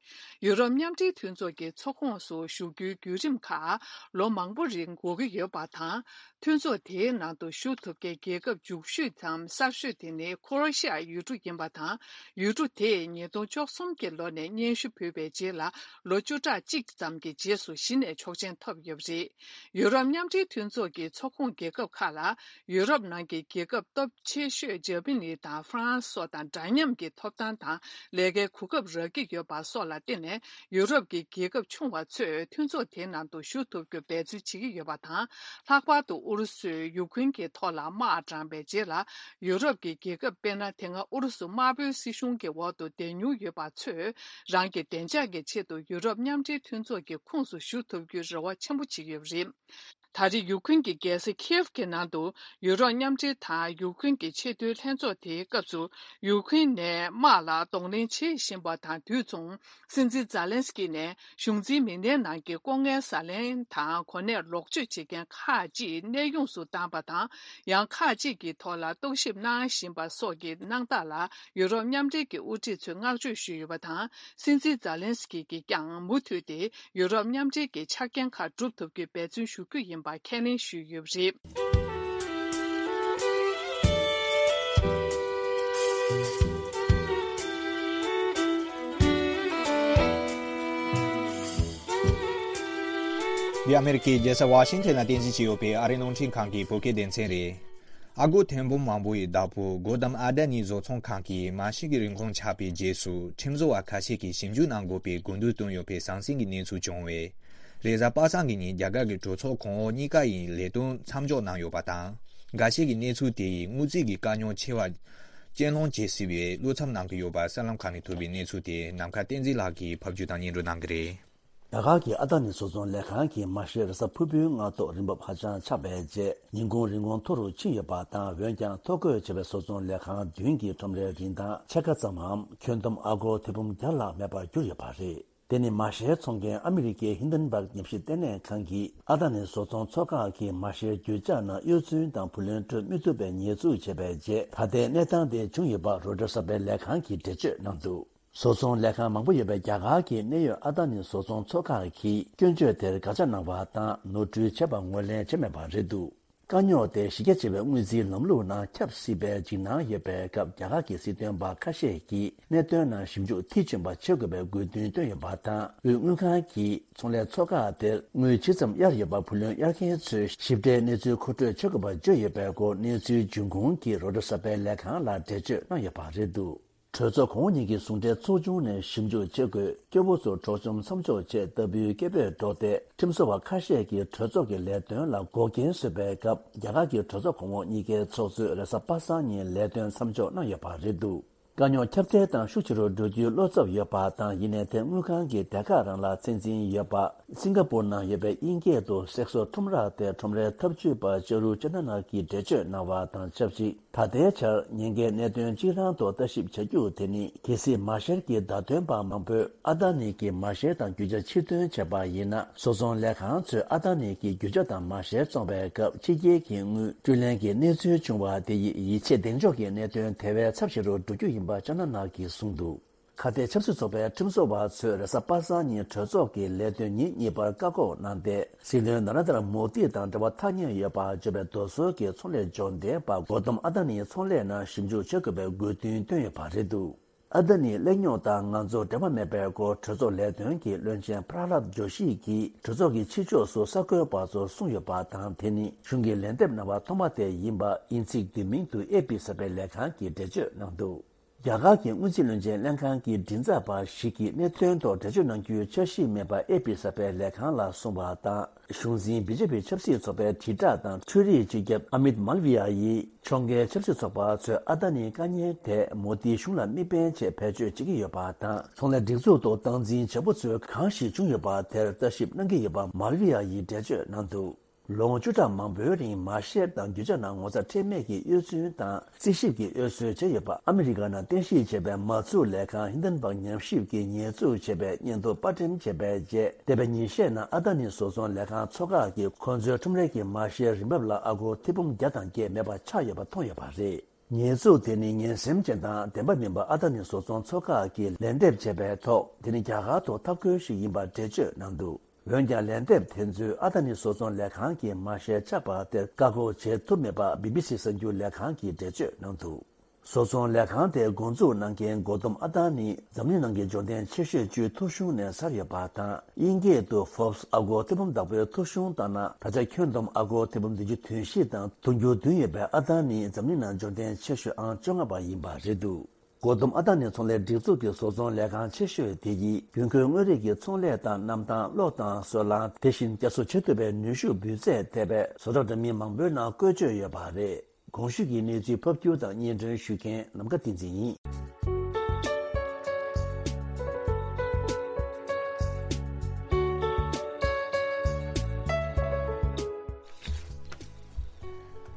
ཡུ་རོབ་མཉམ་འབྲེལ་མཐུན་ཚོགས་ཀྱི་ཚོགས་ཁོངས་སུ་ཞུགས་རྒྱུའི་བརྒྱུད་རིམ་ཁག་ལོ་མང་པོ་རིང་འགོར་གྱི་ཡོད་པ་དང་། མཐུན་ཚོགས་དེའི་ནང་དུ་ཞུགས་ཐུབ་མཁན་རྒྱལ་ཁབ་མཇུག་ཤོས་དམ་གསར་ཤོས་དེ་ནི་ཁོ་རོ་ཤི་ཡ་ཡུལ་གྲུ་ཡིན་པ་དང་། ཡུལ་གྲུ་དེས་ཉིས་སྟོང་བཅུ་གསུམ་གྱི་ལོ་ནས་སྙན་ཞུ་ཕུལ་བའི་རྗེས་ལ་ལོ་བཅུ་ཕྲག་གཅིག་ཙམ་གྱི་རྗེས་སུ་གཞི་ནས་ཆོག་མཆན་ཐོབ་ཡོད་པ་རེད། ཡུ་རོབ་མཉམ་འབྲེལ་མཐུན་ཚོགས་ཀྱི་ཚོགས་ཁོངས་རྒྱལ་ཁབ་ཁག་ལ་ཡུ་རོབ་ནང་གི་རྒྱལ་ཁབ་སྟོབས་ཆེ་ཤོས་འཇར་པ་ནི་དང་ཧྥ་རན་སི་སོགས་དང་འདྲ་མཉམ་གྱི་ཐོབ་ཐང་དང་ལས་ཀའི་གོ་སྐབས་རག་གི་ཡོད་པ་སོགས་ལ་བརྟེན་ནས། ཡུ་རོབ་ཀྱི་རྒྱལ་ཁབ་ཆུང་བ་ཚོས་མཐུན་ཚོགས་དེའི་ནང་དུ་ཞུགས་ཐུབ་རྒྱུ་འབད་བརྩོན་བྱེད་ཀྱི་ཡོད་པ་དང་། ལྷག་པར་དུ་ཨུ་རུ་སུས་ཡུ་ཁུན་གྱི་ཐོག་ལ་དམག་དྲངས་པའི་རྗེས་ལ། ཡུ་རོབ་ཀྱི་རྒྱལ་ཁབ་དཔེར་ན། དེ་སྔ་ཨུ་རུ་སུ་དམར་པོའི་སྲིད་གཞུང་གི་འོག་ཏུ་བསྡད་མྱོང་ཡོད་པ་ཚོས། རང་གི་བདེ་འཇགས་ཀྱི་ཆེད་དུ་ཡུ་རོབ་མཉམ་འབྲེལ་མཐུན་ཚོགས་ཀྱི་ཁོངས་སུ་ཞུགས་ཐུབ་རྒྱུའི་རེ་བ་ཆེན་པོ་བྱེད་ཀྱི་ཡོད་པ་རེད། ད་རེས་ཡུ་ཁུན་གྱི་རྒྱལ་ས་ཁིའེབ་ཀྱི་ནང་དུ་ཡུ་རོབ་མཉམ་འབྲེལ་དང་ཡུ་ཁུན་གྱི་ཆེས་མཐོའི་ལྷན་ཚོགས་དེའི་སྐབས་སུ། ཡུ་ཁུན་ནས་དམག་ལ་གདོང་ལེན་བྱེད་བཞིན་པ་དང་དུས་མཚུངས། སྲིད་འཛིན་ཛཱ་ལན་སི་ཀི་ནས་གཞུང་འཛིན་མི་སྣའི་ནང་གི་ལྐོག་རྔན་ཟ་ལེན་དང་གོ་གནས་ལོག་སྤྱོད་བྱེད་མཁན་ཁག་ཅིག་གནས་དབྱུང་སུ་བཏང་པ་དང་། ཡང་ཁག་ཅིག་གི་ཐོག་ལ་རྟོག་ཞིབ་གནང་བཞིན་པ་སོགས་ཀྱི་གནང་སྟངས་ལ། ཡུ་རོབ་མཉམ་འབྲེལ་གྱི་དབུ་ཁྲིད་ཚོས་བསྔགས་བརྗོད་ཞུས་ཡོད་པ་དང་། སྲིད་འཛིན་ཛཱ་ལན་སི་ཀི་གིས་ཀྱང་མུ་མཐུད་དེ་ཡུ་རོབ་མཉམ་འབྲེལ་གྱི་ཆ་རྐྱེན་ཁག་སྒྲུབ་ཐུབ་རྒྱུའི་འབད་བརྩོན་ཞུ་རྒྱུ་ཡིན་པ་ཁས་ལེན་ཞུས་ཡོད་པ་རེད། འདི་ཨ་མེ་རི་ཀའི་རྒྱལ་ས་ཝ་ཤིང་ཐན་ལ་རྟེན་གཞི་བྱས་ཡོད་པའི་ཨ་རིའི་རླུང་འཕྲིན་ཁང་གི་བོད་སྐད་སྡེ་ཚན་རེད། ཨ་སྒོར་ཐེར་འབུམ་མང་པོ་ཡི་བདག་པོ་གོ་དམ་ཨ་ད་ནི་བཟོ་ཚོང་ཁང་གིས་མ་ཤི་གི་རིན་གོང་ཆག་པའི་རྗེས་སུ་ཁྲིམས་བཟོ་བ་ཁ་ཤས་ཀྱིས་ཞིབ་འཇུག་གནང་དགོས་པའི་དགོས་འདུན་བཏོན་ཡོད་པའི་ཟང་ཟིང་གི་གནས་ཚུལ་བྱུང་བས། རེས་གཟའ་པ་སངས་ཀྱི་ཉིན་རྒྱ་གར་གྱི་གྲོས་ཚོགས་གོང་འོག་གཉིས་ཀ་ཡིས་ལས་དོན་མཚམས་འཇོག་གནང་ཡོད་པ་དང་ འགའ་ཤས་ཀྱིས་གནས་ཚུལ་དེ་ཡིས་དངུལ་རྩིས་ཀྱི་དཀའ་རྙོག་ཆེ་བ་གཅེས་སློང་བྱེད་སྲིད་པའི་བློ་འཚབ་གནང་གི་ཡོད་པ་གསར་ལམ་ཁག་ནས་ཐོན་པའི་གནས་ཚུལ་དེ་ནམ་མཁའ་བསྟན་འཛིན་ལགས་ཀྱིས་ཕབ་སྒྱུར་དང་སྙན་སྒྲོན་གནང་གི་རེད། རྒྱ་གར་གྱི་ཨ་ད་ནི་བཟོ་ཚོང་ལས་ཁང་གིས་མ་ཤེར་རེས་གཟའ་ཕུར་བུའི་སྔ་ཐོག་རིན་འབབ་ཧ་ཅང་ཆག་པའི་རྗེས་ཉིན་གུང་རིན་གོང་མཐོ་རུ་ཕྱིན་ཡོད་པ་དང་། འོན་ཀྱང་ཐོ་འགོད་བྱས་པའི་བཟོ་ཚོང་ལས་ཁང་བདུན་གྱི་ཁྲོམ་རའི་རིན་ཐང་ཕྱེད་ཀ་ཙམ་མམ་ཁྱོན་བསྡོམས་ཨ་སྒོར་ཐེར་འབུམ་བརྒྱ་ལྷག་མེད་པར་གྱུར་ཡོད་པ་རེད། དེ་ནི་མ་ཤེར་འཚོང་མཁན་ཨ་མི་རི་ཀའི་ཧིན་ཌན་བྷག་ཉམས་ཞིབ་ལྟེ་གནས་ཁང་གིས་ཨ་ད་ནི་བཟོ་ཚོང་ཚོགས་ཁག་གིས་མ་ཤེར་རྒྱུ་ཆ་ནང་གཡོ་རྫུན་དང་བུ་ལོན་སྤྲོད་མི་ཐུབ་པའི་ཉེས་འཛུགས་བྱས་པའི་རྗེས། ད་ལྟའི་གནས་སྟངས་དེ་བྱུང་ཡོད་པ་རོའི་ཊར་གསར་པའི་ལས་ཁང་གིས་འགྲེལ་བརྗོད་གནང་འདུག་བཟོ་ཚོང་ལས་ཁང་མང་པོ་ཡོད་པའི་རྒྱ་གར་གྱི་གནད་ཡོད་ཨ་ད་ནི་བཟོ་ཚོང་ཚོགས་ཁག་གིས་སྐྱོན་བརྗོད་དེར་དགག་བྱ་གནང་བ་དང་། ནོར་འཁྲུལ་བྱས་པ་ངོས་ལེན་བྱས་མེད་པ་རེད་འདུག་དཀའ་རྙོག་དེ་གཞི་རྒྱ་ཆེ་བའི་དངུལ་རྩིས་ལམ་ལུགས་ནང་ཁྱབ་སྲིད་པའི་འཇིགས་སྣང་ཡོད་པའི་སྐབས། རྒྱ་གར་གྱི་སྲིད་དོན་པ་ཁ་ཤས་ཀྱིས་གནད་དོན་ནང་ཞིབ་འཇུག་མཐིལ་ཕྱིན་པ་བྱེད་དགོས་པའི་དགོས་འདུན་བཏོན་ཡོད་པ་དང་། དབུས་དངུལ་ཁང་གིས་ཚོང་ལས་ཚོགས་ཁག་དེར་དངུལ་ཇི་ཙམ་གཡར་ཡོད་པ། བུ་ལོན་གཡར་མཁན་ཚོས་ཞིབ་ཕྲའི་གནས་ཚུལ་མཁོ་སྤྲོད་བྱེད་དགོས་པ་བརྗོད་ཡོད་པའི་སྐོར། གནས་ཚུལ་འབྱུང་ཁུངས་ཀྱིས་རོའི་ཊར་གསར་པའི་ལས་ཁང་ལ་འགྲེལ་བརྗོད་གནང་ཡོད་པ་རེད་འདུག་གྲོས་ཚོགས་གོང་འོག་གཉིས་ཀྱི་ཟུང་འབྲེལ་ཚོགས་ཆུང་ནས་ཞིབ་འཇུག་བྱེད་དགོས། སྐྱོ་བོ་ཚོར་འཕྲོག་བཅོམ་མཚམས་འཇོག་ཆེད་ལྟ་བུའི་སྐད་འབོད་སྒྲོག་སྟེ། ཁྲིམས་བཟོ་བ་ཁ་ཤས་ཀྱིས་གྲོས་ཚོགས་ཀྱི་ལས་དོན་ལ་འགོག་རྐྱེན་བཟོས་པའི་སྐབས། རྒྱ་གར་གྱི་གྲོས་ཚོགས་གོང་འོག་གཉིས་ཀའི་ཚོགས་གཙོས་རེས་གཟའ་པ་སངས་ཉིན་ལས་དོན་མཚམས་འཇོག་གནང་ཡོད་པ་རེད་འདུག་དཀའ་རྙོག་ཁྱབ་གདལ་དང་ཤུགས་ཆེ་རུ་འགྲོ་རྒྱུའི་བློ་འཚབ་ཡོད་པ་དང་། ཡིན་ནའི་དེ་དངུལ་ཁང་གི་སྡེ་ཁག་རང་ལ་ཚད་འཛིན་ཡོད་པ། སིང་ག་པུར་ནང་ཡོད་པའི་དབྱིན་སྐད་དུ་སེག་སོ་ཁྲོམ་ར་དེ་ཁྲོམ་རའི་ཐབས་ཇུས་པ་ཅ་རུ་ཅ་ན་ན་གིས་འགྲེལ་བརྗོད་གནང་བ་དང་ཆབས་ཅིག་ད་ལྟའི་ཆར་ཉེན་ཁའི་གནད་དོན་གཅིག་རང་དུ་ལྟ་ཞིབ་བྱ་རྒྱུ་དེ་ནི། གལ་སྲིད་མ་ཤེར་གྱི་བརྡ་སྟོན་པ་མང་པོས་ཨ་ད་ནི་གྱི་མ་ཤེར་དང་རྒྱུ་ཆ་ཕྱིར་ཐོན་བྱས་པ་ཡིན་ན། བཟོ་ཚོང་ལས་ཁང་ཚོས་ཨ་ད་ནི་གྱི་རྒྱུ་ཆ་དང་མ་ཤེར་བཙོང་བའི་སྐབས་ཕྱི་རྒྱལ་གྱི་དངུལ་སྤྲོད་ལེན་གྱི་གནས་ཚུལ་བྱུང་བ་དེ་ཡིས་ཡིད་ཆེས་གདེང་འཇོག་གི་གནད་དོན་དེ་བས་ཚབས་ཆེ་རུ་འགྲོ་རྒྱུ་ཡིན་པ་ཅ་ན་ན་གིས་གསུངས་འདུག་ཁ་གཏད་ཆབ་སྲིད་ཚོགས་པའི་ཁྲིམས་བཟོ་བ་ཚོས་རེས་གཟའ་པ་སངས་ཉིན་གྲོས་ཚོགས་ཀྱི་ལས་དོན་ཉིན་གཉིས་པར་བཀག་འགོག་གནང་སྟེ། སྲིད་བློན་ན་རེན་དྲ་མོ་དི་དང་འབྲེལ་བ་ཐག་ཉེ་ཡོད་པར་བརྗོད་པའི་རྡོ་སོལ་གྱི་ཚོང་ལས་འབྱོར་ལྡན་པ་གོ་ཏམ་ཨ་ད་ནིའི་ཚོང་ལས་ནང་ཞིབ་འཇུག་བྱེད་དགོས་པའི་དགོས་འདུན་བཏོན་ཡོད་པ་རེད་འདུག་ཨ་ད་ནིའི་གླེང་རྙོག་དང་ང་ཚོ་འབྲེལ་བ་མེད་པའི་སྐོར་གྲོས་ཚོགས་ལས་དོན་གྱི་བློན་ཆེན་པྲ་ལྷབ་ཇོ་ཤི་གིས་གྲོས་ཚོགས་ཀྱི་ཕྱི་ཕྱོགས་སུ་གསར་འགོད་པ་ཚོར་གསུངས་ཡོད་པ་དང་། དེ་ནི་གཞུང་གི་ལན་འདེབས་གནང་བ་ཐོག་མ་དེ་ཡིན་པ་དབྱིན་ཚིག་བསྡུས་མིང་དུ་ཨེ་པི་གསར་པའི་ལས་ཁང་གིས་འགྲེལ་བརྗོད་གནང་འདུག་རྒྱ་གར་གྱི་དངུལ་རྩིས་བློན་ཆེན་ལྷན་ཁང་གི་མགྲིན་ཚབ་པ་ཞིག་གིས་གནད་དོན་ཐོག་འགྲེལ་བརྗོད་གནང་རྒྱུའི་འཆར་གཞི་མེད་པ་ཨེ་པི་གསར་པའི་ལས་ཁང་ལ་གསུངས་པ་དང་། གཞུང་འཛིན་བི་ཇེ་པི་ཆབ་སྲིད་ཚོགས་པའི་དྲིལ་བསྒྲགས་དང་འཕྲུལ་རིག་སྤྱི་ཁྱབ་ཨ་མིད་མལ་བི་ཡ་ཡིས། ཕྱོགས་འགལ་ཆབ་སྲིད་ཚོགས་པ་ཚོས་ཨ་ད་ནིའི་དཀའ་ངལ་དེ་མོ་དིའི་གཞུང་ལ་མིག་དཔེ་ཆེད་བེད་སྤྱོད་བྱེད་ཀྱི་ཡོད་པ་དང་། ཚོང་ལས་སྒྲིག་འཛུགས་ཐོག་སྟངས་འཛིན་བྱེད་པོ་ཚོས་གང་ཞིག་བྱུང་ཡོད་པ་དེར་ལྟ་ཞིབ་གནང་གི་ཡོད་པ་མལ་བི་ཡ་ཡིས་འགྲེལ་བརྗོད་གནང་འདུག་ལོ་ངོ་བཅུ་ཕྲག་མང་པོའི་རིང་མ་ཤེར་དང་རྒྱུ་ཆ་ནང་ངོ་ཚ་ཁྲེལ་མེད་ཀྱིས་གཡོ་རྫུན་དང་རྩིས་ཞིབ་ཀྱིས་གཡོ་ཟོལ་བྱས་ཡོད་པ། ཨ་མི་རི་ཀ་ནང་རྟེན་གཞི་བྱས་པའི་མ་འཛུགས་ལས་ཁང་ཧིན་ཌན་བྷག་ཉམས་ཞིབ་ཀྱིས་ཉེས་འཛུགས་བྱས་པའི་སྙན་ཐོ་པར་འགྲེམས་བྱས་པའི་རྗེས། འདས་པའི་ཉིན་ཤས་ནང་ཨ་ད་ནི་བཟོ་ཚོང་ལས་ཁང་ཚོ་ཁག་གིས་ཁོང་ཚོའི་ཁྲོམ་རའི་གི་མ་ཤེར་རིན་འབབ་ལ་ཨ་སྒོར་ཐེར་འབུམ་བརྒྱ་དང་བརྒྱད་མེད་པ་ཆགས་ཡོད་པ་མཐོང་ཡོད་པ་རེད། ཉེས་འཛུགས་དེ་ནི་ངན་སེམས་ཅན་དང་བདེན་པ་མིན་པ་ཨ་ད་ནི་བཟོ་ཚོང་ཚོ་ཁག་གིས་ལན་འདེབས་བྱས་པའི་ཐོག་དེ་ནི་རྒྱ་གར་ཐོག་ཐབས་བཀོད་ཞིག་ཡིན་པར་འགྲེལ་བརྗོད་གནང་འདུག་འོན་ཀྱང་ལན་འདེབས་དེ་ཚོས་ཨ་ད་ནི་བཟོ་ཚོང་ལས་ཁང་གི་མ་ཤེར་ཆག་པ་དེར་བཀག་འགོག་བྱེད་ཐུབ་མེད་པ་བི་བི་སི་གསར་འགྱུར་ལས་ཁང་གིས་འགྲེལ་བརྗོད་གནང་འདུག་བཟོ་ཚོང་ལས་ཁང་དེ་འགོ་འཛུགས་གནང་མཁན་གོ་ཏམ་ཨ་ད་ནི་འཛམ་གླིང་ནང་གི་འབྱོར་ལྡན་ཆེ་ཤོས་བཅུའི་ཐོ་གཞུང་ནས་གསར་ཡོད་པ་དང་། དབྱིན་སྐད་དུ་Forbes་ཨ་སྒོར་ཐེར་འབུམ་བདག་པོའི་ཐོ་གཞུང་ལྟར་ན། ད་ཆ་ཁྱོན་བསྡོམས་ཨ་སྒོར་ཐེར་འབུམ་བདུན་ཅུ་དོན་བཞི་དང་དུང་ཕྱུར་བདུན་ཡོད་པའི་ཨ་ད་ནི་འཛམ་གླིང་ནང་འབྱོར་ལྡན་ཆེ་ཤོས་ཨང་བཅོ་ལྔ་པ་ཡིན་པ་རེད་འདུག་གོ་ཏམ་ཨ་ད་ནི་ཚོང་ལས་སྒྲིག་འཛུགས་ཀྱི་བཟོ་ཚོང་ལས་ཁང་ཆེ་ཤོས་དེ་ཡིས་དགོས་མཁོའི་དངོས་རིགས་ཀྱི་ཚོང་ལས་དང་། གནམ་ཐང་། གློག་དང་སོལ་རླངས། དེ་བཞིན་བསྐྱར་གསོ་བྱེད་ཐུབ་པའི་ནུས་ཤུགས་འབུལ་ཚད་ཐེབས་པའི་བཟོ་གྲྭ་འདྲ་མིན་མང་པོའི་ནང་བཀོལ་སྤྱོད་ཡོད་པ་རེད། གོང་ཞུས་ཀྱི་གནས་ཚུལ་ཕབ་སྒྱུར་དང་སྙན་སྒྲོན་ཞུ་མཁན་ནམ་མཁའ་བསྟན་འཛིན་ཡིན།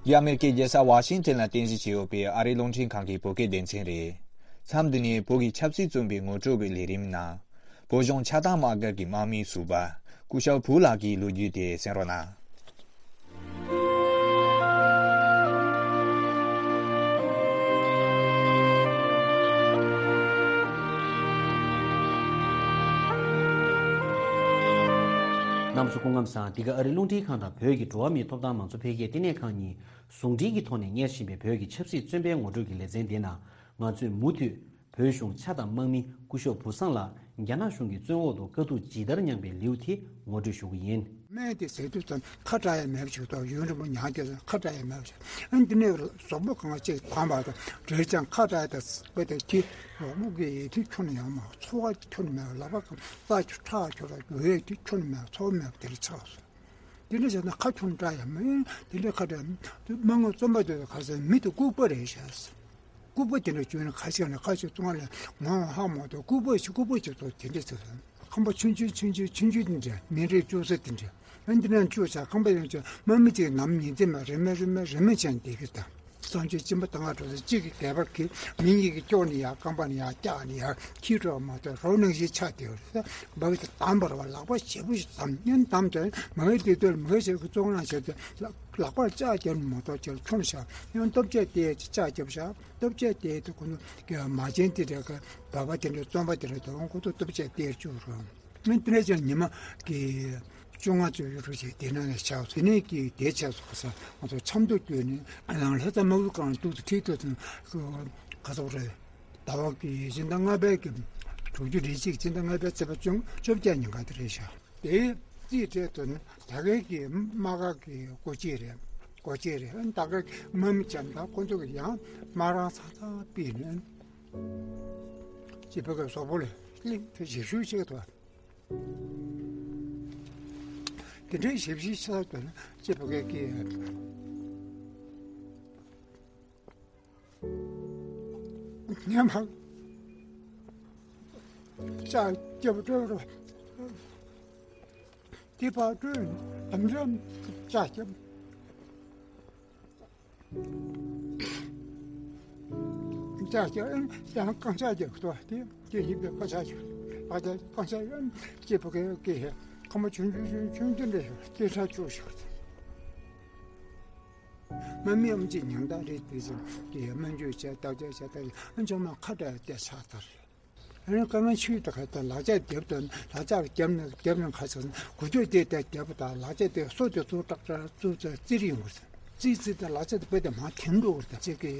འདི་ཨ་མེ་རི་ཀའི་རྒྱལ་ས་ཝ་ཤིང་ཊོན་ལ་རྟེན་གཞི་བྱས་ཡོད་པའི་ཨ་རིའི་རླུང་འཕྲིན་ཁང་གི་བོད་སྐད་སྡེ་ཚན་རེད། མཚམས་འདི་ནས་བོད་ཀྱི་ཆབ་སྲིད་བཙོན་པའི་ངོ་སྤྲོད་པའི་ལས་རིམ་ནང་། བོད་གཞུང་ཆགས་སྡང་དམག་སྒར་གྱི་དམག་མིའི་ཟུར་པ་སྐུ་ཞབས་ཕུའུ་ལགས་ཀྱི་ལོ་རྒྱུས་དེ་གསན་རོགས་གནང་། རྣམ་པ་ཚོ་སྐུ་ཁམས་བཟང་། འདི་ག་ཨ་རིའི་རླུང་འཕྲིན་ཁང་དང་བོད་ཀྱི་འགྲོ་བ་མིའི་ཐོབ་ཐང་མང་གཙོ་འཕེལ་རྒྱས་ལྟེ་གནས་ཁང་གཉིས་ཟུང་འབྲེལ་གྱི་ཐོག་ནས་གཉེར་བཞིན་པའི་བོད་ཀྱི་ཆབ་སྲིད་བཙོན་པའི་ངོ་སྤྲོད་ཀྱི་ལེ་ཚན་འདི་ནང་། ང་ཚོས་མུ་མཐུད་བོད་གཞུང་ཆགས་སྡང་དམག་མི་སྐུ་ཞབས་བུ་བཟང་ལགས་རྒྱ་ནག་གཞུང་གི་བཙོན་འོག་ཏུ་དཀའ་སྡུག་ཇི་ལྟར་མྱངས་པའི་ལེའུ་དེ་ངོ་སྤྲོད་ཞུ་གི་ཡིན། སྨན་དེ་ཟས་དུས་ཙམ་ཁ་གྲག་ཡ་མེད་པ་ཞིག་འདུག་ཡུན་རིང་པོ་མྱངས་ཀྱི་ཁ་གྲག་ཡ་མེད་པ་ཞིག་ཨ་འདི་ནས་གཟུགས་པོ་གང་ཅིག་གོམས་པ་དང་བྲེལ་ཀྱང་ཁ་གྲག་ཡ་དང་ཟེར་བ་དེ་གི་གཟུགས་པོ་གི་ཡིད་མཐུན་ཁྱོན་ནས་ཡོང་མ། ཚོར་བ་ཁྱོན་ནས་མེད་པ། ལག་པ་གང་རྩ་ཁྱོད་ཁྲག་ཁྱོད་ལ་འོད་དེ་ཁྱོན་ནས་མེད་པ། ཚོར་བ་མེད་པ་དེ་ལ་ཆགས་སོང་། དེ་འདྲ་བྱས་ན་ཁ་ཆུང་དྲགས་ཡ་མིན། དེ་འདྲ་ཁ་དྲགས་མི་མང་ངོ་རྩོམ་པ་དེ་ཁ་སང་མི་དེ་ལྐུགས་པ་རེད་ཤག་ལྐུགས་པ་དེ་འདྲ་བྱུང་ན་ཁ་ཤས་ནས་ཁ་ཤས་བཙོང་ལ་ངོ་ཧ་མ་གཏོགས་ལྐུགས་པ་ཞིག་ལྐུགས་པ་ཞིག་ཐོག་དེ་འདྲ་ཟེར་སོང་། ཁང་པ་ཆུང་ཆུང་ཆུང་ཆུང་ཆུང་ཆུང་དེ་འདྲ་མི་རེ་བཅུག་ས་དེ་འདྲ་ཨ་འདི་ནང་བཅུག་ས་ཁང་པ་ཡང་ཆུང་དམག་མི་གཅིག་ནམ་ཉིན་མཚན་མ་རེ་མ་རེ་མ་རེ་མ་བྱས་བསྡད་ཀྱི་ད། གསང་སྤྱོད་སྦྱིན་པ་དང་ང་འགྲོ་ས་གཅིག་གི་སྡེ་པ་གི་མི་གཉིས་ཀྱི་ཀྱོག་ནས་ཡར་རྐང་པ་ནས་ཡར་བཀྱག་ནས་ཡར་ཁྱི་འགྲོ་མ་ཐོན་རོ་ནང་བཞིན་ཆགས་བསྡད་པ་རེད། འབའ་གི་དམ་པར་བ་ལག་པ་ཞེ་པོ་ཞིག་དམ་སྙན་དམ་དོན་མ་གི་དེ་དོན་མ་གི་ཞེ་གི་བཙོང་ལ་བྱས་ཏེ་ལག་པར་ལྕགས་རྒྱབ་ནས་མ་གཏོགས་ཅེས་ཁྱོང་བཞག་ཡང་སྟོབས་ཆེ་དེ་ལྕགས་རྒྱབ་བཞག་སྟོབས་ཆེ་དེ་དེ་ཁོ་ནུ་གི་མ་བྱན་དེ་འདྲ་གི་འབའ་པ་དེ་འདྲ་བཙོང་པ་དེ་འདྲ་དོན་ཁོ་ཚོ་སྟོབས་ཆེ་དེར་བཅུག་རོགས། ཨ་དེ་ནས་ཀྱང་ཉི་མ་གི་བཅོ་ལྔ་བཅུ་ཡོད་རུ་ཞིག་དེ་ནང་ནས་ཆགས་སོང་། དེ་ནས་ཀྱི་དེ་ཆགས་སོང་ཁ་སང་ང་ཚོ་ཆབ་མདོ་བསྐྱོད་ནས་ཨ་ནང་ལྷ་ས་དམག་ཁུལ་ཁང་དུ་ཁྲིད་དུ་ཁ་སང་རེད། ཟླ་བ་གི་སྤྱི་ཟླ་ལྔ་པའི་གི་དྲུག་ཅུ་རེ་གཅིག་སྤྱི་ཟླ་ལྔ་པའི་ཚེས་པ་བཅོ་བཅོ་བརྒྱད་ཉིན་ག་དེ་རེད་ཤག་དེ་རྩིས་སྤྲད་དུ་ནི་ད་གའི་གི་དམག་སྒར་གི་སྒོ་འབྱེད་རེད། སྒོ་འབྱེད་རེད། ཨ་ད་གའི་དམག་མི་ཆ་ད་ཁོ་ཚོ་གི་ཡང་དམག་རང་ཚང་ཚང་ཕུད་ནས་ཅི་ཕ་གི་བཟོ་པོ་ལས་གླིང་དུ་ཞིབ་ཞུ་བྱེད་དུ། དེ་འདྲའི་ཞིབ་ཞིབ་ཆགས་དོན་ཅེས་པ་གའི་སྐད། ཉན་མ་ལྕགས་རྒྱབ་སྤྲོད་རོགས། དེ་ཕར་སྤྲོད་དམ་རམ་ལྕགས་རྒྱབ། ལྕགས་རྒྱབ་ཨེ་ཡང་རྐང་ལྕགས་རྒྱབ་ཏོ་དེ་དེ་ཡིན་པའི་རྐང་ལྕགས་རྒྱབ། ཨ་ད་རྐང་ལྕགས་ཨེ་སྐྱེས་པ་གའི་སྐད་ཧེ་ཁ་མ་ཆུང་ཆུང་ཆུང་ཆུང་དེ་འདྲ་ཡོད་དེ་ཁྲ་ཆུ་ཞོག་དམག་མི་ཨམ་ཅིག་ཉང་ད་རེད་དེ་ཚོ་གི་སྨན་བཅོས་བྱས་བརྟག་དཔྱད་བྱས་ད་ཨ་ཅང་མ་ཁ་བྲལ་ཏེ་ཆགས་ཚར། ཨ་ནི་དཀའ་ངལ་ཆེ་ད་ཁ་ད་ལག་ཆ་རྒྱབ་དང་ལག་ཆ་རྒྱབ་ནས་རྒྱབ་ནས་ཁ་ཚ་གུ་ཅོ་དེ་ད་རྒྱབ་དང་ལག་ཆ་དེ་སོ་དེ་ཚུར་ཏག་ཏག་ཚུར་ཚུར་བཙིར་ཡོང་གི་རེད། བཙིར་བཙིར་དང་ལག་ཆ་དེ་བུ་དེ་མ་ཐིམ་འགྲོ་གི་རེད། ད་ཅིག་གི་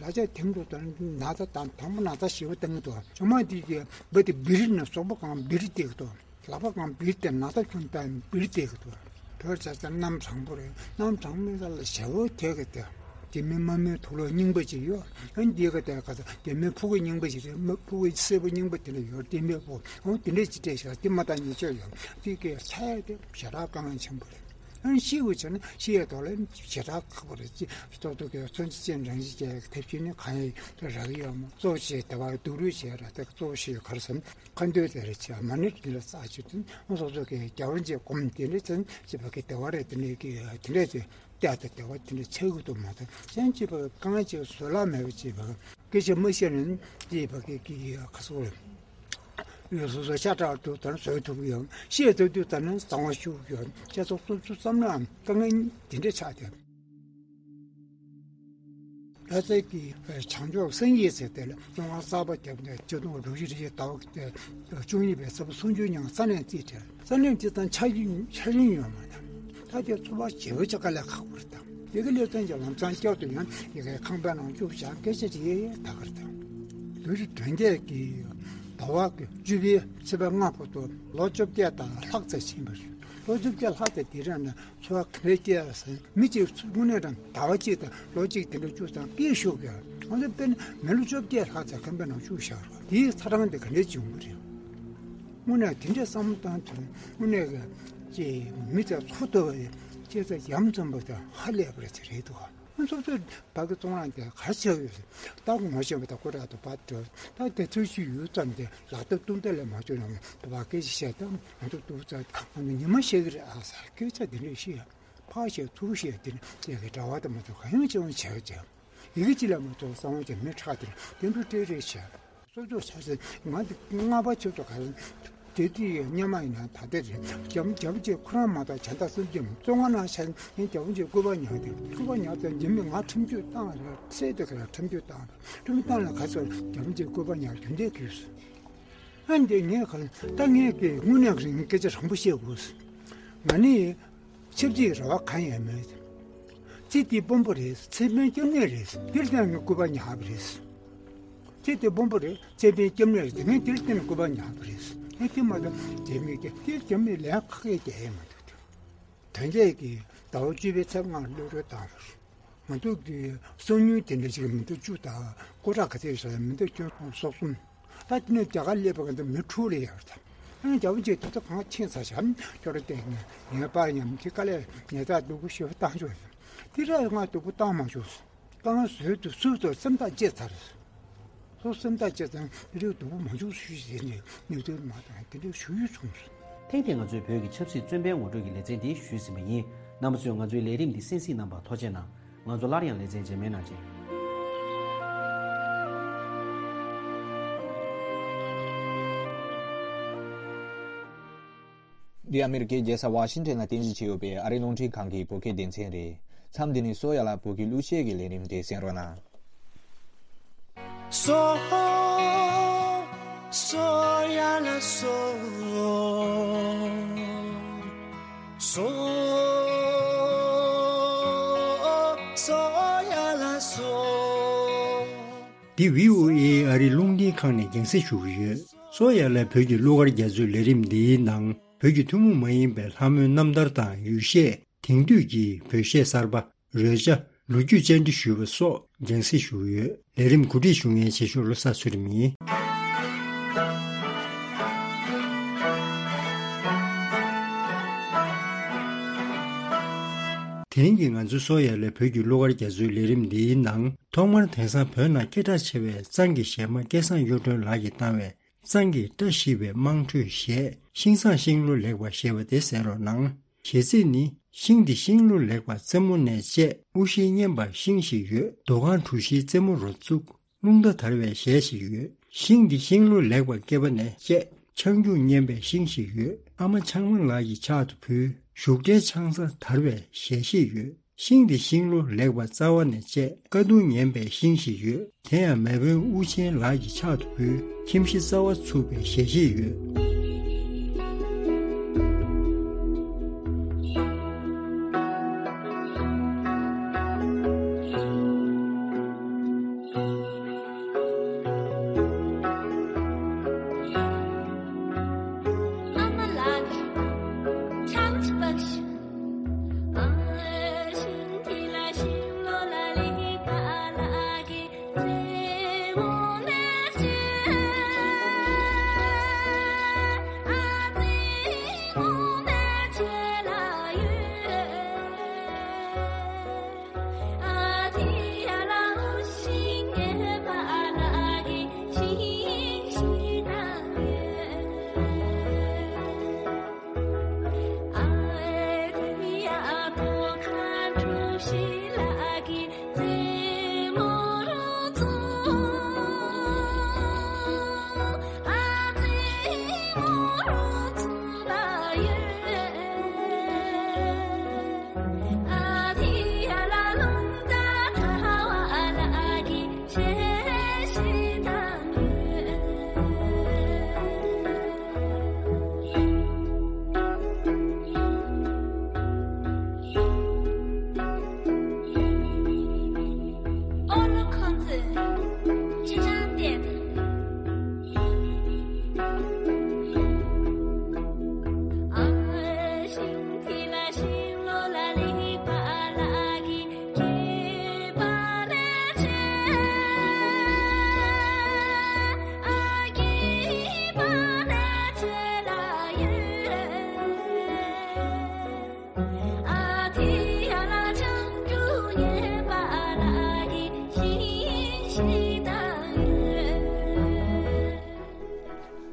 ལག་ཆ་ཐིམ་འགྲོ་དང་ན་ཚ་དང་དང་པོ་ན་ཚ་ཞེ་པོ་བཏང་གི་འདུག་ཇོ་མ་དེ་གི་བུ་དེ་བིར་ནས་སོག་པོ་གང་བིར་བལྟས་གི་འདུག་ལག་པ་གང་བིར་ཏེ་ན་ད་ཁྱོད་ད་བིར་ཏེ་གི་དུ། བོད་ཆ་ཚང་གནམ་གྲང་པོ་རེད། གནམ་གྲང་མོའི་ས་ལ་ཞེ་བོ་དེ་གི་དེ། དེ་མི་དམག་མིའི་དུག་ལོག་རྙིང་པ་ཅིག་ཡོད། ཨ་འདི་ག་དེ་ག་ས་དེ་མི་ཕུ་གུ་རྙིང་པ་ཞིག་རེད། མི་ཕུ་གུ་སེར་པོ་རྙིང་པ་དེ་འདྲ་ཡོད་དེ་མི་ཕུ་འོ་དེ་འདྲ་ཅིག་སྤྲད་ཤག་དེ་མ་ད་ཉེས་ཆད་ཡོད་དེ་གི་ས་ཡ་དེ་ཞེ་དྲག་དཀའ་ངལ་ཆེན་པོ་རེད། ཨ་ཤི་བོ་བྱས་ན་ཤི་ཡའི་ཐོག་ལ་ཞེ་དྲག་ཁག་པོ་རེད། ཅི་ཏོག་ཏོག་གི་མཚོན་ཆ་ཅན་རང་བཞིན་ཅན་ཐེབས་ཆེན་ནི་གང་ཡིན་རག་ཡོད་མོ་གཙོ་བོ་ཞེས་དེ་བ་སྡུག་རུས་བྱས་ར་དེ་གཙོ་བོ་ཞེས་གར་སོང་། ཁ་འདོད་དེ་རེ་ཆེ་མ་ཎི་དེ་ལ་ས་ཆུ་དུ་སོ་སོ་གི་རྒྱ་བོ་འཇེ་གོམ་དེ་འདྲ་ཚན་ཅི་བ་གི་དེ་བ་རེ་དེ་འདྲ་གི་དེ་འདྲ་ཚེ་ལྟ་དེ་དེ་བ་དེ་འདྲ་ཆེ་གི་དུ་མ་དང་ཅན་ཅི་བ་གང་ཅི་བཟོད་ལ་མེད་པ་ཅི་བ་སྐད་ཆ་མ་བཤད་ནས་ཅི་བ་གི་གི་ཁ་སོ་རེ་ཡོད་སོ་སོ་ཤ་ཁྲག་དུ་དར་བཟོད་ཐུབ་ཡོད་ཤེས་ཐུབ་དུ་དར་ནས་གཙང་བ་ཤུགས་ཡོད་ཅེས་སོགས་སོ་སོ་བསམ་ནའང་དཀའ་ངལ་དེ་འདྲ་ཆགས་ཏེ། ལྷ་སའི་གི་བྱང་ཕྱོགས་སེང་གེ་ཟེར་དེ་ལ་གཙོ་བོ་གསར་པ་བརྒྱབ་ནས་ཆུ་དུང་དྲུག་ཅུ་རེ་ཟླ་བ་བཅུ་གཉིས་པའི་ཚེས་པ་སུམ་ཅུ་ཉིན་ས་གནས་རྩིས་སྤྲད། ས་གནས་རྩིས་དང་ཆ་རྒྱུས་ཆ་རྒྱུས་ཡོད་མ་དང་ད་དེ་ཚོ་བ་བྱེ་བ་ཅག་ལས་ཁག་པོ་རེད་དང་ཡི་གེ་ལེ་ཚན་གྱི་ལམ་སང་བསྐྱར་དུ་ཡང་ཡི་གེ་ཁང་པའི་ནང་བཅུག་བཞག་སྐད་ཆ་རེ་ད་གར་དང་། བོད་རིགས་དོན་རྒྱལ་གྱིས་ཟླ་བ་གི་བཅུ་པའི་ཚེས་པ་ལྔ་བར་དུ་ལོ་བཅོ་བརྒྱད་དང་ལྷག་ཙམ་ཕྱིན་པ་རེད། ལོ་བཅོ་བརྒྱད་ལྷག་ཙམ་དེ་རིང་ནས་འཚོ་བ་ག་འདྲ་སྐྱེལ་ཟེར་མི་གཅིག་དངོས་གནས་དྲང་ཟླ་བ་གཅིག་དང་ལོ་གཅིག་དེ་འདྲ་བཅུ་ཙམ་སྐྱེལ་ཤོག་གི་ང་ཚོ་དཔེར་ན་མི་ལོ་བཅོ་བརྒྱད་ལྷག་ཙམ་ཁང་པའི་ནང་བཅུག་བཞག་རོགས་དེའི་ཚ་གྲང་དེ་ག་འདྲ་བྱུང་གི་རེད། དངོས་གནས་དེ་འདྲའི་བསམ་བློ་བཏང་དུས་དངོས་གནས་ཀྱི་མི་ཚོ་འཚོ་ཐུབ་པ་ཡི་སྐྱེ་ཚ་ཡམ་ཙམ་པ་དང་ཧ་ལས་པ་རེད་ཟེར་རེད་འདུག་ང་ཚོ་ཚོའི་བར་གྱི་གཙང་རང་དེ་ག་ཆགས་ཡོད་ཟེར། ད་ངོ་ཤེས་པ་དང་སྐུ་དྲག་ཏུ་བར་དུ་ད་དེ་ཚོའི་ཤུལ་ཡུལ་ཙམ་དེ་ལག་བསྟར་ཏུ་འདི་ལས་མ་བྱུང་ན་དུ་བ་སྐད་ཆ་བཤད་དང་ང་ཚོ་སྡུག་ཙག་ང་ཚོ་ཉི་མ་ཤེས་ཀྱི་རེད་ཨ་ཟེར་སྐད་ཆ་དེ་འདྲས་བཤད་ཕར་བཤད་ཚུར་བཤད་དེ་ནི་དེ་གི་གྲྭ་བ་དང་མ་ཚོ་ག་ཡང་བྱེད་འོང་བྱས་ཀྱང་ཡི་གེ་ཅི་ལ་མ་ཚོ་གསང་བ་ཅན་མི་ཁྲག་དེ་དེ་འདྲ་སྤྲད་རེས་བྱས། སོ་སོ་ཆ་ཚན་ང་འདི་ལྔ་པ་ཆུ་ཚོད་ག་རེ་དེ་དུས་སྔོན་མ་ཡིན་ན་ད་ལྟ་རེད། རྒྱ་རྒྱ་བོ་ཆེ་ཁོ་རང་མ་གཏོགས་གཞན་དག་སེམས་ཅན་བཙོང་ང་ན་ཆ་ཡིན་རྒྱ་བོ་ཆེ་སྐུད་པ་ཉག་དེ་སྐུད་པ་ཉག་ཚེ་འཇིམ་མི་ང་ཁྲིམས་གཅོད་བཏང་རེད་ཚེ་དེ་ག་རེ་ཁྲིམས་གཅོད་བཏང་རེད་ཁྲིམས་བཏང་ལ་ག་ཚོད་རྒྱ་བོ་ཆེ་སྐུད་པ་ཉག་རྒྱུན་ལྡན་གྱིས་ཨ་འདི་ངས་ག་ད་ངས་ཀྱི་དངོས་གནས་རིང་སྐད་ཆ་རང་པོ་བཤད་དགོས་ང་ནི། ཆབ་སྲིད་རེ་བ་གང་ཡང་མེད། ཚེ་འདི་དཔོན་པོ་རེད། ཚེ་ཕན་སྐྱབས་གནས་རེད། འདིར་བརྟེན་ངས་སྐུད་པ་ཉར་བ་རེད། ཚེ་འདི་དཔོན་པོ་རེད། ཚེ་ཕན་སྐྱབས་གནས་རེད། ངས་འདིར་བརྟེན་སྐུད་པ་ཉར་བ་རེད། ངས་དེ་མ་གཏོགས་རྒྱ་མི་སྐད་དེ་རྒྱ་མི་ལན་ཁག་ཡས་རྒྱག་ཡས་མ་འདུག་དོན་རྒྱལ་གྱིས་ཟླ་བ་བཅུ་པའི་ཚེས་ལྔར་གློད་གྲོལ་བཏང་བ་རེད། ང་ཚོ་གི་གསང་མྱུལ་དེ་འདྲ་ཞིག་མི་འདུག་བཅུ་དང་སྐུ་དྲག་ག་ཚད་ཡོད་ས་མི་འདུག་སྐྱོན་སོགས་གསུམ། ད་དེ་ནས་རྒྱ་གར་སླེབས་པ་ག་འདི་མི་དྲུག་ལ་ཡོད་རེད། ཨ་རྒྱལ་པོ་ཅིག་དེ་ཚོ་གང་ཁྱེད་ཚ་ཞབས་སྐྱོར་བསྟན་ནས་ངའི་པར་ཉམས་ཀྱི་དཀའ་ལས་ཉེས་ཚགས་སྡུག་པོ་ཞེ་པོ་བཏང་ཆོག་ཡིན། དེ་ར་ང་སྡུག་པོ་བཏང་མ་ཆོག་གང་བཟོས་དུ་སུ་དང་སེམས་ཐག་བཅད་ཚར། སོ་སེམས་ཐག་བཅད་ཚར་དེ་རིགས་སྡུག་པོ་མ་བྱུང་ཞུས་ཟེར་ནས་གནད་དོན་མ་དང་དེ་འདྲའི་ཞུ་ཡུལ་བྱུང་། ཐེངས་འདིའི་ང་ཚོའི་བོད་ཀྱི་ཆབ་སྲིད་བཙོན་པའི་ངོ་སྤྲོད་ཀྱི་ལེ་ཚན་འདི་ཞུས་ཟིན་པ་ཡིན། རྣམ་པ་ཚོས་ང་ཚོའི་ལས་རིམ་འདི་གསན་གཟིགས་གནང་བར་ཐུགས་རྗེ་གནང་། ང་ཚོ་སླར་ཡང་ལེ་ཚན་རྗེས་མའི་ནང་མཇལ། འདི་ཨ་མེ་རི་ཀའི་རྒྱལ་ས་ཝ་ཤིང་ཊོན་ལ་རྟེན་གཞི་བྱས་ཡོད་པའི་ཨ་རིའི་རླུང་འཕྲིན་ཁང་གི་བོད་སྐད་སྡེ་ཚན་རེད། མཚམས་འདི་ནས་སོ་ཡ་ལ་བོད་ཀྱི་གླུ་གཞས་ཀྱི་ལས་རིམ་དེ་གསན་རོགས་གནང་། སོ། སོ་ཡ་ལ་སོ། སོ། སོ་ཡ་ལ་སོ། འདི་བྷི་ཨོ་ཨེ་ཨ་རིའི་རླུང་འཕྲིན་ཁང་ནས་རྒྱང་སྲིང་ཞུ་གི་ཡོད། སོ་ཡ་ལ་བོད་ཀྱི་གླུ་གར་རྒྱ་མཚོའི་ལས་རིམ་འདིའི་ནང་བོད་ཀྱི་ཐུན་མོང་མ་ཡིན་པའི་ལྷ་མོའི་རྣམ་ཐར་དང་ཡུལ་གཞས། དེང་དུས་ཀྱི་བོད་གཞས་གསར་པ། རོལ་ཆ། ལོ་རྒྱུས་བཅར་འདྲི་ཞུས་པ་སོགས་རྒྱང་སྲིང་ཞུ་གི་ཡོད། ལས་རིམ་གོ་སྒྲིག་ཞུ་མཁན་བྱེད་ཤོག་བློ་བཟང་ཚུལ་ཁྲིམས་ཡིན། དེ་རིང་གི་ང་ཚོའི་སོ་ཡ་ལ་བོད་ཀྱི་གླུ་གར་རྒྱ་མཚོའི་ལས་རིམ་འདིའི་ནང་ཐོག་མར་དེང་སང་བོད་ནང་སྐད་གྲགས་ཆེ་བའི་གཙང་གི་གཞས་མ་སྐལ་བཟང་གཡུ་སྒྲོན་ལགས་ཀྱིས་བཏང་བའི། གཙང་གི་བཀྲ་ཤིས་པའི་དམངས་ཁྲོད་གཞས་ཤིང་བཟང་ཤིང་ལོ་ལེགས་པ་ཞེས་པ་དེ་གསན་རོགས་གནང་། གཞས་ཚིག་ནི། ཤིང་འདི་ཤིང་ལོ་ལེགས་པ་རྩེ་མོ་ནས་བཅད། དབུ་ཞྭའི་སྙན་པ་ཤིང་ཞིག་ཡོད། རྡོ་ཁང་གྲུ་བཞིའི་རྩེ་མོ་རུ་བཙུགས། རླུང་རྟ་དར་བའི་གཞས་ཤིག་ཡོད། ཤིང་འདི་ཤིང་ལོ་ལེགས་པ་སྐེད་པ་ནས་བཅད། ཆང་རྒྱུག་སྙན་པའི་ཤིང་ཞིག་ཡོད། ཨ་མ་ཆང་མ་ལགས་ཀྱི་ཕྱག་ཏུ་ཕུལ། བཞུགས་གྲལ་ཆང་ས་དར་བའི་གཞས་ཤིག་ཡོད། ཤིང་འདི་ཤིང་ལོ་ལེགས་པ་རྩ་བ་ནས་བཅད། དཀའ་སྡུག་ཉན་པའི་ཤིང་ཞིག་ཡོད། དེ་ཡང་མེས་དབོན་དབུ་ཆེན་ལགས་ཀྱི་ཕྱག་ཏུ་ཕུལ། ཁྱིམ་གཞི་རྩ་བ་ཚུགས་པའི་གཞས་ཤིག་ཡོད།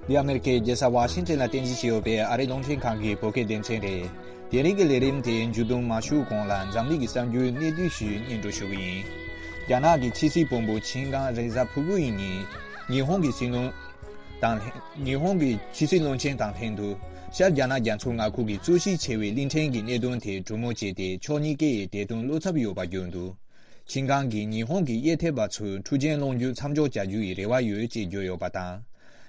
འདི་ཨ་མེ་རི་ཁའི་རྒྱལ་ས་ཝ་ཤིང་ཊོན་ལ་རྟེན་གཞི་བྱས་ཡོད་པའི་ཨ་རིའི་རླུང་འཕྲིན་ཁང་གི་བོད་སྐད་སྡེ་ཚན་རེད། དེ་རིང་གི་ལས་རིམ་དེ་མཇུག་བསྡོམས་མ་ཞུ་གོང་ལ་འཛམ་གླིང་གི་གསར་འགྱུར་གནད་བསྡུས་ཤིག་སྙན་སྒྲོན་ཞུ་གི་ཡིན། རྒྱ་ནག་གི་ཕྱི་སྲིད་བློན་པོ་ཆིན་ཀང་རེས་གཟའ་ཕུར་བུ་ཡི་ཉིན་ཉི་ཧོང་གི་སྲིད་བློན་དང་ལྷན། ཉི་ཧོང་གི་ཕྱི་སྲིད་བློན་ཆེན་དང་ལྷན་དུ་ཤར་རྒྱ་ནག་རྒྱ་མཚོ་མངའ་ཁུལ་གྱི་རྩོད་གཞི་ཆེ་བའི་གླིང་ཕྲན་གྱི་གནད་དོན་དེ་གྲོས་མོལ་བྱས་ཏེ་ཕྱོགས་གཉིས་ཀའི་བདེ་དོན་བློ་འཚབ་ཡོད་པ་བརྗོད་འདུག་ཆིན་ཀང་གིས་ཉི་ཧོང་གི་གཡས་ཐེབས་པ་ཚོས་འཁྲུག་རྐྱེན་སློང་རྒྱུའི་མཚམས་འཇོག་བྱ་རྒྱུ་ཡི་རེ་བ་ཡོད་ཅེས་བརྗོད་ཡོད་པ་དང་།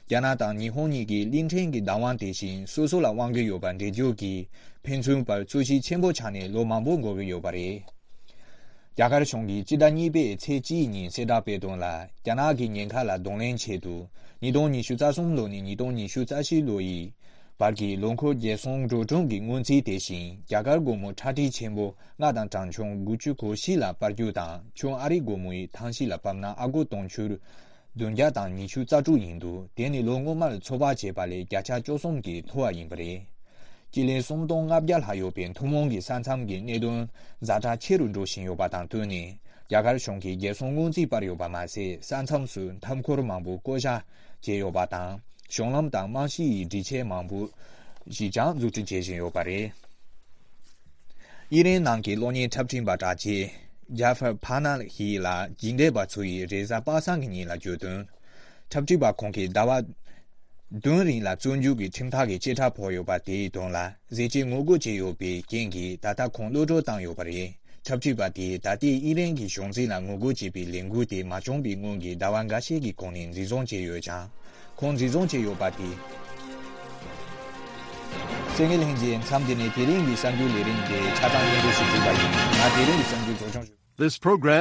རྒྱ་ནག་དང་ཉི་ཧོང་གཉིས་ཀྱིས་གླིང་ཕྲན་གྱི་བདག་དབང་དེ་བཞིན་སོ་སོ་ལ་དབང་གི་ཡོད་པ་འགྲེལ་བརྗོད་ཀྱིས་ཕན་ཚུན་བར་རྩོད་གཞི་ཆེན་པོ་ཆགས་ནས་ལོ་མང་པོ་འགོར་གྱི་ཡོད་པ་རེད། རྒྱ་གར་གཞུང་གིས་སྤྱི་ཟླ་གཉིས་པའི་ཚེས་གཅིག་ཉིན་གསལ་བསྒྲགས་སྤེལ་དོན་ལ། རྒྱ་ནག་གི་ཉེན་ཁ་ལ་གདོང་ལེན་ཆེད་དུ། ཉིས་སྟོང་ཉི་ཤུ་རྩ་གསུམ་ལོ་ནས་ཉིས་སྟོང་ཉི་ཤུ་རྩ་བཞི་ལོ་ཡི་བར་གྱི་ལོ་འཁོར་རྒྱལ་སྲུང་འགྲོ་གྲོན་གྱི་སྔོན་རྩིས་དེ་བཞིན་རྒྱ་གར་སྒོར་མོ་ཁྲག་ཁྲིག་ཆེན་པོ་ལྔ་དང་གྲངས་ཆུང་དགུ་བཅུ་གོ་བཞི་ལ་སྤར་རྒྱུ་དང་། ཁྱོན་ཨ་རིའི་སྒོར་མོ་ཡི་ཐང་ཤིག་ལ་བབས་ན་ཨ་སྒོར་དུང་ཕྱུར་ བདུན་བརྒྱ་དང་ཉི་ཤུ་རྩ་དྲུག་ཡིན་འདུག་དེ་ནི་ལོ་སྔོན་མར་ཚོད་དཔག་བྱས་པ་ལས་བརྒྱ་ཆ་བཅུ་གསུམ་གྱིས་མཐོ་བ་ཡིན་པ་རེད། སྤྱི་ལེ་སུམ་སྟོང་ལྔ་བརྒྱ་ལྷག་ཡོད་པའི་ཐུན་མོང་གི་ས་མཚམས་ཀྱི་གནད་དོན་ཛ་དྲག་ཆེ་རུ་འགྲོ་བཞིན་ཡོད་པ་དང་བསྟུན་ནས། རྒྱ་གར་གཞུང་གིས་རྒྱལ་སྲུང་སྔོན་རྩིས་སྤར་ཡོད་པ་མ་ཟད། ས་མཚམས་སུ་མཐའ་འཁོར་མང་པོ་བསྐོ་བཞག་བྱས་ཡོད་པ་དང་། གཞུང་ལམ་དང་རྨང་གཞི་ཡི་སྒྲིག་ཆས་མང་པོ་ཞིག་ཀྱང་འཛུགས་སྐྲུན་བྱེད་བཞིན་ཡོད་པ་རེད། ཨི་རན་ནང་གི་གློག་བརྙན་འཁྲབ་སྐྲུན་པ་དྲག་ཆས་ཇཱ་ཧྥར་ཕ་ན་ཧི་ལ་རྒྱུགས་འབྲས་པ་ཚོ་ཡིས་རེས་གཟའ་པ་སངས་ཀྱི་ཉིན་ལ་བརྗོད་དོན། འཁྲབ་སྐྲུན་པ་ཁོང་གིས་ཟླ་བ་བདུན་རིང་ལ་བཙོན་འཇུག་གི་ཁྲིམས་ཐག་གི་བཅད་ཁྲ་ཕོག་ཡོད་པ་དེའི་དོན་ལ་ཟས་བཅད་ངོ་རྒོལ་བྱས་ཡོད་པའི་རྐྱེན་གྱིས། ད་ལྟ་ཁོང་གློད་གྲོལ་བཏང་ཡོད་པ་རེད། འཁྲབ་སྟོན་པ་དེས་ད་ལྟའི་ཨི་རན་གྱི་གཞུང་འཛིན་ལ་ངོ་རྒོལ་བྱེད་པའི་ལས་འགུལ་དེ་མ་བྱུང་བའི་སྔོན་གྱི་ཟླ་བ་འགའ་ཤས་ཀྱི་གོང་ནས་འཛིན་བཟུང་བྱས་ཡོད་ཀྱང་། ཁོང་འཛིན་བཟུང་བྱས་ཡོད་པ་དེས། གསན་མཁན་ལྷན་རྒྱས། མཚམས་འདི་ནས་དེ་རིང་གི་གསར་འགྱུར་ལས་རིམ་དེ་ཆ་ཚང་སྙན་སྒྲོན་ཞུ་གྲུབ་པ་ཡིན། ང་དེ་རིང་གི་གསར་འགྱུར་གཙོ་སྐྱོང་ཞུ། This program